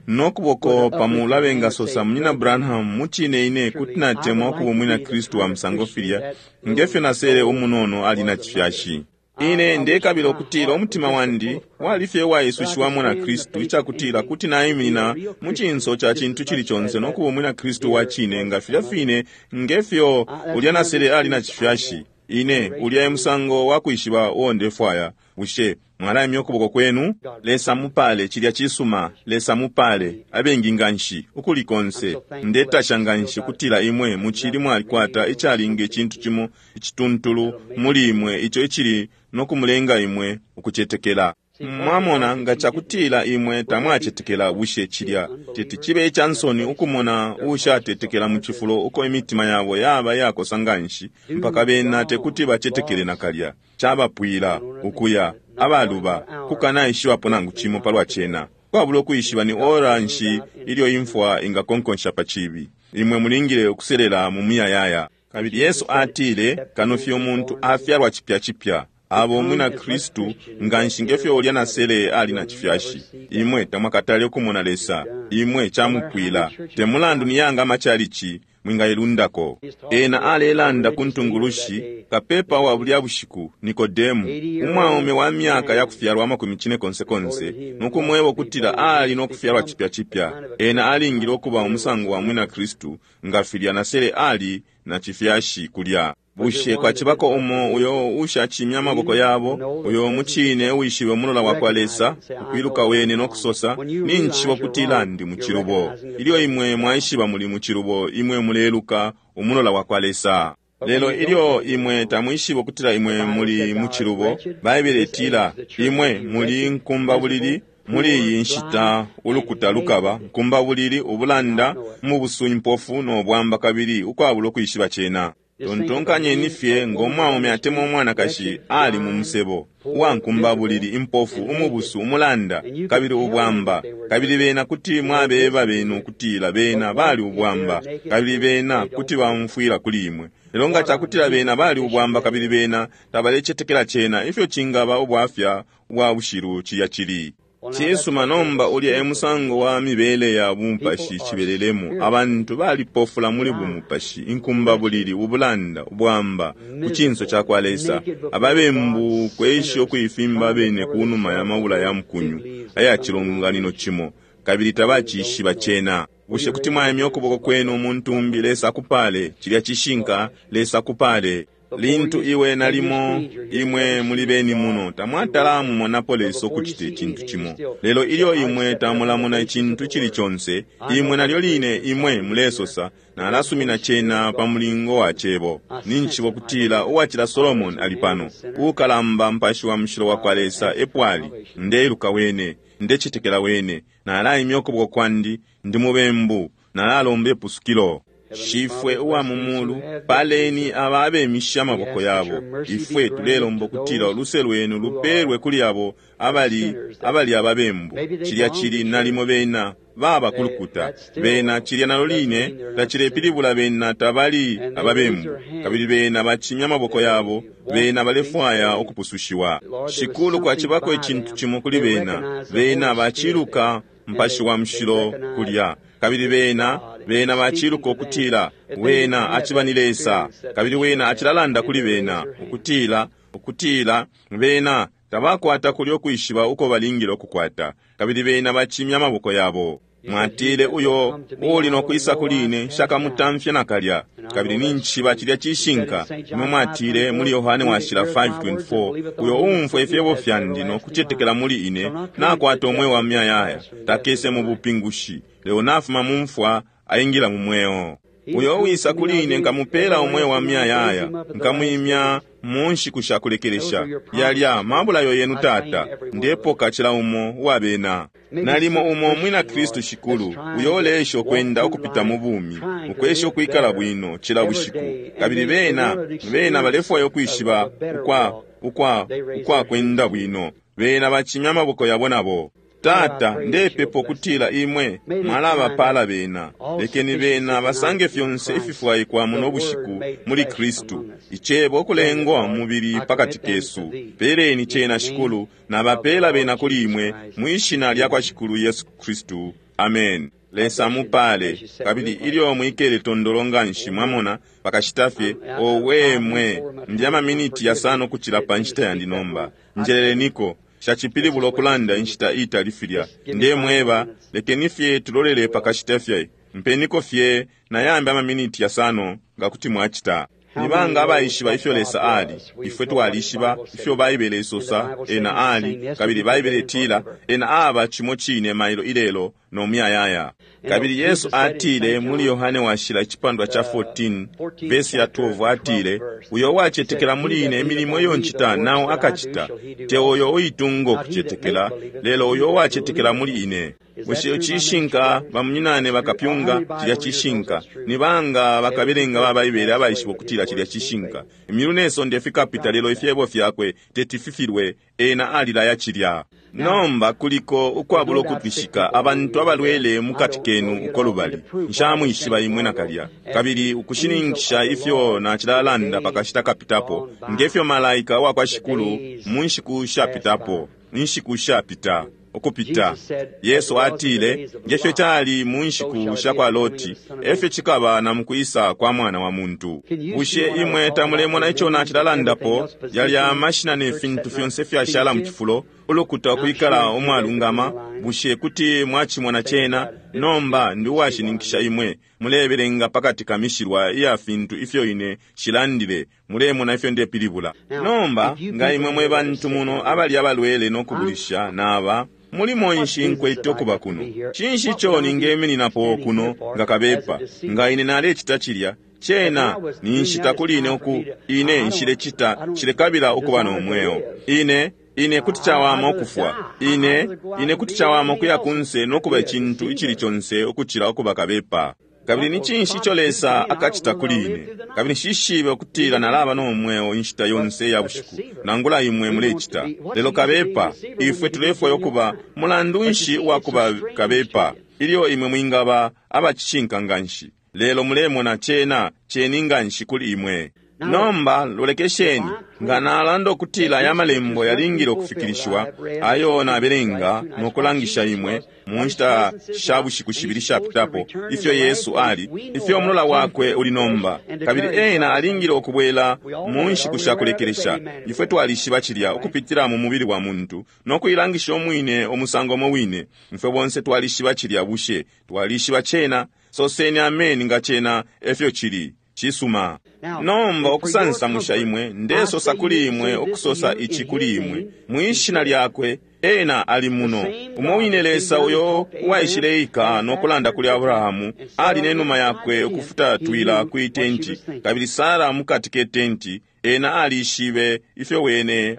nokuboko pamulu abengasosa, Munyina Branham, muchine ine kuti natemwa okuba umwina Kristu wa musango filya ngefyo nasele umunono ali na chifyashi. Ine ndekabila okutila omutima wandi wali fye uwaisushiwamo na Kristu, ichakutila kuti naiminina mu chinso cha chintu chili chonse nokuba umwina Kristu wa chine nga filya fine ngefyo ulya nasele ali na chifyashi. Ine ulya emusango wakwishiba uo ndefwaya. Bushe mwalaimya ukuboko kwenu? Lesa mupale, chilya chisuma. Lesa mupale, abengi nganshi ukuli konse. Ndetasha nganshi kutila imwe muchili mwalikwata ichalinga ichintu chimo ichituntulu muli imwe icho ichili nokumulenga imwe ukuchetekela. Mwamona nga chakutila imwe tamwachetekela, bushe chilya teti chibe ichansoni ukumona ushatetekela mu chifulo uko imitima yabo yaba yakosa nganshi mpaka bena tekuti bachetekele nakalya. Chabapwila ukuya abaluba kukanaishiwapo nangu chimo palwa chena. Kwabula okuyishiba ni ora nshi ilyo imfwa ingakonkonsha pa chibi. Imwe mulingile okuselela mu muyayaya. Kabili Yesu atile, kano fye omuntu afyalwa chipya chipya, abo mwina Kristu nganshi ngefyo ulya nasele ali na chifyashi. Imwe tamwakatale okumona Lesa, imwe chamupwila. Te mulandu ni yanga amachalichi mwingailundako. Ena alelanda ku ntungulushi kapepa wa bulya bushiku Nikodemu, umwaume wa myaka ya kufyalwa amakumi cine konse konse, nokumweba okutila ali nokufyalwa chipya chipya. Ena alingile okuba umusango wa mwina Kristu nga filya nasele ali na chifyashi kulya. Bushe kwacibako umo uyo ushacimya amaboko yabo, uyo mucine uwishibe umulola wakwa Lesa, ukwiluka wene nokusosa, ninjishiba ukutila ndi mucilubo? Ilyo imwe mwaishiba muli mucilubo, imwe muleluka umulola wakwa Lesa. Lelo ilyo imwe tamwishiba ukutila imwe muli mucilubo, Baibele itila imwe muli nkumbabulili. Muli iyi nshita ulukuta lukaba nkumbabulili, ubulanda, mubusu, impofu no bwamba, kabili ukwabula ukwishiba cena. Tontonkanyeni fye ngo mwaume atemwa umwanakashi ali mu musebo, uwankumbabulili, impofu, umubusu, umulanda, kabili ubwamba, kabili bena kuti mwabeba benu ukutila bena bali ubwamba, kabili bena kuti baumfwila kuli imwe. Lelo nga cakutila bena bali ubwamba kabili bena tabalecetekela cena, ifyo cingaba ubwafya ubwa bushilu cilya cili. Cisuma, nomba ulya e musango wa mibele ya bumupashi cibelelemo. Abantu balipofula muli bumupashi, inkumbabulili, ubulanda, ubwamba ku cinso cakwa Lesa, ababembu kwesha ukuifimba bene kunuma ya mabula ya mukunyu aya cilonganino cimo, kabili tabacishiba cena. Bushe kuti mwaimya ukuboko kwenu umuntu umbi? Lesa akupale. Cilya cishinka. Lesa akupale. Lintu iwe nalimo imwe muli beni muno tamwatala mumonapo Lesa ukucita icintu cimo, lelo ilyo imwe tamulamona icintu cili conse, imwe nalyo line imwe mulesosa, nalasumina cena pa mulingo wa cebo. Ninjishiba ukutila uwacila Solomon ali pano, uukalamba mpashi wa mushilo wakwa Lesa epo ali. Ndeiluka wene, ndecetekela wene, nalaimya ukuboko kwandi, ndi mubembu, nalalomba ipusukilo. Shifwe uwa mu mulu, paleni aba abemisha amaboko yabo. Ifwe tulelomba ukutila uluse lwenu lupelwe kuli abo abali abali ababembu. Cilya cili nalimo bena baba kulukuta bena, cilya nalo line tacilepilibula bena tabali ababembu, kabili bena bacimya amaboko yabo, bena balefwaya ukupusushiwa. Shikulu, kwacibako icintu cimo kuli bena, bena baciluka mpashi wa mushilo kulya, kabili bena bena baciluka ukutila wena aciba ni Lesa, kabili wena acilalanda kuli bena ukutila ukutila bena tabakwata kulya ukwishiba uko balingile ukukwata, kabili bena bacimya amaboko yabo. Mwatile uyo uli nokwisa kuli ine nshakamutamfye nakalya, kabili ninjishiba cilya cishinka. Imwe mwatile muli Yohane washila five twenty-four, uyo uumfwa ifyebo fyandi nokucetekela muli ine nakwata umweo wa muyayaya, takese mu bupingushi, lelo nafuma mu mfwa aingila mu mweo. Uyo uwisa kuli ine nkamupela umweo wa muyayaya, nkamwimya mu nshiku sha kulekelesha. Yalya mabulayo yenu Tata, ndepoka cila umo uwabena. Nalimo umo mwina Kristu Shikulu, uyo uleesha ukwenda ukupita mu bumi, ukwesha ukwikala bwino cila bushiku, kabili bena bena balefwaya ukwishiba ukwa ukwa ukwa kwenda bwino, bena bacimya amaboko yabo nabo. Tata, ndepepa ukutila imwe mwalabapala bena. Lekeni bena basange fyonse ififwaikwa muno bushiku muli Kristu, icebo ukulengwa mubili pakati kesu. Peleni cena Shikulu, nabapela bena kuli imwe mwishina lya kwa Shikulu Yesu Kristu. Amen. Lesa mupale. Kabili ilyo mwikele tondolo nganshi, mwamona pakashita fye, owe mwe, ndi amaminiti yasano kucila pa nshita yandi nomba. Njeleleniko. Shacipilibula ukulanda inshita itali filya. Ndemweba, lekeni fye tulolele pakashita fye, mpeniko fye nayambi amaminiti yasano nga kuti mwacita. Ni banga abaishiba ifyo Lesa ali? Ifwe twalishiba ifyo Baibele isosa ena ali, kabili Baibele itila ena aba cimo cine mailo ilelo no muyayaya. Kabili Yesu atile muli Yohane washila icipandwa cha fourteen verse ya twelve, atile, uyo uwacetekela muli ine imilimo iyo ncita nao akacita, te uyo uitunga ukucetekela, lelo uyo uwacetekela muli ine. Bushe cishinka bamunyinane bakapyunga? Cilya cishinka. Ni banga bakabelenga ba Baibele abaishiba ukutila cilya cishinka? Imyulu ne sonde fikapita, lelo ifyebo fyakwe teti fifilwe. Ena alilaya cilya. Nomba kuliko ukwabula ukutwishika abantu abalwele mukati kenu uko lubali. Nshamwishiba imwe nakalya, kabili ukushininkisha ifyo nacilalanda pakashita kapitapo, ngefyo malaika wa kwa Shikulu mu nshiku shapitapo, inshiku shapita ukupita. Yesu atile, ngefyo cali mu nshiku sha kwa Loti, efyo cikaba na mukwisa kwa mwana wa muntu. Bushe imwe tamulemona ico nacilalandapo? Yalya amashina ne fintu fyonse fyashala mu cifulo, ulukuta ukwikala umwalungama. Bushe kuti mwacimona cena? Nomba ndi uwashininkisha imwe mulebelenga pakati ka mishilwa iya fintu ifyo ine shilandile, mulemona ifyo ndepilibula. Nomba nga imwe mwe bantu muno abali abalwele no kubulisha naba mulimo nshi nkwete ukuba kuno? Cinshi ico ningemininapo kuno nga kabepa? Nga ine nalecita cilya, cena ni nshita kuli ine uku ine nshilecita, nshilekabila ukuba no mweo. Ine ine kuti cawama ukufwa. Ine ine kuti cawama ukuya kunse no kuba icintu icili conse ukucila ukuba kabepa. Kabili ni cinshi ico Lesa akacita kuli ine? Kabili nshishibe ukutila nalaba no mweo inshita yonse ya bushiku, nangula imwe mulecita. Lelo kabepa, ifwe tulefwaya ukuba mulandu nshi uwakuba kabepa, ilyo imwe mwingaba abacishinka nganshi. Lelo mulemona cena ceni nganshi kuli imwe. Nomba lolekesheni, nga nalanda ukutila aya malembo yalingile ukufikilishiwa, ayo nabelenga no kulangisha imwe mu nshita sha bushiku shibili shapitapo, ifyo Yesu ali, ifyo umulola wakwe uli nomba, kabili ena alingile ukubwela mu nshiku sha kulekelesha. Ifwe twalishiba cilya ukupitila mu mubili wa muntu no kuilangisha umwine umusango umo wine. Ifwe bonse twalishiba cilya. Bushe twalishiba cena? Soseni ameni nga cena efyo cili. Cisuma. Nomba ukusansamusha imwe, ndesosa kuli imwe ukusosa ici kuli imwe mwishina lyakwe, ena ali muno. Umo wine Lesa uyo uwaishileika no kulanda kuli Abrahamu ali nenuma yakwe ukufutatwila kwi tenti, kabili Sara mukati ke tenti, ena alishibe ifyo wene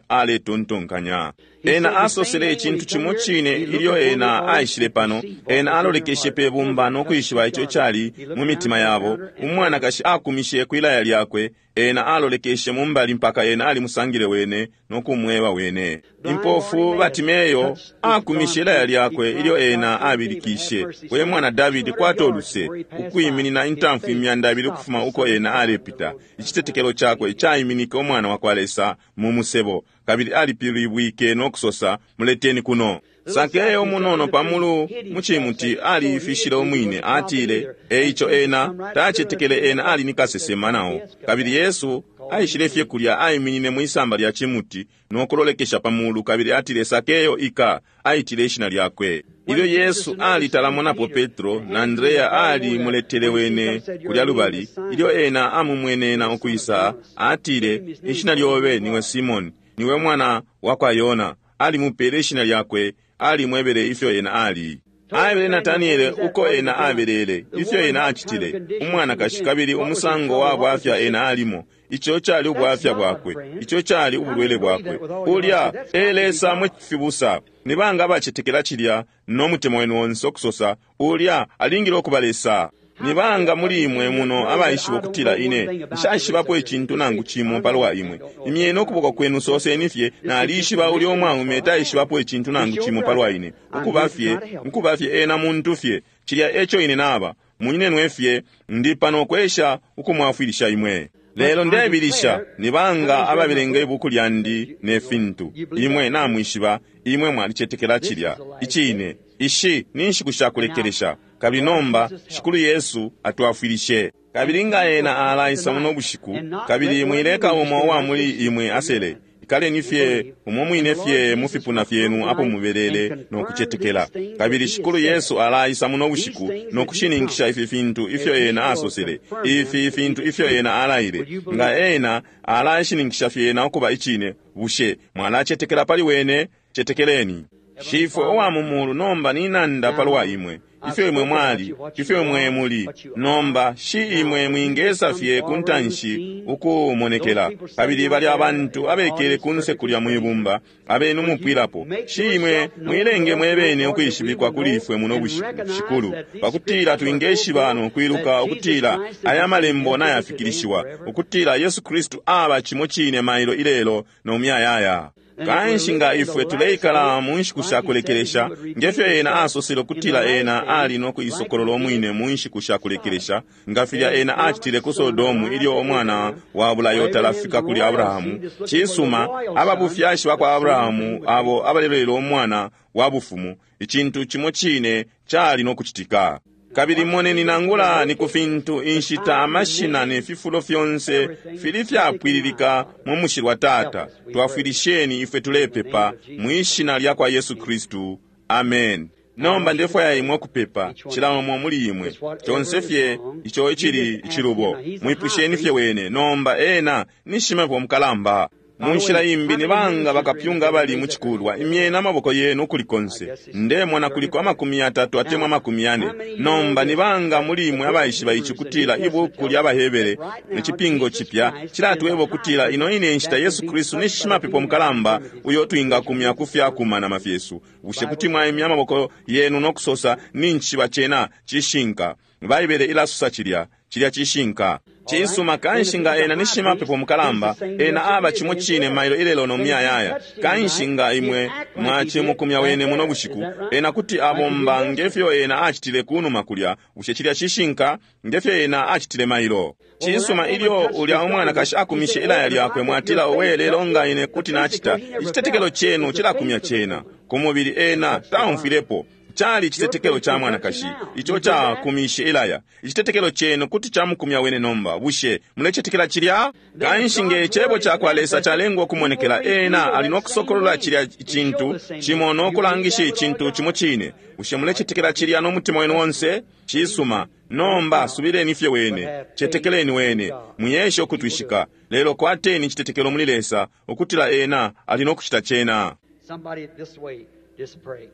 aletontonkanya. Ena asosele icintu cimo cine ilyo ena aishile pano. Ena alolekeshe pe bumba no kwishiba ico cali mu mitima yabo. Umwanakashi akumishe kwilaya lyakwe, ena alolekeshe mumbali mpaka ena alimusangile wene no kumweba wene. Impofu Batimeyo akumishe ilaya lyakwe ilyo ena abilikishe, we mwana Davidi, kwata oluse, ukwiminina intamfu imyanda ibili ukufuma uko ena alepita. Icitetekelo cakwe caiminike umwana wa kwa Lesa mu musebo, kabili alipilibwike no kusosa, muleteni kuno. Sakeyo munono pamulu mucimuti aliifishile umwine, atile, eico ena tacetekele ena ali ni kasesema nao. Kabili Yesu aishile fye kulya, aiminine mwisamba lya cimuti no kulolekesha pamulu, kabili atile, Sakeyo ika, aitile ishina lyakwe. Ilyo Yesu alitalamonapo Petro na Andrea alimuletele wene kulya lubali, ilyo ena amumwenena ukwisa, atile, ishina lyobe niwe Simoni, niwe mwana wa kwa Yona. Alimupele ishina lyakwe, alimwebele ifyo ena ali. Aebele Nataniele uko ena abelele, ifyo ena acitile, umwanakashi, kabili umusango wa bwafya ena alimo. Ico cali ubwafya bwakwe, ico cali ubulwele bwakwe. Ulya e Lesa mwe fibusa. Ni banga abacetekela cilya no mutima wenu onse ukusosa, ulya alingile ukuba Lesa? Ni banga muli imwe muno abaishiba ukutila ine nshaishibapo icintu nangu cimo palwa imwe? Imyeni ukuboko kwenu, soseni fye, nalishiba ulya umwaume taishibapo icintu nangu cimo palwa ine. Ukuba fye, ukuba fye ena muntu fye. Cilya eco ine naba, munyinenwe fye, ndi pano kwesha ukumwafwilisha imwe. Lelo ndebilisha, ni banga ababelenga ibuku lyandi ne fintu. Imwe namwishiba, imwe mwalicetekela cilya. Icine, ishi ni nshiku sha kulekelesha. Kabili nomba Shikulu Yesu atwafwilishe. Kabili nga ena alaisa muno bushiku, kabili mwileka umo uwa muli imwe asele. Ikaleni fye umo mwine fye mu fipuna fyenu apo mubelele no kucetekela. Kabili Shikulu Yesu alaisa muno bushiku no kushininkisha ifi fintu ifyo ena asosele, ifi fintu ifyo ena alaile. Nga ena alashininkisha fyena ukuba icine, bushe mwalacetekela pali wene? Cetekeleni. Shifwe uwa mu mulu, nomba ninanda palwa imwe, ifyo imwe mwali, ifyo imwe muli nomba. Shi imwe mwingesa fye ku ntanshi ukumonekela. Kabili bali abantu abekele kunse kulya mwibumba abenu mupwilapo. Shi imwe mwilenge mwebene ukwishibikwa kuli ifwe muno bushiku, Shikulu, pakutila twingeshiba no kwiluka ukutila aya malembo nayafikilishiwa, ukutila Yesu Kristu aba cimo cine mailo ilelo no myayaya. Kanshi nga ifwe tuleikala mu nshiku sha kulekelesha, ngefyo ena asosele ukutila ena ali no kuisokolola umwine mu nshiku sha kulekelesha, nga filya ena acitile ku Sodomu ilyo umwana wa bulayo talafika kuli Abrahamu. Cisuma, ababufyashi bakwa Abrahamu abo abalelolela umwana wa bufumu, icintu cimo cine cali no kucitika. Kabili moneni, nangula ni ku fintu, inshita, amashina ne fifulo fyonse fili fyapwililika mu mushilwa. Tata, twafwilisheni ifwe tulepepa mwishina lya kwa Yesu Kristu. Amen. Nomba ndefwaya imwe ukupepa, cila umo muli imwe, conse fye ico icili icilubo, mwipusheni fye wene. Nomba ena ni shimapepo mukalamba. Mu nshila imbi, ni banga bakapyunga abali mu cikulwa, imyeni amaboko yenu ukuli konse. Ndemona kuliko amakumi yatatu atemwa amakumi yane. Nomba ni banga muli imwe abaishiba ici kutila ibuku lya Bahebere icipingo cipya cilatweba ukutila ino ine nshita Yesu Kristu ni shimapepo mukalamba uyo twingakumya ku fyakumanama fyesu. Bushe kuti mwaimya amaboko yenu no kusosa, nincishiba cena cishinka? Baibele ilasosa cilya, cilya cishinka. Cisuma, kanshi nga ena ni shimapepo mukalamba, ena aba cimo cine mailo ilelo no muyayaya. Kanshi nga imwe mwacimukumya wene muno bushiku, ena kuti abomba ngefyo ena acitile kunuma kulya. Bushe cilya cishinka? Ngefyo ena acitile mailo. Cisuma, ilyo ulya umwanakashi akumishe ilaya lyakwe, mwatila, owe, lelo nga ine kuti nacita. Icitetekelo chenu cilakumya cena ku mubili, ena taumfwilepo. Cali icitetekelo ca mwanakashi ico cakumishe ilaya. Icitetekelo chenu kuti camukumya wene nomba. Bushe mulecetekela cilya? Kanshi nge cebo ca kwa Lesa calengwa ukumonekela, ena ali no kusokolola cilya icintu cimo no kulangisha icintu cimo cine. Bushe mulecetekela cilya no mutima wenu onse? Cisuma. Nomba subileni fye wene, cetekeleni wene, mwiyeshe ukutwishika, lelo kwateni icitetekelo muli Lesa ukutila ena ali no kucita cena. Somebody this way, just pray.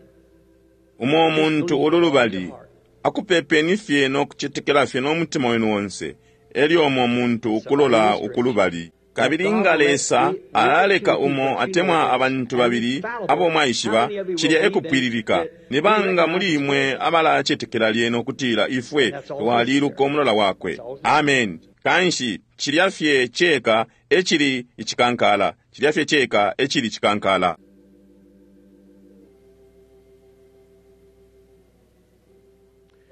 Umo muntu ululubali akupepeni fye no kucetekela fye no mutima wenu onse, elyo umo muntu ukulola ukulubali. Kabili nga Lesa alaleka umo atemwa abantu babili abo mwaishiba, cilya ekupwililika. Ni banga muli imwe abalacetekela lyena ukutila ifwe twaliluka umulola wakwe? Amen. Kanshi cilya fye ceka ecili icikankala, cilya fye ceka ecili icikankala.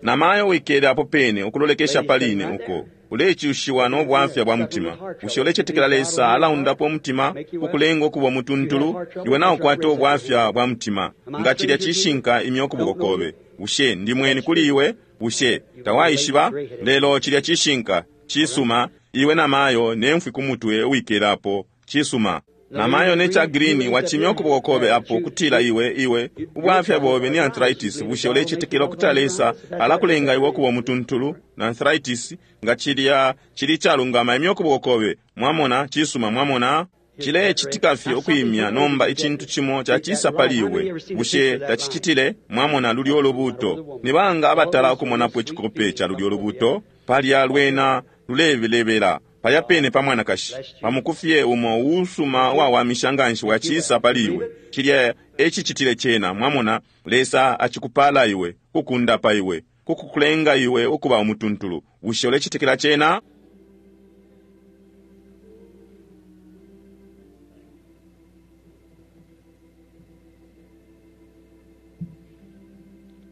Namayo wikele apo pene ukulolekesha pali ine uko ulecushiwa no bwafya bwa mutima. Bushe ulecetekela Lesa alaundapo umutima ukulenga ukuba umutuntulu? Iwe naukwata ubwafya bwa mutima. Nga cilya cishinka, imya ukuboko kobe. Bushe ndi mweni kuli iwe? Bushe tawaishiba? Lelo cilya cishinka. Cisuma. Iwe namayo nemfwi ku mutwe wikele apo. Cisuma. Namayo ne cha green wachimya ukuboko kobe apo kutila iwe iwe ubwafya bobe ni arthritis. Bushe ulecetekela ukutila Lesa alakulenga iwe ukuba umutuntulu na arthritis? Nga cilya cili calungama, imya ukuboko kobe. Mwamona? Cisuma. Mwamona? Cilecitika fye ukwimya nomba icintu cimo cacisa pali iwe. Bushe tacicitile? Mwamona lulyo ulubuto? Ni banga abatala ukumonapo icikope ca lulyo ulubuto? Palya lwena lulebelebela palya pene pa mwanakashi, pamukufye umo uusuma uwawamisha nganshi wacisa pali iwe. Cilya ecicitile cena. Mwamona, Lesa acikupala iwe, kukundapa iwe, kukukulenga iwe ukuba umutuntulu. Bushe ulecetekela cena?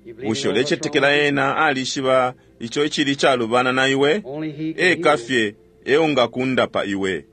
You believe Bushe in all what's ulecetekela wrong? ena alishiba ico icili calubana na iwe? Only he can Eka heal. fye eungakundapa iwe.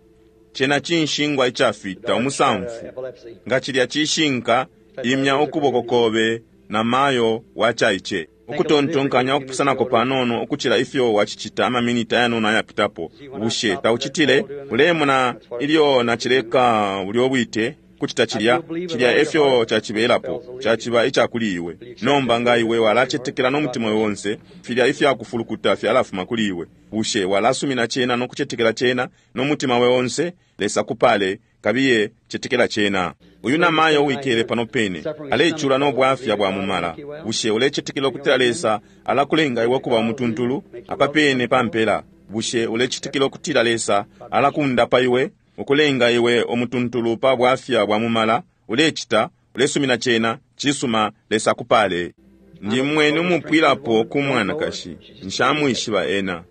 Cena cinshingwa icafita Dark, umusamfu. uh, epilepsy. Nga cilya cishinka, imya ukuboko kobe na mayo wacaice. Ukutontonkanya ukupusanako panono ukucila ifyo wacicita amaminiti ayanono ayapitapo. Bushe taucitile? Ulemona ilyo nacileka bulyo bwite kucita cilya, cilya efyo cacibelapo, caciba icakuli iwe. Nomba nga iwe walacetekela no mutima obe onse, filya ifyakufulukuta fyalafuma kuli iwe. Bushe walasumina cena no kucetekela cena no mutima we onse? Lesa kupale, kabiye cetekela cena. Uyu namayo wikele pano pene alecula no bwafya bwa mumala. Bushe ulecetekela ukutila Lesa alakulenga iwe kuba umutuntulu? Apa pene pampela. Bushe ulecetekela ukutila Lesa alakundapa iwe, ukulenga iwe umutuntulu pa bwafya bwa mumala? Ulecita, ulesumina cena. Cisuma, Lesa akupale. Ndi mweni umupwilapo ku mwanakashi, nshamwishiba ena.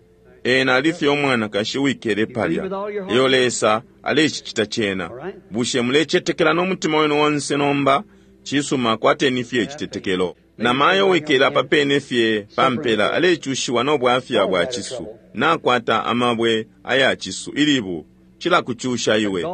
Ena alifye umwanakashi uwikele palya. Iyo Lesa alecicita cena. Bushe mulecetekela no mutima wenu onse nomba? Cisuma, kwateni fye icitetekelo. Namayo wikele apa pene fye pampela alecushiwa no bwafya bwa cisu. Nakwata amabwe aya cisu ilibu cilakucusha iwe.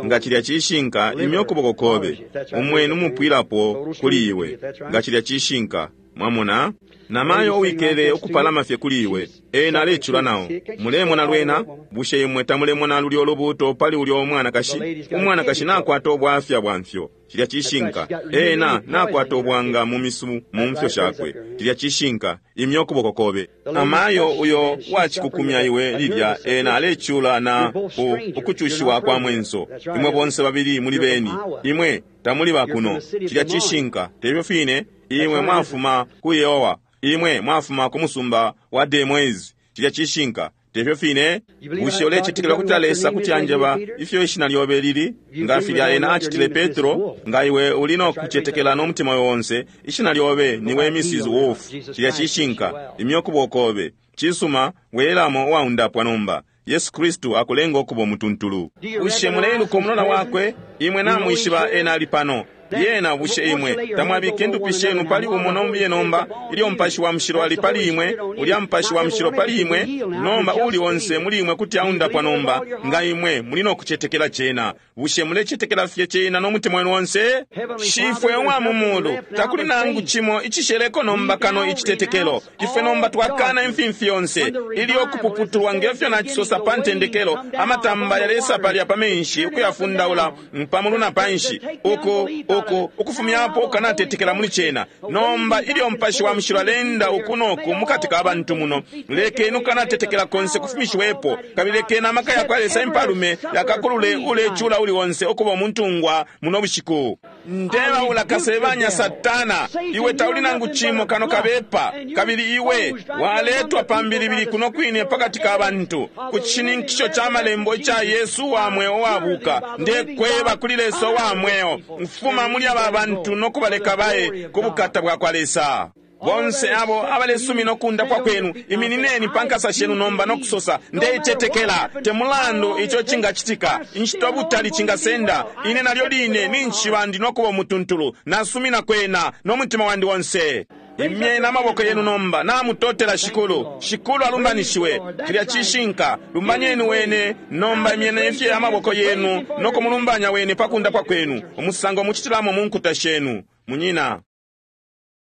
Nga cilya cishinka, imya ukuboko kobe. Umweni umupwilapo kuli iwe. Nga cilya cishinka, Mwamona? Namayo uwikele ukupalama fye kuli iwe, ena alecula nao. Mulemona lwena? Bushe imwe tamulemona lulyo lubuuto pali ulyo umwanakashi? Umwanakashi nakwata ubwafya bwa mfyo. Cilya cishinka. Ena nakwata ubwanga mu misu mu mfyo shakwe. Cilya cishinka. Imya ukuboko kobe. Amayo uyo wacikukumya iwe lilya, ena alecula na u, ukucushiwa kwa mwenso. Imwe bonse babili muli beni. Imwe tamuli bakuno. Cilya cishinka. Tebyo fine? Imwe mwafuma ku Yehowa. Imwe mwafuma ku musumba wa Des Moines. Cilya cishinka. Tefyo fine? Bushe ulecetekela kuti Lesa kuti anjeba ifyo ishina lyobe lili? Nga filya ena acitile Petro, nga iwe uli no kucetekela no mutima onse, ishina lyobe niwe Missus Wolf. Cilya cishinka. Imya ukuboko kobe. Cisuma, welamo uwaundapwa nomba. Yesu Kristu akulenga ukuba umutuntulu. Bushe muleiluka umulola wakwe? Imwe namwishiba ena ali pano. Lyena bushe imwe tamwabika indupi shenu pali umo nombiye nomba, ilyo Mupashi wa Mushilo ali pali imwe, ulya Mupashi wa Mushilo pali imwe, nomba uli onse muli imwe kuti aundapwa nomba, nga imwe muli no kucetekela cena. Bushe mulecetekela fye cena no mutima wenu onse? Shifwe uwa mu mulu, takuli nangu cimo icisheleko nomba kano icitetekelo. Ifwe nomba twakana imfimfi yonse, ilyo kupuputulwa ngefyo nacisosa pa ntendekelo, amatamba yalesa palya pa menshi ukuyafundaula pamulu na panshi, uku uku ukufumyapo ukanatetekela muli cena. Nomba ilyo Mupashi wa Mushilo alenda uku noku mukati ka bantu muno, lekeni ukanatetekela konse kufumishiwepo, kabili lekeni amaka yakwa Lesa impalume yakakulule ulecula uli onse ukuba umuntungwa muno bushiku. Ndebaula kasebanya Satana, iwe tauli nangu cimo kano kabepa, kabili iwe waletwa pambilibili kuno kwine pakati ka bantu ku cishininkisho ca malembo ica Yesu wa mweo wabuka. Ndekweba kuli Lesa wa mweo, mfuma muli aba bantu no kubaleka baye ku bukata bwa kwa Lesa. Bonse abo abalesumina ukundapwa kwenu, iminineni pa nkasa shenu nomba no kusosa, ndeicetekela, te mulandu ico cingacitika, inshita ubutali cingasenda, ine nalyo line ninshiba ndi no kuba umutuntulu, nasumina kwena no mutima wandi wonse. Imyeni amaboko yenu nomba, namutotela Shikulu. Shikulu alumbanishiwe. Cilya cishinka. Lumbanyeni wene nomba, imyeni fye amaboko yenu no kumulumbanya wene pa kundapwa kwenu, umusango mucitilamo mu nkuta shenu. Munyina,